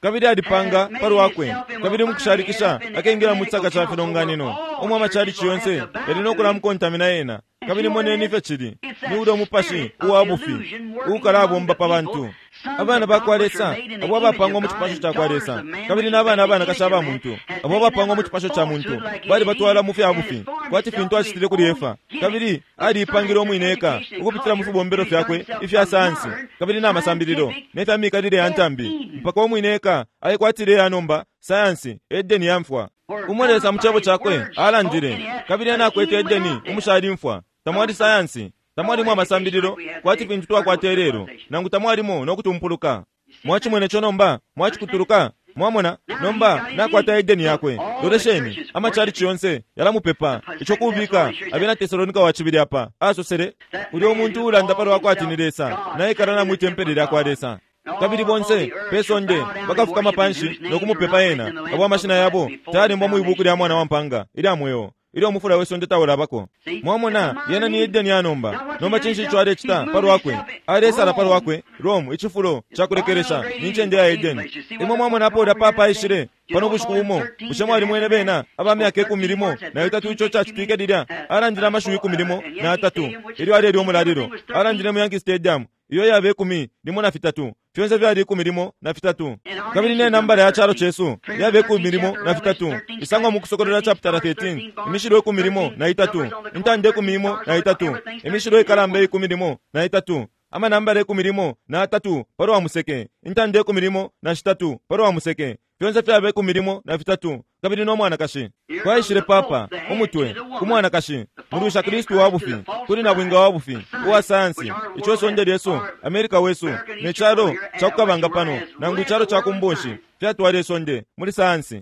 Kabili alipanga palwakwe kabili mukushalikisha akengela mu chisaka ca filonganino omwe amachalichi yonse yali nokulamukontamina ena. Kabili moneni ifyo cili ni ulya umupashi uwa bufi uukalabomba pa bantu. Abana bakwa Lesa abo abapangwa mu cipasho cakwa Lesa kabili n'abana abanakashi aba muntu abo abapangwa mu cipasho ca muntu bali batwala mu fya bufi kwati fintu acitile kuli Efa. Kabili aliipangile umwine eka ukupitila mu fibombelo fyakwe ifya sayansi kabili n'amasambililo ne fya mikalile ya ntambi mpaka umwine eka aikwatile ya nomba sayansi Edeni yamfwa. Umo Lesa mu cebo cakwe alandile kabili ena akwete Edeni umushali mfwa. Tamwali sayansi, tamwalimo amasambililo kwati fintu twakwata ilelo, nangu tamwalimo nokutumpuluka. Mwachimwene ico nomba? Mwachikutuluka? Mwamona? Nomba nakwata Edeni yakwe. Lolesheni amachalichi yonse yalamupepa ico kubika abena Tesalonika wa cibili apa asosele ulya umuntu ulanda palwa kwati ni Lesa naikala na mwitempele lyakwa Lesa. Kabili bonse pesonde bakafukama panshi nokumupepa ena abo amashina yabo tayalembwa mwibuku lya mwana wa mpanga ilya mweo Ilyo umufula we sonde taulabako. Mwamona, yena ni Edeni ya nomba. Nomba cinshi ico alecita palwakwe? Alesala palwakwe Rome, icifulo cakulekelesha ni ncende ya Edeni. Imwe mwamona apo ulya papa aishile pano bushiku bumo. Bushe mwalimwene bena aba myaka ikumi limo na itatu ico cacitwike lilya? Alandile amashiwi ikumi limo na atatu ilyo alelya umulalilo. Alandile mu Yankee Stadium iyo yaba ikumi limo na fitatu. Fyonse vyali ikumi limo na fitatu. Kabili ne nambala ya calo cesu yaba ikumi limo na fitatu. Isangwa mu Kusokolola chapter thirteen, imishilo ikumi limo na itatu, intanda ikumi limo na itatu, imishilo ikalamba ikumi limo na itatu, amanambala ikumi limo na atatu palwa museke, intanda ikumi limo na shitatu palwa museke. Fyonse fyaba ikumi limo na fitatu. Kabili no mwanakashi kwaishile papa umutwe ku mwanakashi mulwisha Kristu wa bufi kuli na bwinga wa bufi uwa sayansi. Ico sonde lyesu, Amerika wesu, ne calo cakukabanga pano nangu icalo ca kumbonshi fyatwala isonde muli sayansi.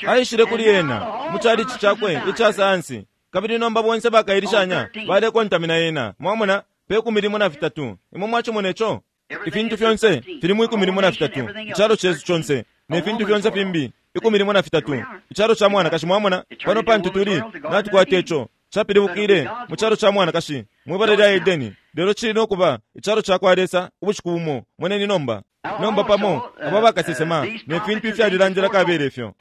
Aishile kuli ena mu calici cakwe ica sayansi, kabili nomba bonse bakailishanya balekontamina ena. Mwamona, pe ikumi limo na fitatu. Imwe mwacimona ico? Ifintu fyonse fili mu ikumi limo na fitatu. Icalo cesu conse ne fintu fyonse fimbi ikumi limo na fitatu. Icalo ca mwanakashi, mwamona pano pantu tuli natukwata ico capilibukile mu calo ca mwanakashi mwibala lya Edeni. Lelo cili nokuba icalo ca kwa Lesa ubushiku bumo. Moneni nomba. Nomba pamo aba bakasesema ne fintu ifyalilandila kabele ifyo.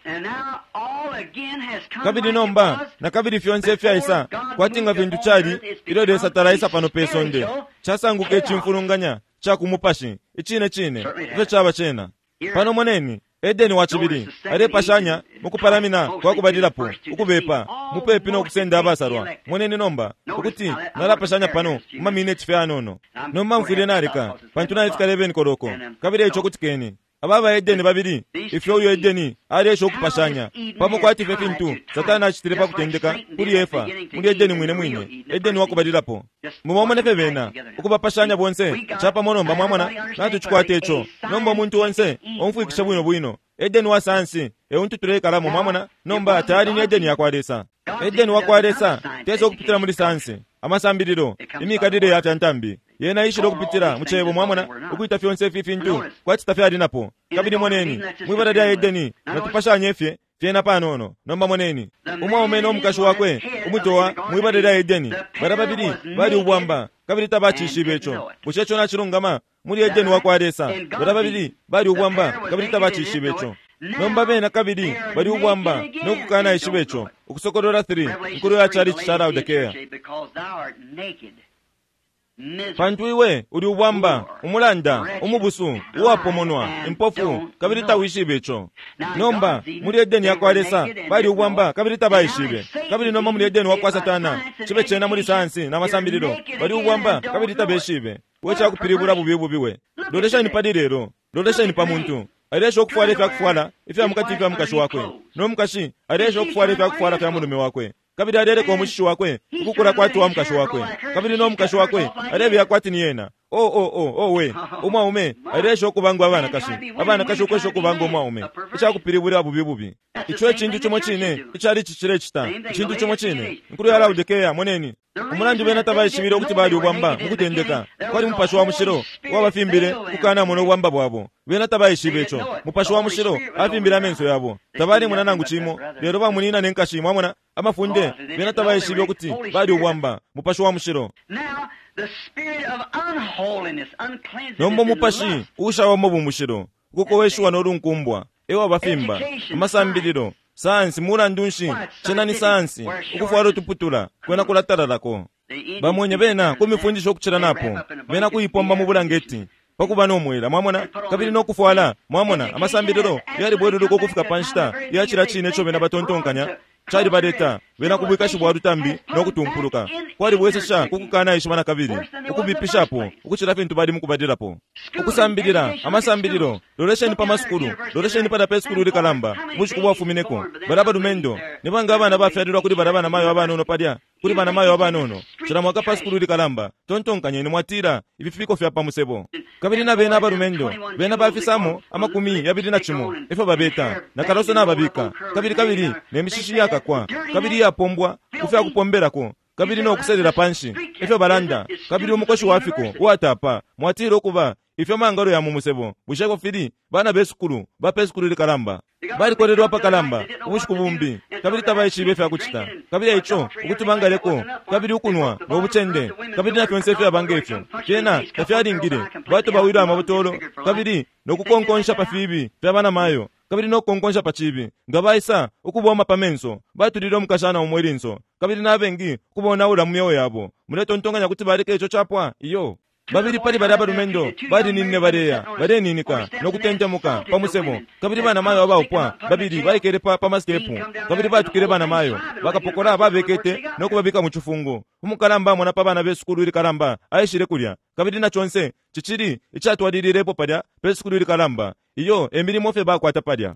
Kabili nomba na kabili fyonse ifyaisa kwati nga fintu cali ilyo Lesa talaisa pano pe sonde, casanguka icimfulunganya ca kumupashi icine cine ifyo caba cena. Pano moneni Edeni wa cibili alepashanya mukupalamina kwa kubalilapo ukubepa mupepi no kusenda abasalwa. Moneni nomba ukuti nalapashanya pano mu mamineti fye anono. Nomba mfwile naleka pantu nalifika eleven koloko. Kabili ico kutikeni aba ba Edeni babili ifyo uyo Edeni alesha ukupashanya pamo kwati fye fintu Satana acitile pa kutendeka kuli Efa muli Edeni mwine mwine, Edeni wakubalilapo. Mubamone fye bena ukubapashanya bonse capamo. Nomba mwamona natucikwata ico. Nomba umuntu onse omfwikisha bwino bwino Edeni wa sayansi euntu tuleikalamo. Mwamona, nomba tayali ni Edeni yakwa Lesa. Edeni wakwa Lesa tesa ukupitila muli sayansi, amasambililo, imikalile ya fyantambi. Yena ishile ukupitila mu cebo, mwamona, ukuita fyonse ifi fintu kwati tafyali napo. Kabili moneni mwibala lya Edeni natupashanye fye fyena panono. Nomba moneni umwaume no mukashi wakwe umutowa mwibala lya Edeni bala babili bali ubwamba kabili tabacishibe ico. Bushe ico nacilungama? Muli Edeni wakwa Lesa bala babili bali ubwamba kabili tabacishibe ico. Nomba bena kabili bali ubwamba no kukana ishibe ico. Ukusokolola three, nkulu ya chalichi cha Laodikea. Pantu iwe uli ubwamba, umulanda, umubusu, uwapomonwa, impofu, kabili tawishibe ico. Nomba muli Edeni yakwa Lesa bali ubwamba kabili tabaishibe. Kabili nomba muli Edeni wakwa Satana cibe cena muli sayansi na masambililo bali ubwamba kabili tabeshibe. We cakupilibula bubi bubi we. Loleshani pali lelo, loleshani pa muntu alesha ukufwala ifyakufwala ifya mukati ifya mukashi wakwe, no mukashi alesha ukufwala ifyakufwala fya mulume wakwe, kabili aleleka umushishi wakwe ukukula kwati wa mukashi wakwe, kabili no mukashi wakwe alebeya kwati ni yena. Oh oh oh oh we umwaume alesha ukubanga abanakashi, abanakashi ukwesha ukubanga umwaume. Icakupilibula bubi bubi. Ico ecintu cimo cine icali cilecita, icintu cimo cine nkulu ya Laodikea. Moneni umulandu bena tabaishibile ukuti bali ubwamba mu kutendeka kwali mupashi wa mushilo wabafimbile kukanamona ubwamba bwabo. Bena tabaishibe ico. Mupashi wa mushilo afimbile amenso yabo, tabalimona nangu cimo, lelo bamunina ne nkashi. Mwamona amafunde, bena tabaishibe ukuti bali ubwamba. Mupashi wa mushilo. Nomba umupashi ushawamo bumushilo ukukoweshiwa nolunkumbwa ewa bafimba amasambililo sayansi. Mulandu nshi cena ni sayansi ukufwala utuputula kwena kulatalalako. Bamwenye bena kumifundisha ukucila napo bena kuipomba mu bulangeti pakuba nomwela. Mwamona, kabili nokufwala. Mwamona amasambililo yalibweluluka ukufika pa nshita yacila cine ico bena batontonkanya calibaleta bena kubwikashi bwa lutambi nokutumpuluka. Kwalibwesesha kukukana ishiba na kabili ukubipishapo ukucila fintu bali mukubalilapo. Ukusambilila amasambililo, lolesheni pa masukulu, lolesheni pada pe sukulu likalamba bushiku bwafumineko bala balumendo ni banga abana bafyalilwa kuli bala banamayo abanono palya kuli banamayo abanono cila mwaka pa sukulu likalamba. Tontonkanyeni mwatila ibifiko fya pamusebo. Kabili na bena abalumendo bena bafisamo amakumi yabili na cimo ifyo babeta na kaloso nababika kabili kabili ne mishishi yakakwa kabili yapombwa kufya kupombelako kabili nokuselela panshi ifyo balanda kabili umukoshi wafiko uwatapa mwatila ukuba Ifyo mangalo ya mu musebo bushe fili bana besukulu bapesukulu likalamba balikolelwa pakalamba ubushiku bumbi kabili tabaishibe ifyakucita kabili ico ukuti bangaleko kabili ukunwa nobucende kabili na fyonse ifyabanga ifyo fyena tafyalingile batobawilwe amabotolo kabili nokukonkonsha pa fibi fya banamayo kabili nokukonkonsha pa cibi nga baisa ukuboma pa menso batulile umukashana umo ilinso kabili nabengi kubonaula mu myeo yabo muletontonkanya kuti baleka ico capwa iyo babili pali bali abalumendo balininine baleya baleninika nokutentemuka pa musebo kabili banamayo abaupwa babili baikele pa pamasitepu kabili batukile banamayo bakapokola babekete nokubabika mu cifungo umukalamba amona pa bana besukulu ilikalamba aishile kulya kabili na chonse cicili icatwalililepo palya pesukulu ilikalamba iyo emilimo fye bakwata palya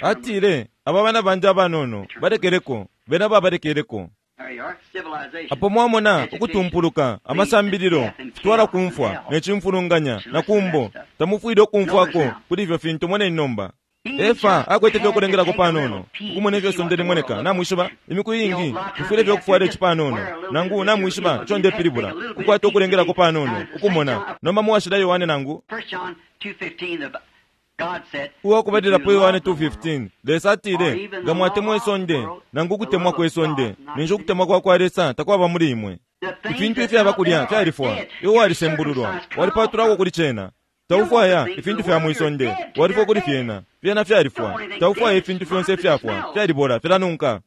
atile aba bana bandi abanono balekeleko bena babalekeleko apo mwamona ukutumpuluka amasambililo fitwala kumfwa necimfulunganya na kumbo tamufwile ukumfwako kuli ifyo fintu moneni nomba Efa akwete fye okulengelako panono ukumona ifyo sonde limoneka namwishiba imiku iingi tufwile fye okufwala ici panono nangu namwishiba ico ndepilibula kukwata okulengelako panono ukumona nomba muwashila Yohane nangu uwakubalilapo Yohane two fifteen Lesa atile nga mwatemwa isonde nangu ukutemwa kwe sonde ninshi ukutemwa kwa kwa Lesa takwaba muli imwe ifintu ifyaba kulya fyalifwa iwe walisembululwa walipatulako kuli cena taufwaya ifintu fya mwisonde walifwa kuli fyena fyena fyalifwa taufwaya ifintu fyonse ifyafwa fyalibola filanunka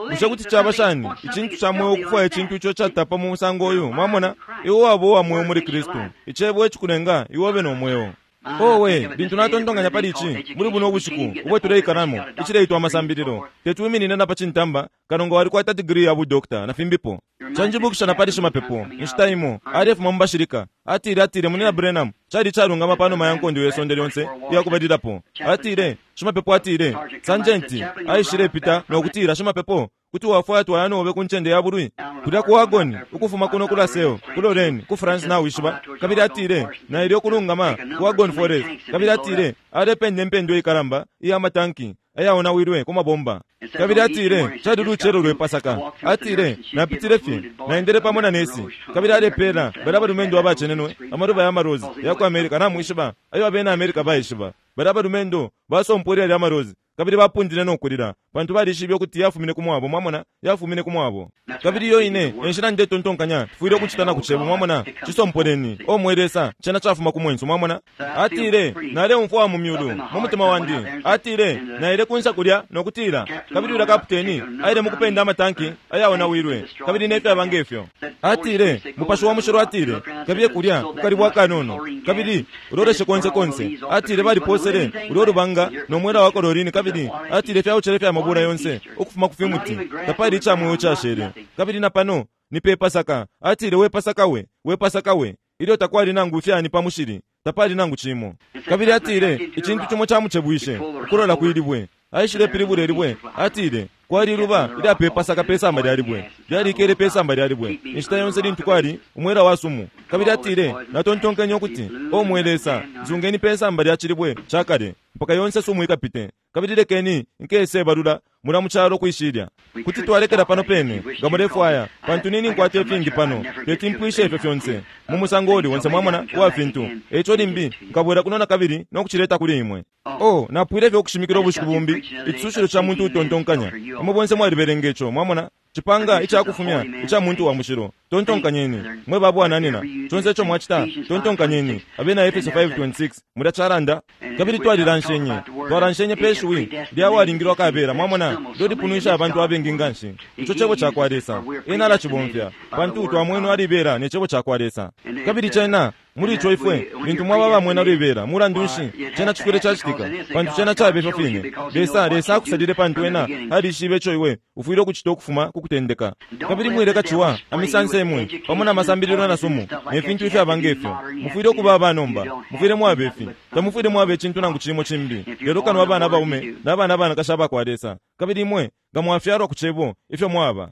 bushe kuti caba shani icintu ca mweo ukufwaya icintu ico catapa mu musango uyu mwamona iwe waba uwa mweo muli Kristu icebo ecikulenga iwe ube no mweo owe lintu natontonkanya pali ici muli buno ubushiku ubwe tuleikalamo icileitwa amasambililo tetwiminine na pa cintamba kano nga walikwata digiri ya budokta na fimbipo canjibukisha na pali shimapepo inshita imo alefuma mu bashilika atile atile munina Branham cali calungama panuma ya nkondo ye sonde lyonse iyakubalilapo atile shimapepo atile sanjenti aishile pita nokutila shimapepo kuti wafwaya twaya nobe ku ncende ya bulwi kulya ku wagoni ukufuma kuno ku Laseo ku Lorraine ku France nawishiba kabili atile naile okulungama ku Wagon Forest kabili atile alependa empendwa ikalamba iya matanki ayaonawilwe ku mabomba kabili atile cali lucelo lwe Pasaka atile napitile fye naendele pamo na nesi kabili alepela bali abalumendo abacenenwe amaluba ya marozi ya ku America namwishiba ayo abena America baishiba bali abalumendo basompwele lya marozi kabili bapundile nokulila pantu balishibe ukuti yafumine kumwabo mwamona yafumine kumwabo kabili iyo ine enshila ndetontonkanya tufwile ukucita na kucebo mwamona cisompoleni omwe Lesa cena cafuma kumwenso mwamona atile naleumfwa mu myulu mu mutima wandi atile naile kunsa kulya nokutila kabili ula kaputeni aile mukupenda amatanki ayaonawilwe kabili nefyaba ngefyo atile mupashi wa mushilo atile kabiye kulya kukali bwa kanono kabili uloleshe konse konse atile baliposele ulyo lubanga nomwela wa kolorini kabili atile fyaucele fya mabula yonse ukufuma ku fimuti tapali icamweyo cashele kabili na pano ni pe Pasaka atile we Pasaka we we Pasaka we ilyo takwali nangu fyani pa mushili tapali nangu cimo kabili atile icintu cimo camucebwishe ukulola kwilibwe aishile pilibule libwe atile kwali luba ilya pe Pasaka pe samba lya libwe lyalikele pe samba lya libwe inshita yonse lintu kwali umwela wa sumu kabili atile natontonkenye ukuti omwe Lesa nzungeni pe samba lya cilibwe cakale mpaka yonse sumu ikapite kabili lekeni nkese balula mula muchalo kwishilya kuti twalekela pano pene nga mulefwaya pantu nini nkwate ifingi pano teti mpwishe ifyo fyonse mu musango uli wonse mwamona uwa fintu eco limbi nkabwera kuno na kabili nokucileta kuli imwe oh napwile fye okushimikila ubushiku bumbi icisushilo ca muntu utontonkanya imwe bonse mwalibelenga ico mwamona cipanga icakufumya ica muntu wa mushilo tontonkanyeni mwe babwananina conse ico mwacita tontonkanyeni abena Efeso five twenty-six mulya calanda kabili twalilanshenye twalanshenye pe shiwi lyawalingilwa kabela mwamona lyolipunwisha abantu abengi nganshi ico cebo cakwa Lesa ena alacibomfya pantu twamwenu alibela ne cebo cakwa Lesa kabili cena muli ico ifwe lintu mwaba bamwena lwibela mulandu nshi cena cifwile cacitika pantu cena cabe ifyo fine Lesa Lesa akusalile pantu ena alishibe ico iwe ufwile ukucita ukufuma kukutendeka kabili mwileka ciwa amisanse imwe pamo na masambililo na sumu ne fintu ifyaba ngefyo mufwile ukuba abanomba mufwile mwabe ifi tamufwile mwabe icintu nangu cimo cimbi lelo kano abana baume n'abana banakashi abakwa Lesa kabili imwe nga mwafyalwa ku cebo ifyo mwaba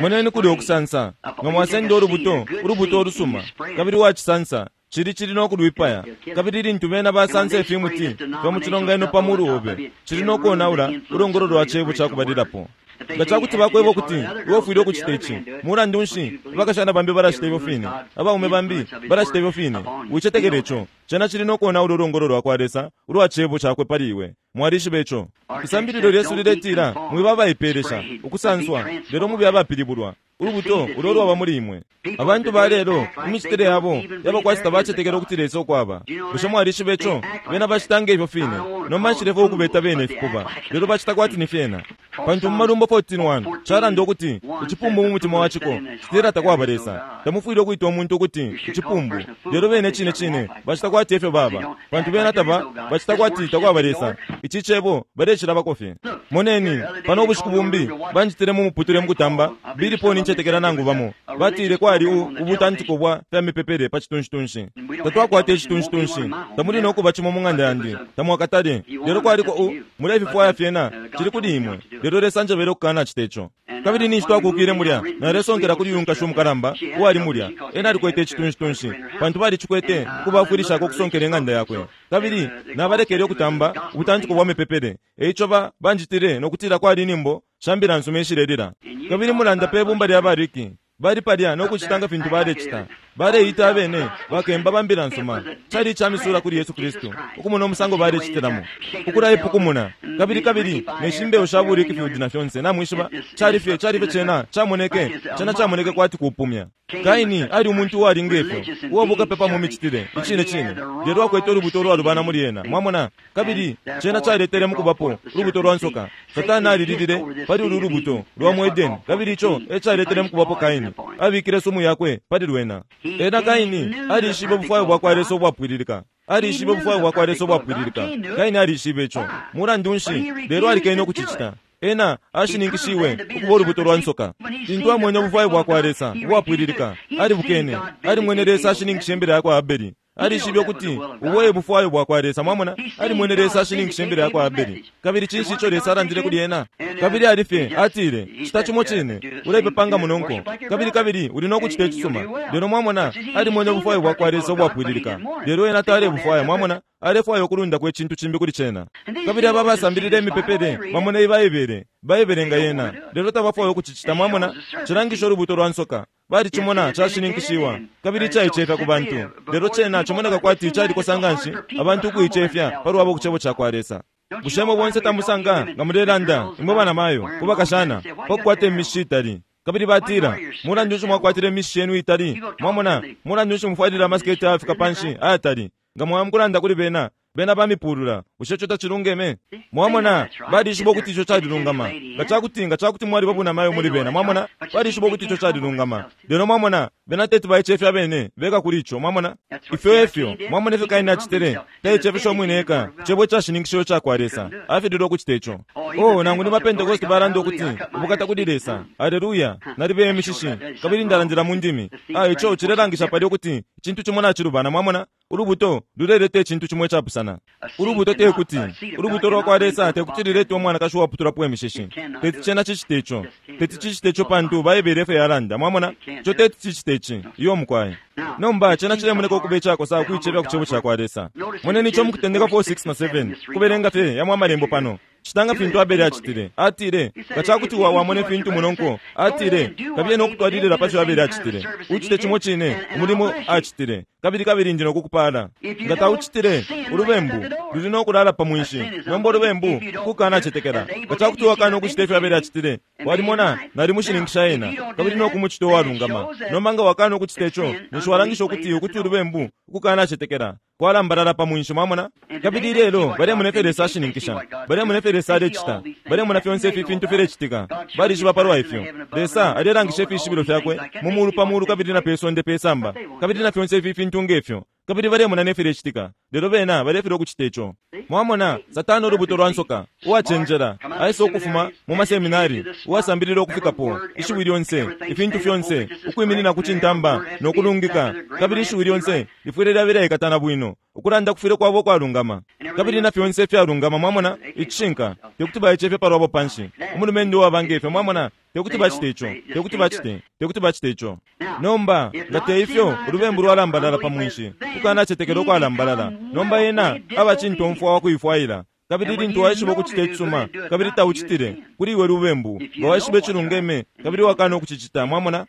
moneni kuli okusansa nga mwasenda ulubuto ulubuto olusuma kabili wacisansa cili cili nokulwipaya kabili lintu bena basansa ifimuti fya mu cilonganino pa mulu obe cili nokonaula ulongolo lwa cebo cakubalilapo Nga cakuti bakweba ukuti iwe ufwile ukucita ici, mulandu nshi abakashana bambi balacita ifyo fine, abaume bambi balacita ifyo fine, wicetekele ico. Cena cili no konaula ulongolo lwa kwa Lesa ulwa cebo cakwe pali iwe. Mwalishiba ico. Isambililo lyesu liletila mwiba abaipelesha ukusanswa, lelo mube abapilibulwa ulubuto ulo lwaba muli imwe. Abantu ba lelo imicitile yabo yaba kwati tabacetekela ukuti Lesa ukwaba. Bushe mwalishiba ico? Bena bacita nge ifyo fine. Nomba nshilefo ukubeta bene ifipuba, lelo bacita kwati ni fyena. Pantu mu Malumbo fourteen one calanda ukuti icipumbu mu mutima wa ciko citila takwaba Lesa. Tamufwile ukuita umuntu ukuti icipumbu, lelo bene cine cine bacita kwati efyo baba, pantu bena taba bacita kwati takwaba Lesa. Ici cebo balecilabako fye. Moneni pano ubushiku bumbi banjitile mu muputule mukutamba bili poni ncetekela nangu bamo batile kwali ubutantiko bwa fya mipepele pa citunshi-tunshi. Tatwakwata icitunshi-tunshi, tamuli no kuba cimo mu ng'anda yandi, tamwakatale. Lelo kwaliko u mulefifwaya fyena cili kuli imwe, lelo Lesa njebele ukukanacita ico. Kabili ninshi twakukile mulya, nalesonkela kuli uyu nkashi umukalamba uwali mulya. Ena alikwete icitunshi-tunshi pantu balicikwete ukubafwilishako ukusonkela ing'anda yakwe. Kabili nabalekele ukutamba ubutantiko bwa mipepele. Eico ba banjitile nokutila kwali inimbo shambila nsuma ishilelila. Kabili mulanda pe bumba lya bariki bali palya nokucita nga fintu balecita. Baleita abene bakemba bambila nsuma. Cali icamisula kuli Yesu Kristu ukumona umusango balecitilamo, ukulaipukumuna kabili kabili ne shimbewu sha buriki field na fyonse. Namwishiba cali fye cali fye cena camoneke cena camoneke kwati kupumya. Kaini ali umuntu uwali ngefyo uwabukapepa mu micitile icine cine, lelo akwete ulubuto lwalubana muli ena. Mwamona? Kabili cena caletele mukubapo ulubuto lwa nsoka. Satani alililile pali ulu lubuto lwa mu Edeni, kabili ico e caletele mukubapo Kaini. Abikile sumu yakwe pali lwena. Ena Kaini alishibe ubufwayo bwa kwa Lesa ubwapwililika. Alishibe ubufwayo bwa kwa Lesa ubwapwililika. Kaini alishibe ico. Mulandu nshi? Lelo alikene ukucicita. Ena ashininkishiwe ukuba ulubuto lwa nsoka. Lintu amwene ubufwayo bwa kwa Lesa ubwapwililika, alibukene. Alimwene Lesa ashininkishe imbere yakwa Abeli. Alishibe ukuti ubo e bufwayo bwa kwa Lesa. Mwamona? Alimwene Lesa ashininkishe imbere yakwa Abeli. Kabili cinshi ico Lesa alandile kuli ena? Kabili alifye atile, cita cimo cine, ulepepanga munonko, kabili kabili uli no kucita icisuma. Lelo mwamona, alimwene ubufwayo bwa kwa Lesa ubwapwililika, lelo ena talebufwaya. Mwamona? Alefwaya ukulundako icintu cimbi kuli cena. Kabili aba basambilile imipepele bamona ibaibele baibele nga yena, lelo tabafwaya ukucicita. Mwamona? Cilangisha ulubuto lwa nsoka. Balicimona cashininkishiwa kabili caicefya ku bantu, lelo cena cimoneka kwati calikosa nganshi abantu ukuicefya palwabo ku cebo ca kwa Lesa. Bushe imwe bonse tamusanga nga mulelanda imwe banamayo ku bakashana pakukwata imishishi itali? Kabili batila, mulandu nshi mwakwatile imishishi yenu itali? Mwamona, mulandu nshi mufwalile amasiketi ayafika panshi ayatali? Nga mwamukulanda kuli bena, bena bamipulula. Bushe ico tacilungeme? Mwamona, balishiba ukuti ico calilungama. Nga cakuti nga cakuti mwali babunamayo muli bena, mwamona, balishiba ukuti ico calilungama. Lelo mwamona, bena teti baicefya bene beka kuli ico. Mwamona, ifyo efyo mwamona ifyo Kaini acitile. Taicefesha umwine eka cebo cashininkishiwe ca kwa Lesa. Afililwe ukucita ico. Oh, nangu ni bapentekoste balanda ukuti ubukata kuli Lesa, aleluya, nalibeye imishishi kabili ndalandila mu ndimi. Ah, ico cilelangisha pali ukuti icintu cimo nacilubana. Mwamona, ulubuto luleleta icintu cimo icapusana. Ulubuto tekuti ulubuto lwa kwa Lesa tekuti lilete umwanakashi uwaputulapo imishishi. Teti cena cicite ico. Teti cicite ico pantu Baibele efyo yalanda. Mwamona, ico teti cicite ici. Iyo mukwai. Nomba cena cilemoneka ukuba icakosa ukuicefya ku cebo ca kwa Lesa. Moneni ico mukutendeka four six na seven kubelenga fye yamwe amalembo pano. Citanga fintu Abeli acitile. Atile, nga cakuti wamone fintu munonko. Atile, kabiye no kutwalilila pa fyo Abeli acitile. Ucite cimo cine umulimo acitile. Kabili kabili ndi nokukupala. Nga taucitile ulubembu luli no kulala pa mwinshi. Nomba ulubembu kukanacetekela. Nga cakuti wakana ukucita ifyo Abeli acitile, walimona nalimushininkisha ena kabili no kumucita uwalungama. Nomba nga wakana ukucita ico, ninshi walangisha ukuti ukuti ulubembu kukanacetekela kwalambalala pa mwinshi. Mwamona? Kabili lelo balemona ifyo Lesa ashininkisha, balemona ifyo Lesa alecita, balemona fyonse ifi fintu filecitika. Balishiba palwa ifyo Lesa alelangisha ifishibilo fyakwe mu mulu pa mulu kabili na pe sonde pe samba kabili na fyonse ifi fintu ngefyo, kabili balemona nefilechitika. Lelo bena balefilwa ukucita ico. Mwamona, Satani ulubuto lwa nsoka uwacenjela aisa ukufuma mu maseminari, uwasambilila ukufikapo ishiwi lyonse, ifintu fyonse, ukwiminina ku cintamba no kulungika, kabili ishiwi lyonse lifwile lyabela ikatana bwino, ukulanda kufwile kwabo kwalungama kabili na fyonse ifyalungama. Mwamona, icishinka tekuti baicefye palwabo panshi. Umulumendo uwaba ngefyo, mwamona, tekuti bacite ico, tekuti bacite, tekuti bacite ico. Nomba nga te ifyo ulubembu lwalambalala pa mwinshi, kukanacetekela ukwalambalala. Nomba ena aba cintomfwa wa kuifwaila. Kabili lintu waishiba ukucita icisuma kabili taucitile, kuli iwe lubembu. Nga waishiba icilungeme kabili wakana ukucicita, mwamona?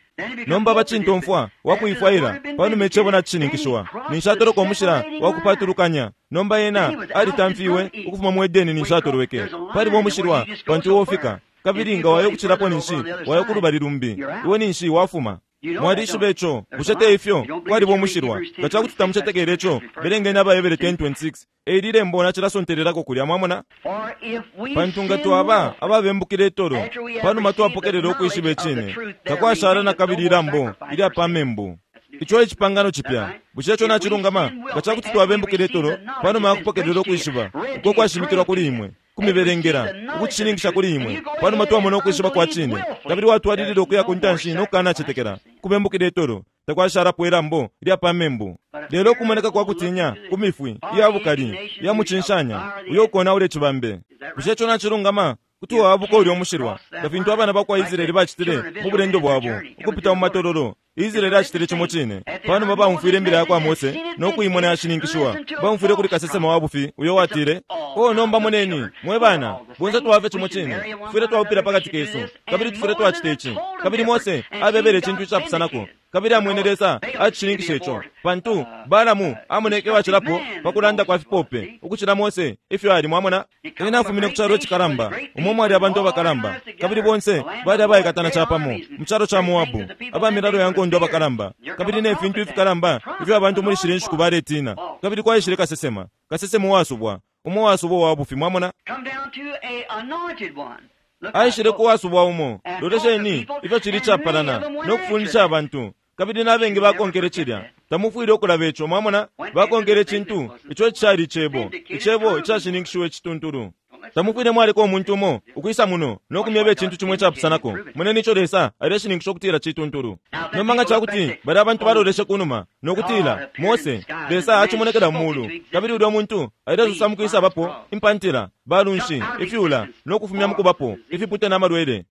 Nomba bacintomfwa wakuifwaila panuma icebo nacishininkishiwa, ninshi atoloka umushila wakupatulukanya. Nomba ena alitamfiwe ukufuma mu Edeni, ninshi atolweke. Paliba umushilwa pantu iwe ufika, kabili nga wayo kucilapo ninshi wayo kulubali lumbi, iwe ninshi wafuma. Mwalishiba ico, bushe te ifyo? Kwaliba umushilwa. Nga cakuti tamucetekele ico, belengeni Abahebere ten twenty-six. Eli lembo nacilasontelelako kulya, mwamona? Pantu nga twaba ababembukile itolo, panuma twapokelela ukwishiba icine, takwashala na kabili ilambo ilya pa membu. Ico icipangano cipya. Bushe ico nacilungama? Nga cakuti twabembukile itolo, panuma yakupokelela ukwishiba uko kwashimikilwa kuli imwe, kumibelengela, ukucishininkisha kuli imwe, panuma twamona ukwishiba kwa cine, kabili watwalilila ukuya ku ntanshi no kukanacetekela, kubembukile itolo, takwashalapo ilambo ilya pa membu. Lelo kumoneka kwa kutinya, ku mifwi iya bukali, iya mucinshanya, uyo ukonaula icibambe. Bushe ico nacilungama? Kuti waabuka ulya umushilwa, nga fintu abana bakwa Israeli bacitile mu bulendo bwabo ukupita mu matololo. Israeli acitile cimo cine. Panuma baumfwile imbila yakwa Mose no kuimona yashininkishiwa, baumfwile kuli kasesema wa bufi uyo watile, "Oh, nomba moneni mwe bana, bonse twabafye cimo cine, tufwile twaupila pakati kesu, kabili tufwile twacita ici." Kabili Mose abebele icintu icapusanako, kabili amwene Lesa acishininkisha ico, pantu Balamu amoneke wacilapo pakulanda kwa fipope ukucila Mose ifyo ali, mwamona? Ena afumine ku calo icikalamba, umo mwali abantu abakalamba, kabili bonse bali abaikatana capamo mu calo ca Moabu, abamilalo ya nkondo abakalamba, kabili ne fintu ifikalamba ifyo abantu muli shile nshiku baletina. Kabili kwaishile kasesema, kasesema uwasubwa, umo wasubwa wa bufi, mwamona? Aishile kuwasubwa umo. Lolesheni ifyo cili capalana no kufundisha abantu, kabili n'abengi bakonkele cilya. Tamufwile ukulaba ico, mwamona? Bakonkele icintu ico cali icebo, icebo icashininkishiwe icituntulu. Tamufwile mwaleka umuntu umo ukwisa muno no kumyeba icintu cimwe icapusanako. Moneni ico Lesa aleshininkisha ukutila cituntulu. Nomba nga cakuti bali abantu baloleshe kunuma no kutila, Mose, Lesa acimonekela mu mulu, kabili ulya muntu alesosa mukwisa bapo impantila, balunshi, ifyula, no kufumya mukubapo ifipute n'amalwele,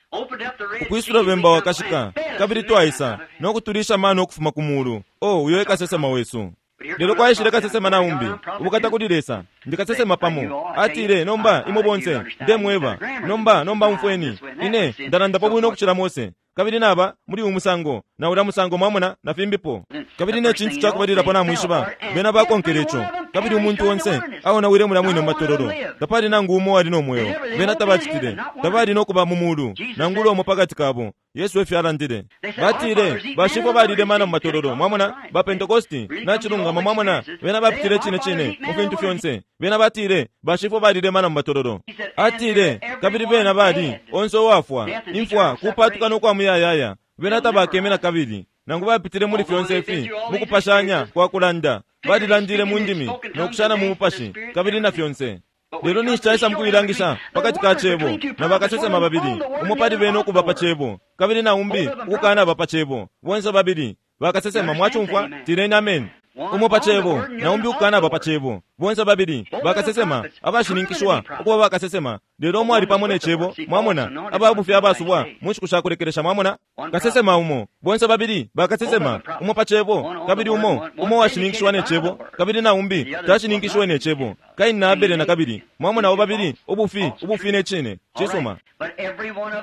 ukwisula bemba wakashika, kabili twaisa no kutulisha mano ukufuma ku mulu. Oh, uyo ekasesema wesu. Lelo kwaishile kasesema na umbi, ubukata kuli Lesa, ndikasesema pamo. Atile, nomba imwe bonse ndemweba, nomba nomba umfweni, ine ndalandapo bwino ukucila Mose, kabili naba muli uyu musango na ulya musango, mwamona, na fimbipo. Kabili ne cintu cakubalilapo namwishiba, bena bakonkele ico, kabili umuntu onse aonawile mulya mwine mu matololo. Tapali nangu umo wali no mweo, bena tabacitile, tabali no kuba mu mulu, nangu umo pakati kabo. Yesu efyo alandile. Batile, bashifwe balile mana mu matololo, mwamona, ba Pentecosti, nacilungama, mwamona, bena bapitile cine cine mu fintu fyonse. Bena batile, bashifwe balile mana mu matololo. Atile, kabili bena bali, onse uwafwa, imfwa, kupatuka no kwa muyayaya, bena tabakeme na kabili. Nangu bapitile muli fyonse ifi, mukupashanya kwa kulanda, balilandile mu ndimi, no kushana mu mupashi, kabili na fyonse. Lelo ninshi caisa mukuilangisha pakati ka cebo na bakasesema babili, umo pali bene ukuba pa cebo, kabili na umbi ukukana ba pa cebo. Bonse babili bakasesema, mwacumfwa? Tileni amen. Umo pa cebo na umbi ukukana ba pa cebo. Bonse babili bakasesema abashininkishwa ukuba bakasesema, lelo umo ali pamo ne cebo, mwamona, ababufi abasubwa mu nshiku sha kulekelesha, mwamona? Kasesema umo, bonse babili bakasesema, umo pa cebo, kabili umo umo washininkishwa ne cebo, kabili na umbi tashininkishwe ne cebo. Kaini na Abele na kabili, mwamona, abo babili ubufi, ubufi ne cine. Cisuma.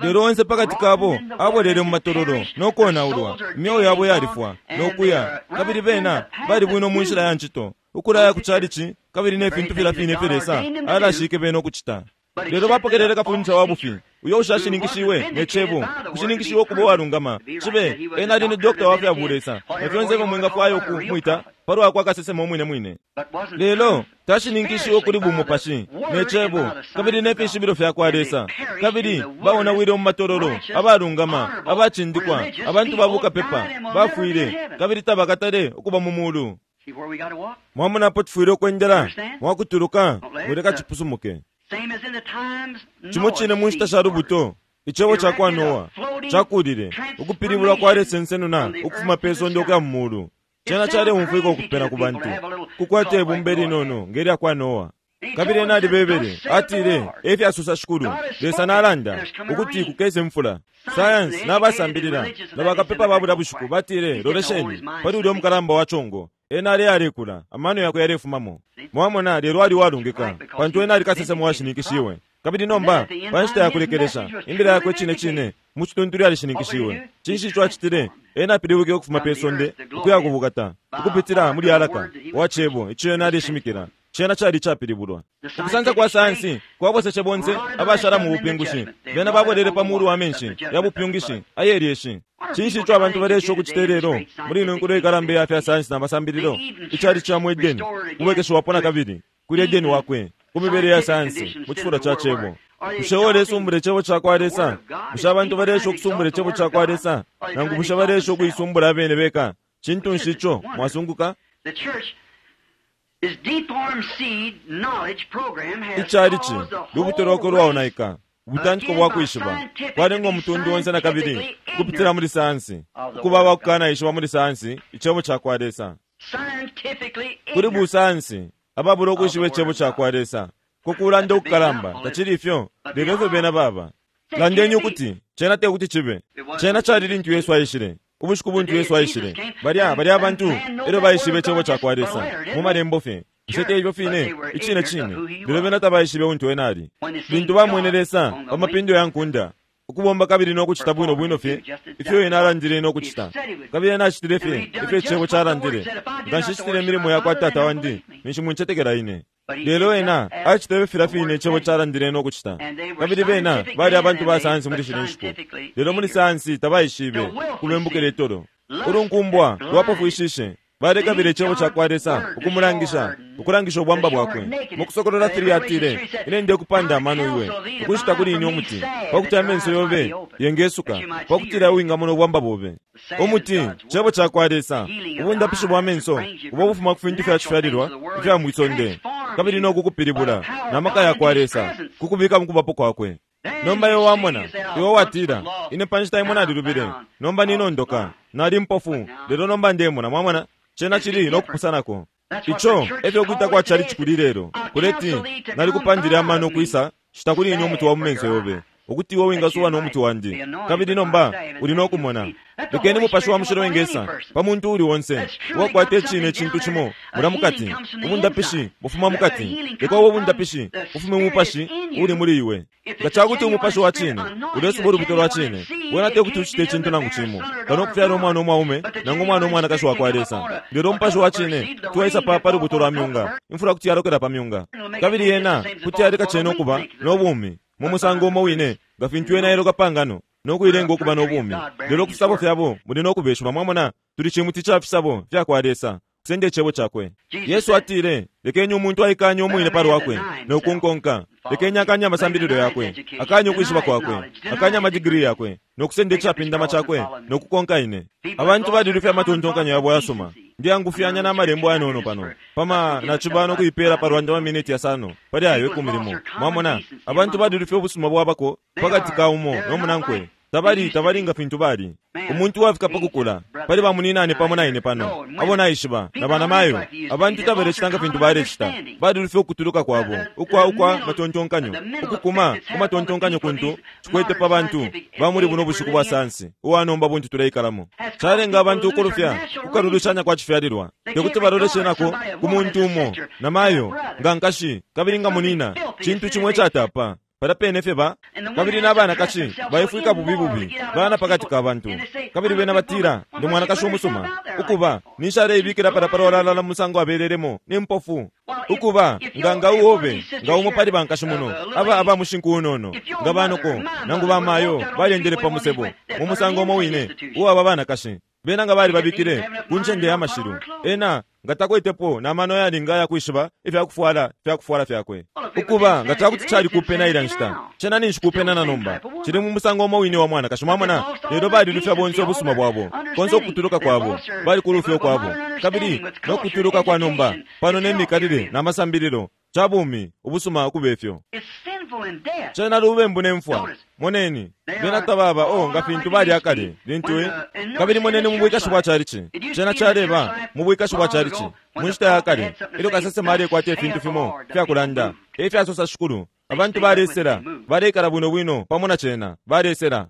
Lelo onse pakati kabo abolele mu matololo no konaulwa, imyeo yabo yalifwa no kuya, kabili bena bali bwino mu nshila ya ncito, ukulaya ku chalichi, kabili ne fintu fila fine ifyo Lesa alashike bena ukucita. Lelo bapokelele kafundisha wa bufi, uyo ushashininkishiwe ne cebo, kushininkishiwe ukuba uwalungama. Cibe ena ali ni dokta wa fya bulesa, na fyonse ifyo mwingafwaya ukumwita palwa kwa kasesema umwine mwine. Lelo tashininkishiwe kuli bumupashi ne cebo, kabili ne fishibilo fya kwa Lesa, kabili baonawile mu matololo, abalungama, abacindikwa, abantu babukapepa, bafwile, kabili tabakatale ukuba mu mulu. Mwamona apo tufwile ukwendela, mwakutuluka, mwileka cipusumuke. Cimo cine mu nshita sha lubuto, icebo ca kwa Noa cakulile, ukupilibulwa kwa lesensenuna ukufuma pe sonde ukuya mu mulu. Cena caleumfwika ukupena ku bantu, kukwata ibumba linono ngelya kwa Noa. Kabili ena alibebele, atile, efyasosa Shikulu, Lesa nalanda, ukuti kukese mfula. Science n'abasambilila na bakapepa ba bulya bushiku batile, lolesheni pali ulya mukalamba wa congo. Ena ale alekula, amano yakwe yalefumamo. Mwamona, lelo ali walungika, pantu ena ali kasesema washininkishiwe. Kabili nomba, pa nshita ya kulekelesha, imbila yakwe cine cine, mu cituntulu yalishininkishiwe. Cinshi ico acitile? Ena apilibwike ukufuma pe sonde, ukuya ku bukata, ukupitila muli alaka wa cebo ico ena aleshimikila. Cena cali icapilibulwa. Ukusansa kwa sayansi kwaboseshe bonse abashala mu bupingushi. Bena babwelele pa mulu wa menshi ya bupyungishi ayelyeshi. Cinshi ico abantu balesha ukucita lelo muli ino nkulo ikalamba ya fya sayansi na masambililo? Icali ca mu Edeni kubwekeshiwapo na kabili kuli Edeni wakwe ku mibele ya sayansi mu cifulo ca cebo. Bushe ulesumbula icebo ca kwa Lesa? Bushe abantu balesha ukusumbula icebo ca kwa Lesa? Nangu bushe balesha ukuisumbula abene beka? Cintu nshi ico mwasunguka? Icalici lubuto lwakwe lwaonaika, ubutantiko bwa kwishiba kwalenga umutundu onse na kabili ukupitila muli sayansi, ukuba abakukanaishiba muli sayansi icebo ca kwa Lesa. Kuli busayansi ababula ukwishiba icebo ca kwa Lesa, kukulanda ukukalamba tacili ifyo, lelo ifyo bena baba. Landeni ukuti cena te kuti cibe. Cena cali lintu Yesu aishile. Ubushiku buntu Yesu aishile, balya balya abantu elyo baishibe icebo ca kwa Lesa mu malembo fye. Bushe te ifyo fine icine cine? Lelo bena tabaishibe untu ena ali. Lintu bamwene Lesa pa mapindo ya nkunda ukubomba kabili no kucita bwino bwino fye ifyo ena alandile no kucita, kabili ena acitile fye ifyo icebo calandile, nga nshicitile imilimo ya kwa Tata wandi, ninshi muncetekela ine. Lelo ena acitile filya fine icebo calandile no kucita, kabili bena bali abantu ba sayansi muli shino nshiku, lelo muli sayansi tabaishibe kulwembukila itolo. Ulunkumbwa lwapofwishishe balekabila icebo ca kwa Lesa ukumulangisha, ukulangisha ubwamba bwakwe. Mu Kusokolola three atile, ine ndekupanda amano iwe, ukushita kuli ine umuti, pakuti amenso yobe yengesuka, pakutila wingamona ubwamba bobe. Umuti, cebo ca kwa Lesa, ubundapishi bwa menso, ubo bufuma ku fintu fya cifyalilwa ifya mwisonde, kabili no kukupilibula na maka ya kwa Lesa, kukubika mu kubapo kwakwe. Nomba iwe wamona, iwe watila, ine pa nshita imo nalilubile, nomba ninondoka, nali mpofu, lelo nomba ndemona. Mwamona, cena cili no kupusanako. Ico efyo kwita kwa chalichi kuli lelo, kuleti nalikupandile amano kwisa shita kuli ine umuti wa mumenso yobe, ukuti iwe wingasuba no muti wandi, kabili nomba uli no kumona. Lekeni Mupashi wa Mushilo wengesa pa muntu uli onse uwakwata icine icintu cimo mula mukati. Ubundapishi bufuma mukati. Leka ubo bundapishi bufume mu mupashi uli muli iwe. Nga cakuti umupashi wa cine ulesuba ulubuto lwa cine, wena te kuti ucite icintu nangu cimo kano ukufyala umwana umwaume nangu umwana umwanakashi wa kwa Lesa. Lelo umupashi wa cine tuwaisa pa pa lubuto lwa myunga, imfula kuti yalokela pa myunga, kabili yena kuti yaleka cene ukuba no bumi mu musango umo wine nga fintu ena yeloka pangano no kuilenga ukuba no bumi. Lelo ku fisabo fyabo muli no kubeshwa. Mwamona, tuli cimuti ca fisabo fya kwa Lesa, kusenda icebo cakwe. Yesu atile, lekeni umuntu aikanye umwine pa lwakwe no kunkonka. Lekeni akanye amasambililo yakwe, akanye ukwishiba kwakwe, akanye amadigiri yakwe, no kusenda icapindama cakwe no kukonka ine. Abantu balilufya amatontonkanyo yabo yasuma. Ndiyangufyanya n'amalembo ayanono pano pama naciba no kuipela pa lwanda maminiti yasano pali ayo ikumi limo. Mwamona, abantu balilufya ubusuma bwabako pakati ka umo no munankwe. Tabali tabali nga fintu bali. Umuntu wafika pa kukula pali bamuninane pamo na ine pano, abo naishiba na banamayo. Abantu tabalecita nga fintu balecita. Balilufya ukutuluka kwabo ukwa ukwa matontonkanyo, ukukuma ku matontonkanyo kuntu cikwete pa bantu ba muli buno bushiku bwa sayansi uwanomba buntu tuleikalamo. Calenga abantu ukulufya kukalulushanya kwa cifyalilwa, tekuti baloleshe nako ku muntu umo na mayo nga nkashi kabili nga munina, cintu cimwe icatapa. Pala pene fye ba kabili n'abanakashi baifwika bubi bubi bana pakati ka bantu, kabili bena batila ndi mwanakashi umusuma, ukuba nishaleibikila pala palwalalala mu musango abelelemo ni mpofu. Ukuba nga nga uobe nga umo pali bankashi muno aba aba mushinku unono nga banoko nangu bamayo balendele pa musebo mu musango umo wine uwaba banakashi bena nga bali babikile ku ncende ya mashilu, ena nga takwetepo na mano yalinga ya kwishiba ifya kufwala ifya kufwala fyakwe. Ukuba nga cakuti cali kupena ila nshita, cena ninshi kupena na nomba cili mu musango umo wine wa mwanakashi. Mwamona, lelo balilufya bonse ubusuma bwabo, konse ukutuluka kwabo, bali kulufya kwabo, kabili no kutuluka kwa nomba pano ne mikalile na masambililo ca bumi ubusuma ukubefyo. Cena lubembu ne mfwa. Moneni, bena tababa o nga fintu bali akale lintu, kabili moneni mu bwikashi bwa chalichi. Cena caleba mu bwikashi bwa chalichi mu nshita ya kale, ilyo kasesema alekwata ifintu fimo fyakulanda efyasosa Shikulu. Abantu balesela, baleikala bwino bwino pamo na cena, balesela.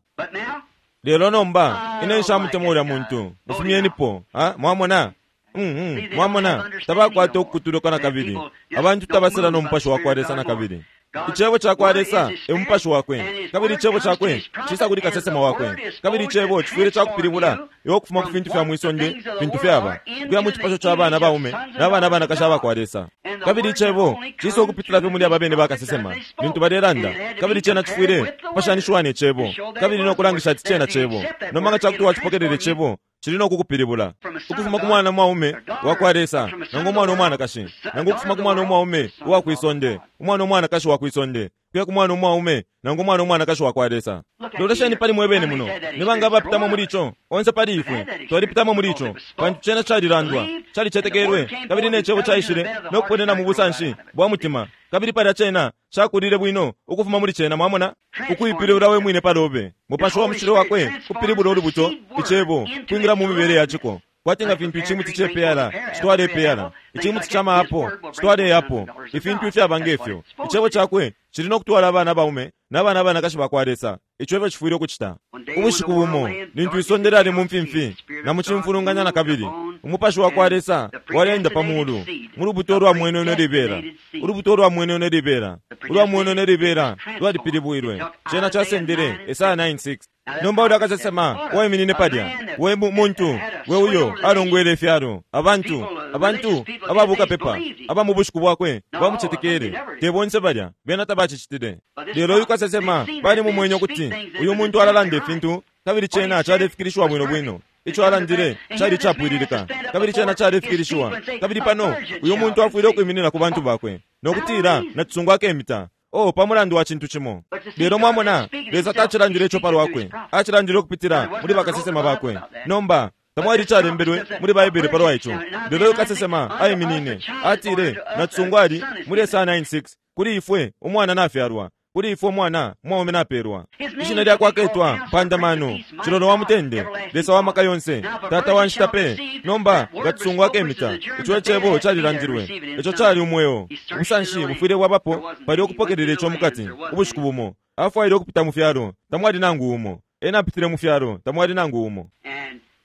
Lelo nomba ine nshamutemwa ulya muntu, mufumyenipo. Mwamona, Mm mwamona, tabakwata ukukutuluka na kabili. Abantu tabasela no mupashi wa kwa Lesa na kabili. Icebo ca kwa Lesa e mupashi wakwe, kabili icebo cakwe cisa kuli kasesema wakwe, kabili icebo cifwile cakupilibula iwe ukufuma ku fintu fya mwisonde fintu fyaba ukuya mu cipasho ca bana baume na bana banakashi aba kwa Lesa. Kabili icebo cisa ukupitila fye muli aba bene bakasesema lintu balelanda, kabili cena cifwile kupashanishiwa ne cebo kabili no kulangisha ati cena cebo. Nomba nga cakuti wacipokelela icebo, cili no kukupilibula ukufuma ku mwana mwaume wa kwa Lesa nangu umwana umwanakashi, nangu ukufuma ku mwana umwaume uwa kwisonde, umwana umwanakashi wa kwisonde, kuya ku mwana umwaume nangu umwana umwanakashi wa kwa Lesa. Lolesheni pali mwebene muno, nibanga abapitamo muli ico? Onse pali ifwe twalipitamo muli ico, pantu cena calilandwa, calicetekelwe, kabili ne cebo caishile no kuponena mu busanshi bwa mutima, kabili palya cena cakulile bwino ukufuma muli cena. Mwamona, ukuipilibula we mwine palobe, mupashi wa mushilo wakwe kupilibula ulubuto icebo kwingira mu mibele yaciko. Kwati nga fintu icimuti cepeyala citwala ipeyala, icimuti ca maapo citwala eyapo, ifintu ifyaba ngefyo. Icebo cakwe cili no kutwala abana baume na bana banakashi ba kwa Lesa. Ico efyo cifwile ukucita. Ubushiku bumo lintu isonde lyali mu mfimfi na mu cimfulunganya na kabili, umupashi wa kwa Lesa waleenda pa mulu mu lubuto lwa mweneno libela. Ulubuto lwa mweneno libela, ulwa mweneno libela lwalipilibwilwe. Cena casendele Esaya nine six. Nomba ulya kasesema waiminine palya, we muntu we uyo alongwele ifyalo, abantu abantu ababukapepa aba mu bushiku bwakwe bamucetekele, te bonse balya bena tabacicitile. Lelo uyu kasesema bali mumwenye ukuti uyu muntu alalanda ifintu, kabili cena calefikilishiwa bwino bwino. Ico alandile cali capwililika, kabili cena calefikilishiwa. Kabili pano uyu muntu afwile ukwiminina ku bantu bakwe nokutila nacisungu akemita. Oh, pamulandu wa cintu cimo. Lelo mwamona, Lesa tacilandile ico palwakwe, acilandile ukupitila muli bakasesema bakwe. Nomba tamwali calembelwe muli Baibele palwa ico. Lelo uyu kasesema aiminine atile nacisungu ali muli Esaya nine six, kuli ifwe umwana nafyalwa, kuli ifwe umwana mwaume napelwa, ishina lyakwe aketwa Mpandamano, Cilolo wa Mutende, Lesa wa maka yonse, Tata wa nshita pe. Nomba nga cisungu akemita, ico icebo calilandilwe, ico cali umweo. Ubusanshi bufwile bwabapo pali ukupokelela ico mukati. Ubushiku bumo afwaile ukupita mu fyalo, tamwali nangu umo. Ena apitile mu fyalo, tamwali nangu umo.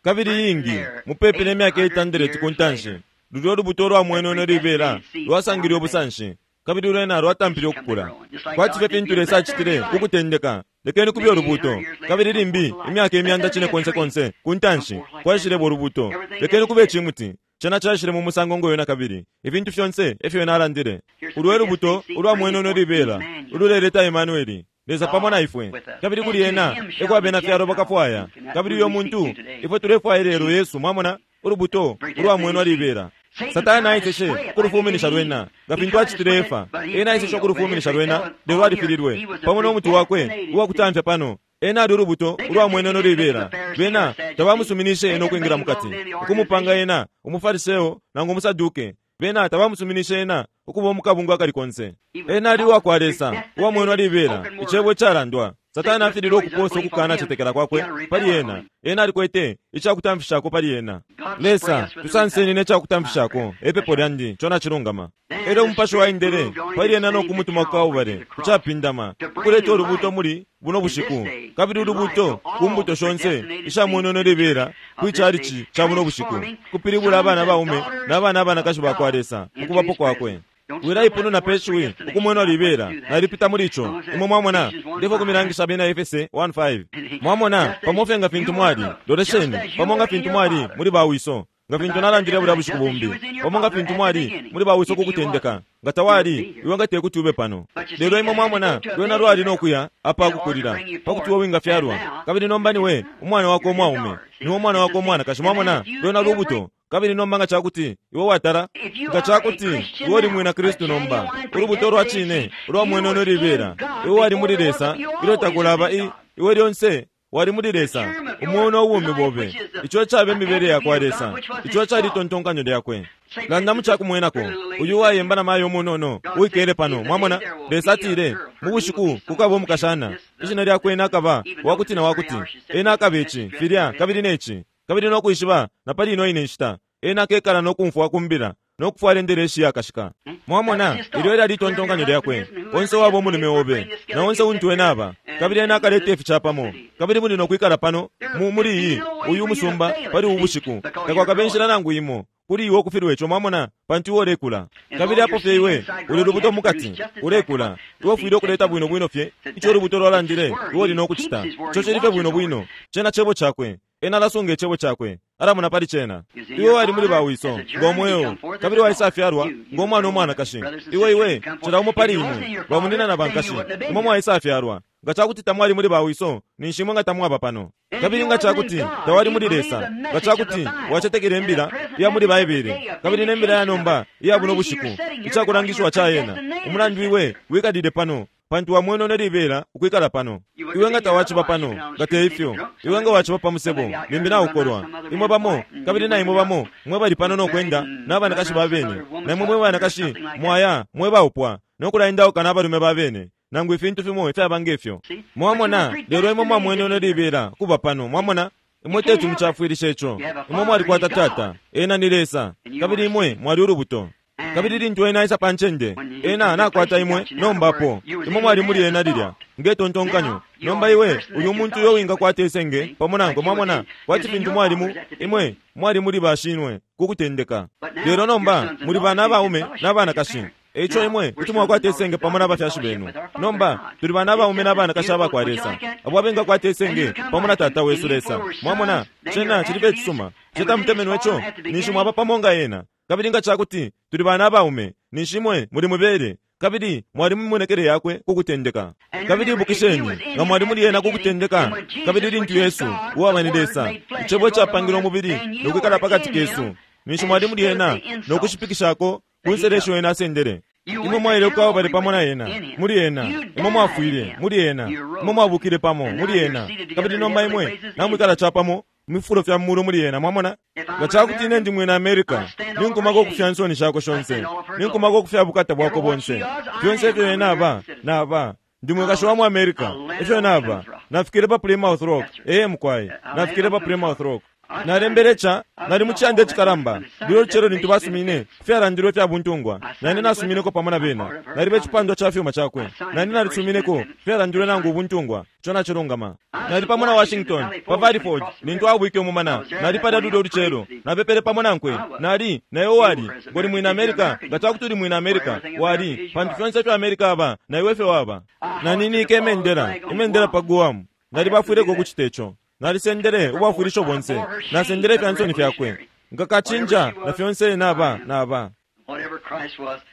Kabili ingi mupepi ne myaka eight hundred kuntanshi, lulyo lubuto lwa mwenono libela lwasangile ubusanshi, kabili lwena lwatampile ukukula. Kwati fye fintu Lesa acitile kukutendeka, lekeni kubye ulubuto. Kabili limbi imyaka imyanda cine konse konse kuntanshi kwaishileba ulubuto, lekeni kube icimuti. Cena caishile mu musango ngoyo na kabili, ifintu fyonse efyo ena alandile. Ulwe lubuto ulwa mwenono libela ululeleta Emmanueli, Lesa pamo na ifwe. Kabili kuli ena eko abena fyalo bakafwaya. Kabili uyo muntu ifwe tulefwaya lelo Yesu. Mwamona, ulubuto ulwa mweno libela. Satani aiseshe ukulufuminisha lwena nga fintu acitile Efa. Ena aiseshe ukulufuminisha lwena, lelo alifililwe pamo no muti wakwe uwakutamfya pano. Ena ali ulubuto ulwa mwenono libela. Bena tabamusuminishe ena ukwingira mukati, ukumupanga ena umufariseo nangu umusaduke. Bena tabamusuminishe ena ukuba mukabungu akali konse. Ena ali uwa kwa Lesa, uwa mweno libela, icebo calandwa. Satani afililwe ukuposa ukukana cetekela kwakwe pali ena. Ena alikwete icakutamfishako pali ena. Lesa, tusanseni ne cakutamfishako, epepo lyandi, cona cilungama. Elyo umupashi waendele pali ena no kumutuma ku Kalvari, kucapindama, ukuleta ulubuto muli buno bushiku, kabili ulubuto ku mbuto shonse isha mwenono libela kwicalici ca buno bushiku, kupilibula abana baume na bana abanakashi ba kwa Lesa ukubapo kwakwe. Wilaipununa peshiwi ukumwena libela nalipita muli ico. Imwe mwamona, ndefo kumilangisha abena Efese one five. Mwamona, pamo fye nga fintu mwali, lolesheni, pamo nga fintu mwali muli bawiso, nga fintu nalandile bulya bushiku bumbi, pamo nga fintu mwali muli bawiso kukutendeka, nga tawali iwe nga tekuti ube pano. Lelo imwe mwamona, lwena lwali nokuya apakukulila pakuti iwe wingafyalwa. Kabili nomba niwe umwana wako umwaume, niwe umwana wako umwanakashi. Mwamona, lwena lubuto. Kabili nomba nga cakuti iwe watala, nga cakuti iwe uli mwina Kristu nomba, ulubuto lwa cine ulwa mwenono libela, iwe wali muli Lesa ilyo takulaba i iwe lyonse wali muli Lesa, umweo no bumi bobe. Ico cabe imibele ya kwa Lesa, ico cali tontonkanyo lyakwe. Landa mu cakumwenako, uyu wayemba na mayo munono uikele pano. Mwamona, Lesa atile mu bushiku kukaba umukashana, ishina lyakwe ena akaba wakuti na wakuti, ena akaba ici filya kabili neci, kabili no kwishiba na pali ino ine nshita ena akekala no kumfwa kumbila no kufwala endelesi yakashika. Mwamona, ilyo lyali tontonkanyo lyakwe. Onse wabo umulume obe na onse untu ena aba, kabili ena akaleta ificapamo, kabili muli no kwikala pano mu muli iyi uyu musumba pali ubu bushiku, takwakabe nshila nangu imo Kuli iwe ukufilwa ico, mwamona, pantu iwe ulekula. Kabili apo fye iwe uli lubuto mukati, ulekula. Iwe ufwile ukuleta bwino bwino fye ico ulubuto lwalandile iwe uli nokucita. Ico cili fye bwino bwino. Cena cebo cakwe. Ena alasunga icebo cakwe. Alamona pali cena. Iwe wali muli bawiso ngo mweo, kabili waisafyalwa ngo mwana umwanakashi. Iwe iwe cila umo pali imwe bamunina na bankashi, imwe mwaisafyalwa. Nga cakuti tamwali muli bawiso, ninshi imwe nga tamwaba pano. Kabili nga cakuti tawali muli Lesa, nga cakuti wacetekele imbila iya muli Baibele, kabili ne mbila ya nomba iya buno bushiku, icakulangishiwa ca yena, umulandu iwe wikalile pano, pantu wamwene nelibela ukwikala pano. Iwe nga tawaciba pano, nga te ifyo, iwe nga waciba pa musebo, limbi naukolwa. Imwe bamo, kabili na imwe bamo, mwe bali pano nokwenda n'abanakashi ba bene, na imwe mwe banakashi mwaya mwe baupwa, nokulaendauka n'abalume ba bene, nangu ifintu fimo ifyaba ngefyo. Mwamona, lelo imwe mwamwene nelibela kuba pano, mwamona? Imwe teti mucafwilisha ico. Imwe mwalikwata tata, ena ni Lesa, kabili imwe mwali ulubuto. Kabili lintu ena aisa pa ncende, ena nakwata imwe nombapo. Imwe mwali muli ena lilya ngetontonkanyo. Nomba iwe uli umuntu uyo wingakwata isenge pamo nankwe, mwamona, kwati fintu mwalimu imwe mwali muli bashinwe kukutendeka. Lelo nomba muli bana abaume n'abanakashi. Eico imwe kuti mwakwata isenge pamo n'abafyashi benu. Nomba tuli bana abaume n'abanakashi abakwa Lesa, abo abengakwata isenge pamo na tata wesu Lesa. Mwamona, cena cili fye icisuma. Cetamutemenwe ico, ninshi mwaba pamo nga ena. Kabili nga cakuti tuli bana abaume, ninshi imwe muli mubele, kabili mwali mumimonekele yakwe kukutendeka. Kabili ibukisheni, nga mwali muli ena kukutendeka, kabili lintu Yesu uwaba ni Lesa, icebo icapangilwe umubili nokwikala pakati kesu, ninshi mwali muli ena nokushipikishako ku nselesho ena asendele. Imwe mwaile ku bali pamo na ena, muli ena. Imwe mwafwile muli ena. Imwe mwabukile pamo muli ena. Kabili nomba imwe namwikala capamo mu fifulo fya mulu muli ena, mwamona? Nga cakuti ine ndi mwina America, ninkumako ukufya nsoni shako shonse, ninkumako ukufya bukata bwako bonse. Fyonse ifyo ena aba, naba. Ndi mwikashi wa mu America, ifyo naba. Nafikile pa Plymouth Rock, ee mukwai, nafikile pa Plymouth Rock. Nalembele ca, nali mu ciyanda icikalamba, lilo lucelo lintu basumine, ifyalandilwe fya buntungwa, nani nasumineko pamo na bena, nalibe icipandwa ca fyuma cakwe, nani nalisumineko, ifyalandilwe nangu ubuntungwa, ico nacilungama. Nali pamo na Washington, pa Valley Forge, lintu abwike umumana, nali palya lulyo lucelo, napepele pamo nankwe, nali, naye wali, ngoli mwina America, nga cakuti uli mwina America, wali, pantu fyonse ifyo America aba, na iwe fye waba. Naninike imendela, imendela pa Guam, nali bafwileko ukucita ico. Nalisendele ubwafwilisho bonse, nasendele ifya nsoni fyakwe, ngakacinja na fyonse naba naba.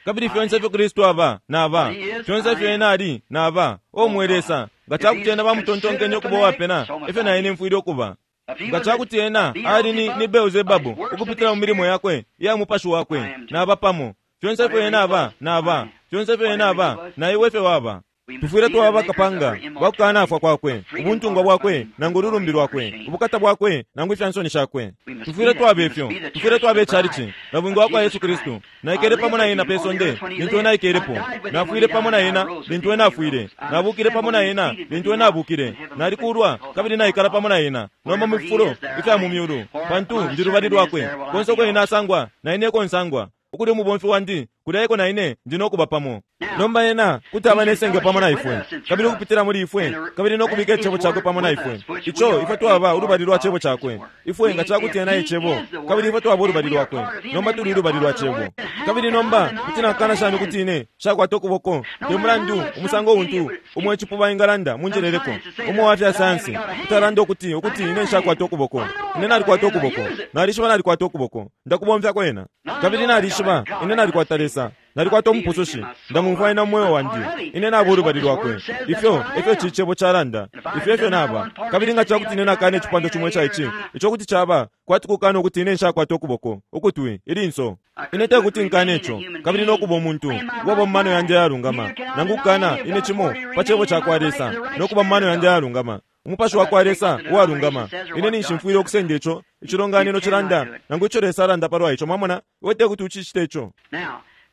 Kabili fyonse ifyo Kristu aba naba, fyonse ifyo ena ali naba. O mwe Lesa, nga cakuti ena bamutontonkenye ukuba uwapena, ifyo na ine mfwile ukuba. Nga cakuti ena ali ni, ni Beelzebabu ukupitila mu milimo yakwe iya mupashi wakwe, naba pamo. Fyonse ifyo ena aba naba, fyonse ifyo ena aba na iwe ifyo waba. Tufwile twaba bakapanga bakukanafwa kwakwe, ubuntungwa bwakwe nangu ululumbi lwakwe, ubukata bwakwe nangu ifya nsoni shakwe. Tufwile twaba ifyo, tufwile twaba icalici na bwingi bwa kwa Yesu Kristu. Naikele pamo na ena pe sonde lintu ena aikelepo, nafwile pamo na ena lintu ena afwile, nabukile pamo na ena lintu ena abukile, nalikulwa kabili naikala pamo na ena nomba mu fifulo ifya mu myulu, pantu ndi lubali lwakwe. Konse uko ena asangwa, na ine eko nsangwa. Ukuli umubomfi wandi, kulya eko na ine ndi nokuba pamo. Nomba ena kuti aba nesenge pamo na ifwe, kabili ukupitila muli ifwe, kabili nokubika icebo cakwe pamo na ifwe. Ico ifwe twaba ulubali lwa cebo cakwe. Ifwe nga cakuti ena icebo, kabili ifwe twaba ulubali lwakwe. Nomba tuli ulubali lwa cebo. Kabili nomba kuti nakana shani kuti ine shakwata ukuboko, te mulandu umusango untu umwe icipuba ingalanda munjeleleko, umwe wa fya sayansi kutalanda ukuti ukuti ine nshakwata ukuboko. Ine nalikwata ukuboko, nalishiba nalikwata ukuboko, ndakubomfya kwena. Kabili nalishiba ine nalikwata Lesa, nalikwata umupusushi, ndamumfwa ena mu mweo wandi, ine naba ulubali lwakwe. Ifyo efyo ici cebo calanda, ifyo efyo naba. Kabili nga cakuti ine nakana icipando cimo ica ici, ico kuti caba kwati kukana ukuti ine nshakwata ukuboko, ukutwi, ilinso. Ine tekuti nkane ico, kabili nokuba umuntu uwaba mu mano yandi ayalungama, nangu kukana ine cimo pa cebo cakwa Lesa, nokuba mu mano yandi ayalungama. Umupashi wa kwa Lesa uwalungama, ine ninshi mfwile ukusenda ico icilonganino cilanda, nangu ico Lesa alanda palwa ico. Mwamona, iwe tekuti ucicite ico.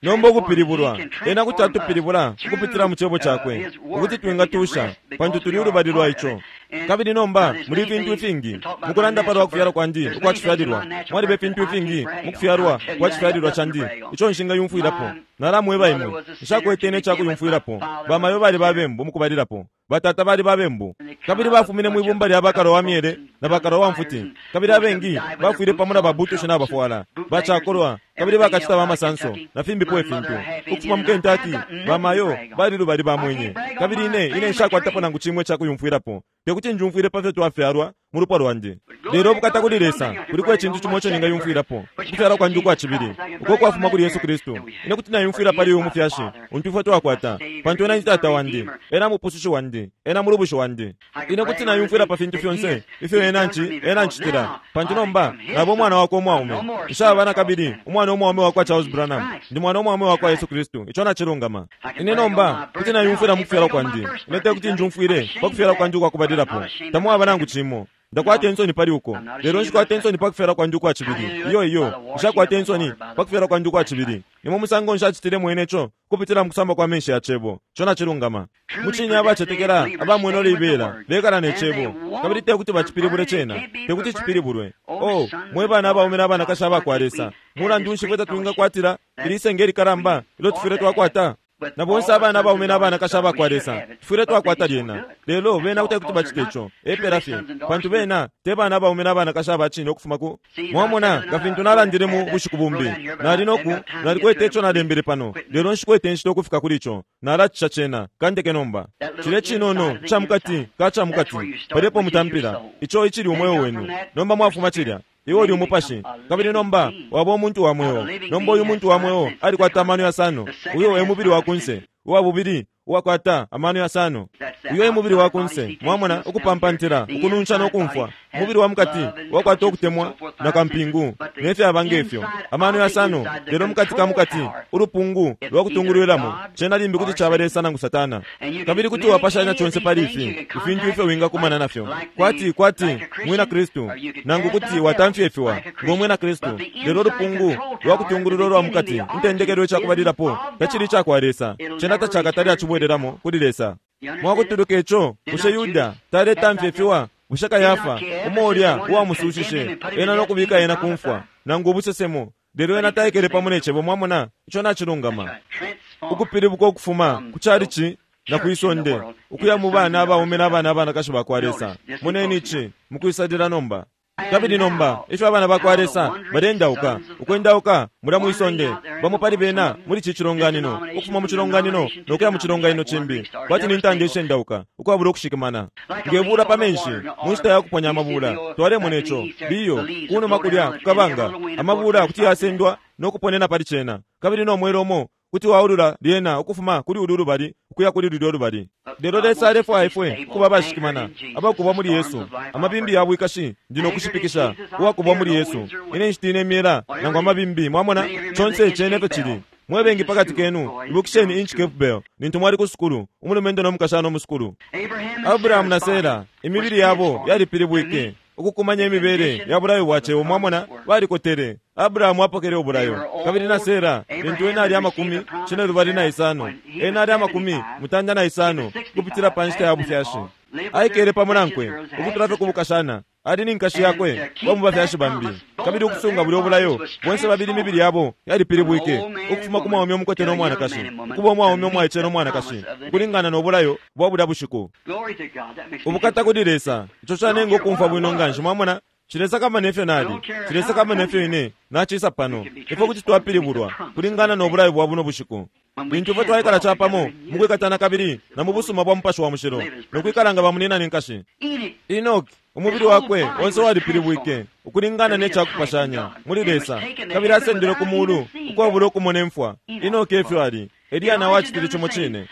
Nomba ukupilibulwa, ena kuti atupilibula ukupitila mu cebo cakwe, ukuti twingatusha, pantu tuli ulubali lwa ico. Kabili nomba muli ifintu ifingi mukulanda palwa kufyalwa kwandi ukwa cifyalilwa, mwaliba ifintu ifingi mu kufyalwa kwa cifyalilwa candi ico nshingayumfwilapo. Nalamweba imwe, nshakwete ine cakuyumfwilapo. Bamayo bali babembu mukubalilapo, batata bali babembu, kabili bafumine mwibumba lya bakalo wa myele na bakalo wa mfuti, kabili abengi bafwile pamo na babutushi nabafwala bacakolwa, kabili bakacita bamasanso na fimbipo ifintu. Ukufuma mu Kentucky, bamayo bali lubali bamwenye, kabili ine ine nshakwatapo nangu cimwe cakuyumfwilapo. Tekuti njumfwile pafyo twafyalwa mu lupwa lwandi. Lelo bukata kuli Lesa, kuliko icintu cimo ico ningayumfwilapo, ukufyalwa kwandi ukwa cibili, uko kwafuma kuli Yesu Kristu. Ine kuti nayumfwila pali uyu mufyashi untu ifwe twakwata, pantu ena ni tata wandi, ena mupusushi wandi, ena mulubushi wandi. Ine kuti nayumfwila pa fintu fyonse ifyo ena nci ena ncitila, pantu nomba naba umwana wakwe umwaume. Nshaba nakabili umwana umwaume wakwa Charles Branham, ndi mwana umwaume wakwa Yesu Kristu. Ico nacilungama. Ine nomba kuti nayumfwila mu kufyalwa kwandi. Ine tekuti njumfwile pa kufyalwa kwandi ukwakubalilapo, tamwaba nangu cimo. Ndakwata insoni pali uko, lelo nshikwata insoni pa kufyalwa kwandi ukwa cibili. Iyo iyo, nshakwata insoni pa kufyalwa kwandi ukwa cibili. Nimwe musango nshacitile mwene ico kupitila mu kusamba kwa menshi ya cebo. Ico nacilungama. Mucine abacetekela abamwene libela bekala ne cebo, kabili tekuti bacipilibule cena, tekuti cipilibulwe. Oh, mwe bana abaume n'abanakashi abakwa Lesa, mulandu nshi fwe tatwingakwatila ili isenge likalamba ilo tufwile twakwata? Na bonse abana abaume n'abanakashi abakwa Lesa tufwile twakwata lyena. Lelo bena kuti kuti bacite ico epela fye, pantu bena te bana abaume n'abanakashi abacine ukufuma ku mwamona. Nga fintu nalandile mu bushiku bumbi, nali noku nalikwete ico nalembele pano, lelo nshikwete inshita ukufika kuli ico. Nalacisha cena kandeke nomba. Cile cinono ca mukati ka ca mukati palepo mutampila, ico icili umweo wenu. Nomba mwafuma cilya, iwe uli umupashi, kabili nomba waba umuntu wa mweo. Nomba uyu muntu wa mweo alikwata amano yasano. Uyo e mubili wa kunse. Uwa bubili uwakwata amano yasano, uyo e mubili wa kunse. Mwamona, ukupampantila, ukununsha nokumfwa. Umubili wa mukati wakwata ukutemwa na kampingu nefyaba ngefyo, amano yasano. Lelo mukati ka mukati, ulupungu lwa kutungulwilamo, cena limbi kuti caba Lesa nangu Satana. Kabili kuti wapashanya conse pali ifi ifintu ifyo wingakumana nafyo, kwati kwati mwina Kristu, nangu kuti watamfyefiwa ngo mwina Kristu. Lelo ulupungu lwa kutungulula lwa mukati, intendekelo icakubalilapo, tacili icakwa Lesa, cena tacakatali acibwelelamo kuli Lesa. Mwakutuluka ico, bushe Yuda taletamfyefiwa? Bushe Kayafa umolya uwamusushishe ena nokubika ena kumfwa, nangu ubusesemo? Lelo ena taikele pamo ne cebo. Mwamona, ico nacilungama. Ukupilibuka ukufuma ku calici na kwisonde ukuya mu bana abaume n'abana abanakashi bakwa Lesa. Moneni ici mukwisalila nomba. Kabili nomba ifyo abana bakwa Lesa balendauka, ukwendauka mulya mwisonde, bamo pali bena muli ci cilonganino, ukufuma mu cilonganino nokuya mu cilonganino cimbi, kwati ni ntanda ishendauka ukwabula ukushikimana ngebula pa menshi mu nshita ya kuponya amabula. Twalemona ico liyo kunuma kulya kukabanga, amabula kuti yasendwa nokuponena pali cena, kabili nomwela umo kuti waulula lyena ukufuma kuli ulu lubali ukuya kuli lulyo lubali. Lelo Lesa alefwaya ifwe ukuba abashikimana, abakubwa muli Yesu. Amabimbi ya bwikashi ndi nokushipikisha uwakubwa muli Yesu. Ine nshitine imyela nangu amabimbi. Mwamona, conse cene efyo cili. Mwebengi pakati kenu ibukisheni Inch Cape Bell nintu mwali ku sukulu, umulumendo nomukashana omusukulu. Abrahamu na Sera imibili yabo yalipilibwike ukukumanya imibele ya bulayo bwa cebo. Mwamona, balikotele. Abrahamu apokele ubulayo, kabili na Sera lintu ena ali amakumi cine lubali na isano, ena ali amakumi mutanda na isano kupitila pa nshita ya bufyashi. Aikele pamo nankwe ukutula fye kubukashana, ali ni nkashi yakwe wa mu bafyashi bambi. Kabili ukusunga bulyo bulayo, bonse babili imibili yabo yalipilibwike ukufuma ku mwaume umukote no mwanakashi ukuba umwaume umwaice no mwanakashi, ukulingana no bulayo bwa bulya bushiku. Ubukata kuli Lesa! Ico canenga ukumfwa bwino nganshi. Mwamona, cilesakama nefyo nali, cilesakama nefyo ine nacisa pano. Ifwe kuti twapilibulwa kulingana no bulayo bwa buno bushiku, lintu ifwe twaikala capamo mukwikatana kabili na mu busuma bwa Mupashi wa Mushilo, nokwikala nga bamunina ne nkashi. Enoki umubili wakwe onse walipilibwike ukulingana ne cakupashanya muli Lesa, kabili asendelwe ku mulu ukwabula ukumona imfwa. Enoki efyo ali. Eliya nawe acitile cimo cine.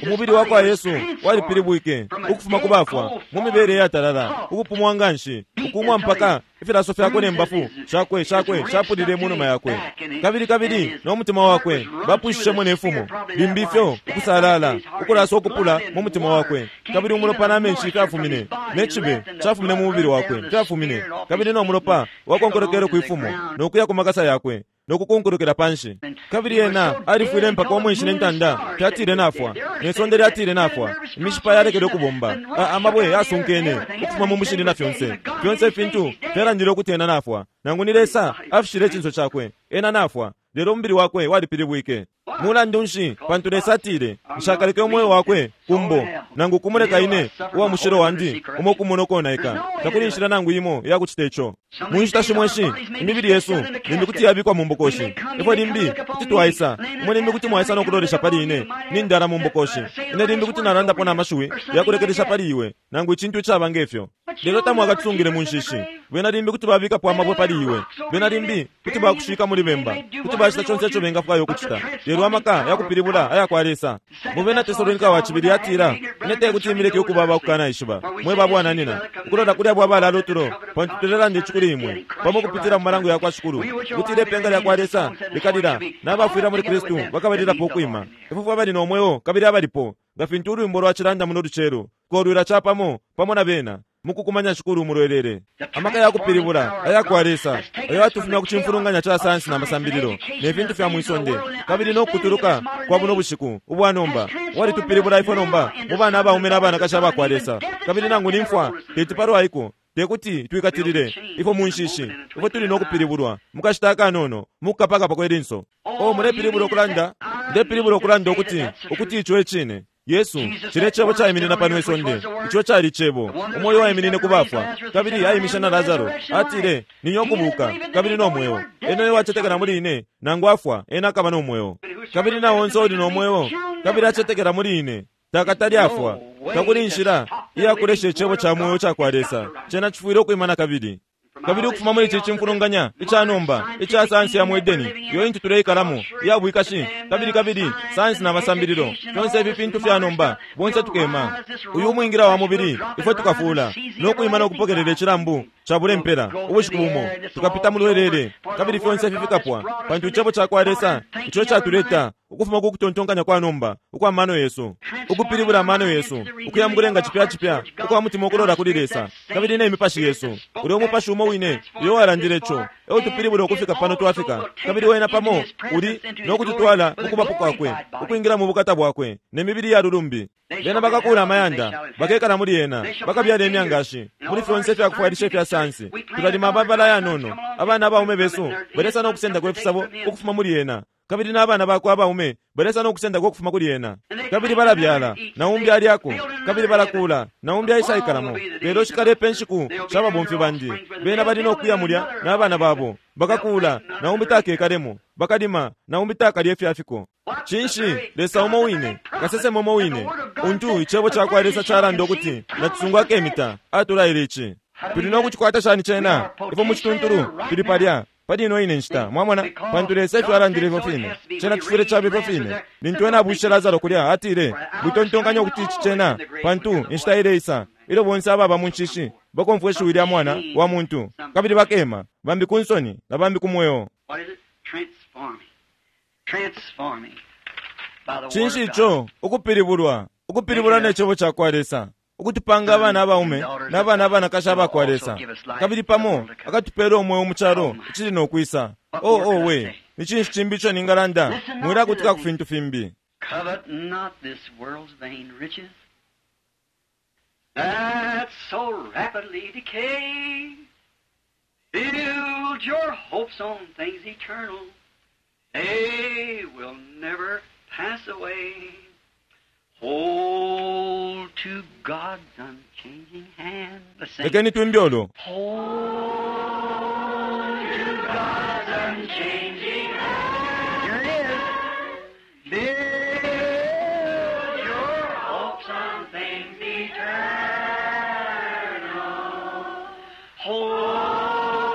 Umubili wakwa Yesu walipilibwike ukufuma ku bafwa mu mibele iyatalala, ukupumwa nganshi, ukumwa mpaka ifilaso fyakwe ne mbafu shakwe shakwe shapulile mu numa yakwe, kabili kabili no mutima wakwe bapwishishemo ne fumo limbi ifyo ukusalala ukulaswa ukupula mu mutima wakwe, kabili umulopa na menshi fyafumine, ne cibe cafumine mu mubili wakwe fyafumine, kabili no mulopa wakonkolokele kwifumo nokuya ku makasa yakwe nokukunkulukila panshi. Kabili ena alifwile mpaka umwenshi ne ntanda fyatile nafwa, ne sonde lyatile nafwa, imishipa yalekele ukubomba, amabwe yasunkene ukufuma mu mushili na fyonse fyonse ifintu fyalandile ukuti ena nafwa. Nangu ni Lesa afishile icinso cakwe, ena nafwa, lelo umubili wakwe walipilibwike. Mulandu nshi? Pantu Lesa atile, nshakaleke umweo wakwe kumbo, nangu kumuleka ine uwa mushilo wandi umo kumona ukonaika. Takuli inshila nangu imo iyakucita ico. Mu nshita shimo ishi imibili yesu limbi kuti yabikwa mu mbokoshi. Ifwe limbi kuti twaisa, imwe limbi kuti mwaisa no kulolesha pali ine nindala mu mbokoshi. Ine limbi kuti nalandapo na mashiwi yakulekelesha pali iwe, nangu icintu icaba ngefyo. Lelo tamwakatusungile mu nshishi. Bena limbi kuti babikapo amabwe pali iwe. Bena limbi kuti bakushika muli bemba. Kuti bacita conse ico bengafwaya ukucita. Lelo amaka yakupilibula aya kwa Lesa. Mu bena Tesalonika wa cibili atila, ine tekuti imileke ukuba abakukanaishiba, mwe babwananyina, ukulola kuli abo abalala utulo, pantu tulelanda ici kuli imwe, pamo kupitila mu malango ya kwa Shikulu, ukuti ipenga lya kwa Lesa likalila, n'abafwila muli Kristu bakabalilapo ukwima. Ifwe abali no mweo kabili abalipo, nga fintu ulwimbo lwacilanda muno lucelo, tukolwila capamo pamo na bena mukukumanya Shikulu mulwelele. Amaka yakupilibula aya kwa Lesa ayo atufumya ku cimfulunganya ca sayansi na masambililo ne fintu fya mwisonde, kabili no kutuluka kwa buno bushiku ubwa nomba, walitupilibula ifwe nomba mu bana abaume n'abanakashi aba kwa Lesa. Kabili nangu ni mfwa teti palwaiko, tekuti twikatilile ifwe mu nshishi. Ifwe tuli no kupilibulwa mukashita akanono, mukukapakapa kwe linso. O mulepilibula ukulanda, ndepilibula ukulanda ukuti ukuti ico ecine. Yesu, cile cebo caiminina pano isonde, ico cali cebo, umwoyo waiminine ku bafwa, kabili aimisha na Lazaro, atile, ninyo kubuka, kabili no mweo. Ena uyo wacetekela muli ine, nangu afwa, ena akaba no mweo. Kabili na onse uli no mweo, kabili acetekela muli ine, takatali afwa. Takuli inshila iyakulesha icebo ca mweo ca kwa Lesa, cena cifwile ukwima kabili. Kabili ukufuma muli ici cimfulunganya ica nomba ica sayansi ya mu Edeni, iyo intu tuleikalamo iya bwikashi, kabili kabili sayansi na masambililo, fyonse ifi fintu fya nomba, bonse tukema. Uyu umwingira wa mubili ifwe tukafula no kwima no kupokelela icilambu cabule mpela ubushiku bumo, tukapita mu lwelele, kabili fyonse ifi fikapwa, pantu icebo ca kwa Lesa ico catuleta ukufuma ku kutontonkanya kwa nomba ukwa mano yesu, ukupilibula amano yesu ukuya mu kulenga cipya cipya ukwa mutima ukulola kuli Lesa, kabili ne mipashi yesu. Ulya umupashi umo wine uyo walandile ico eutupilibula ukufika pano twafika, kabili wena pamo uli no kututwala mu kubapo kwakwe, ukwingila mu bukata bwakwe ne mibili ya lulumbi. Bena bakakula amayanda, bakekala muli yena, bakabyala imyangashi muli fyonse ifyakufwailisha ifya sayansi. Tulalima amabala yanono, abana abaume besu balesa no kusendako ifisabo ukufuma muli yena, kabili n'abana bakwe abaume balesa no kusendako ukufuma kuli yena. Kabili balabyala, na umbi alyako, kabili balakula, na umbi aisaikalamo. Lelo shikalepa inshiku sha babomfi bandi, bena bali no kuya mulya n'abana babo, bakakula, na umbi takekalemo, bakalima, na umbi takalye ifyafiko. Cinshi? Lesa umo wine, kasesema umo wine, untu icebo ca kwa Lesa calanda ukuti natusungu akemita, atulaile ici. Tuli no kucikwata shani cena? Ifwe mu cituntulu tuli palya pali ino ine nshita, mwamona, pantu Lesa ifyo alandile ifyo fine, cena cifwile caba ifyo fine. Lintu ena abwishe Lazaro kulya, atile, mwitontonkanya ukuti ici cena, pantu inshita ileisa ilyo bonse ababa mu nshishi bakomfwa ishiwi lya Mwana wa Muntu, kabili bakema, bambi ku nsoni na bambi ku mweo. Cinshi ico? Ukupilibulwa, ukupilibulwa ne cebo ca kwa Lesa, ukutupanga abana abaume n'abana abanakashi aba kwa Lesa, kabili pamo akatupela umweo mu calo icili no kwisa. O o we, ni cinshi cimbi ico ningalanda? Mwilakutika ku fintu fimbi. Covet not this world's vain riches that so rapidly decay. Build your hopes on things eternal. They will never pass away. Hold to God's unchanging hand. Let's sing. Lekeni twimbe olo. Hold to God's unchanging hand. Here it is. Build your hopes on things eternal. Hold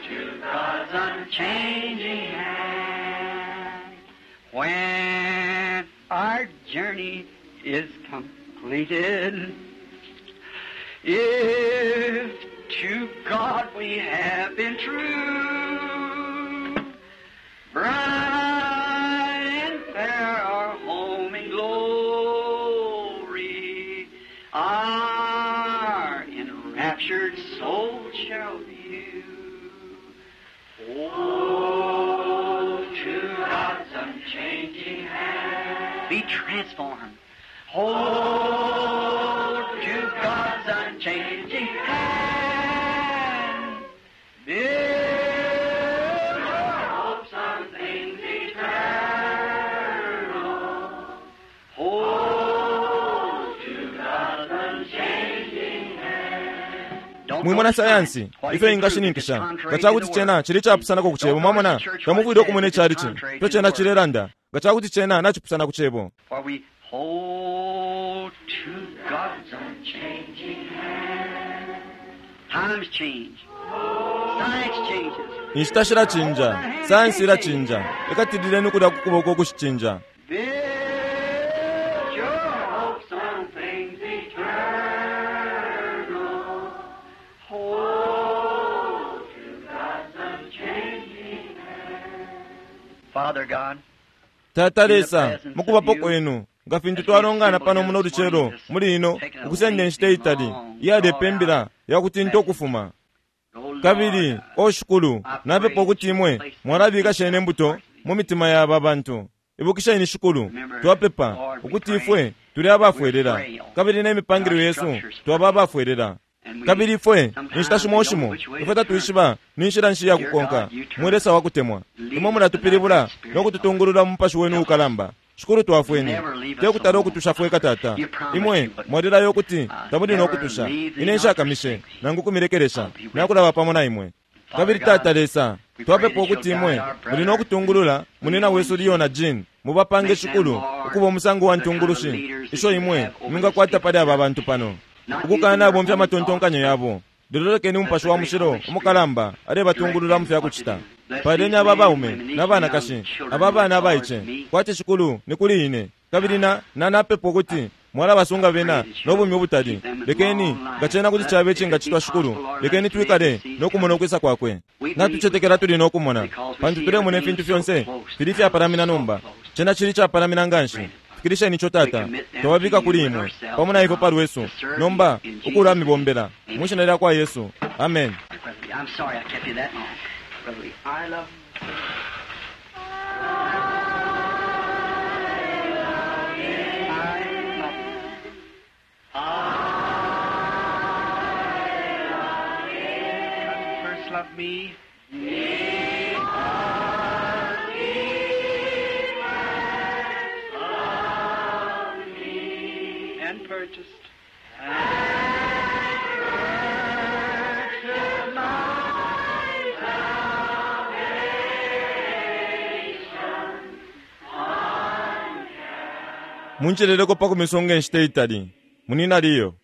to God's unchanging hand. When our journey is completed, if to God we have been true, bright and fair our home in glory, our enraptured soul shall view. Hold to God's unchanging hand. Be transformed. Hold to God's unchanging hand. Build your hopes on things eternal. Mwimona sayansi ifyo ingashininkisha nga cakuti cena cili capusanako ku cebo. Mwamona, tamufwile ukumona icalici ifyo cena cilelanda nga cakuti cena nacipusana ku cebo. For we hold to God's unchanging hand. Times change. Science changes. Inshita shilacinja, sayansi ilacinja. Ikatilileni kulya ku kuboko kuxicinja. Build your hopes on things eternal. Hold to God's unchanging hand. Father God, Tata Lesa, mukubapo kwenu nga fintu twalongana pano muno lucelo muli ino ukusenda inshita itali iyalepa imbila yakutinta ukufuma. O Lord, Kabili o Shukulu, napepa ukuti imwe mwalabika shene imbuto mu mitima ya aba bantu. Ibukisheni Shukulu, twapepa ukuti ifwe tuli abafwelela, kabili n'emipangilwe yesu twaba abafwelela. Kabili ifwe inshita shimo shimo ifwe tatwishiba ni nshila nshi yakukonka. Mwe Lesa wakutemwa, imwe mulatupilibula no kututungulula mu mupashi wenu ukalamba. Shukulu, twafweni tekutala ukutusha fweka tata. Imwe mwalilayo ukuti tamuli no kutusha. Ine nshakamishe nangu kumilekelesha, nakulaba pamo na imwe. Kabili Tata Lesa, twapepa ukuti imwe muli no kutungulula munina wesu Leo na Jean, mubapange Shukulu ukuba umusango wa ntungulushi isho imwe mwingakwata pali aba bantu pano, ukukana bomfya amatontonkanyo yabo. Lelo lekeni umupashi wa mushilo umukalamba alebatungulula mu fyakucita. Paleni aba baume n'abanakashi, aba bana abaice, kwati Shukulu ni kuli ine. Kabili na nanapepa ukuti mwalabasunga bena n'obumi ubutali. Lekeni nga cena kuti cabe icingacitwa Shukulu, lekeni twikale n'okumona ukwisa kwakwe. Natucetekela tuli n'okumona, pantu tulemona ifintu fyonse fili fyapalamina nomba. Cena cili capalamina nganshi. Fikilisheni ico Tata, twababika kuli imwe pamo na ifwe palwesu nomba ukulamibombela mu shina lya kwa Yesu. Amen. Brother Lee, I'm sorry I kept you that long. Brother Lee, I love I love Because he first loved me. And purchased. Munceleleko pa kumisunga inshita itali munina Leo.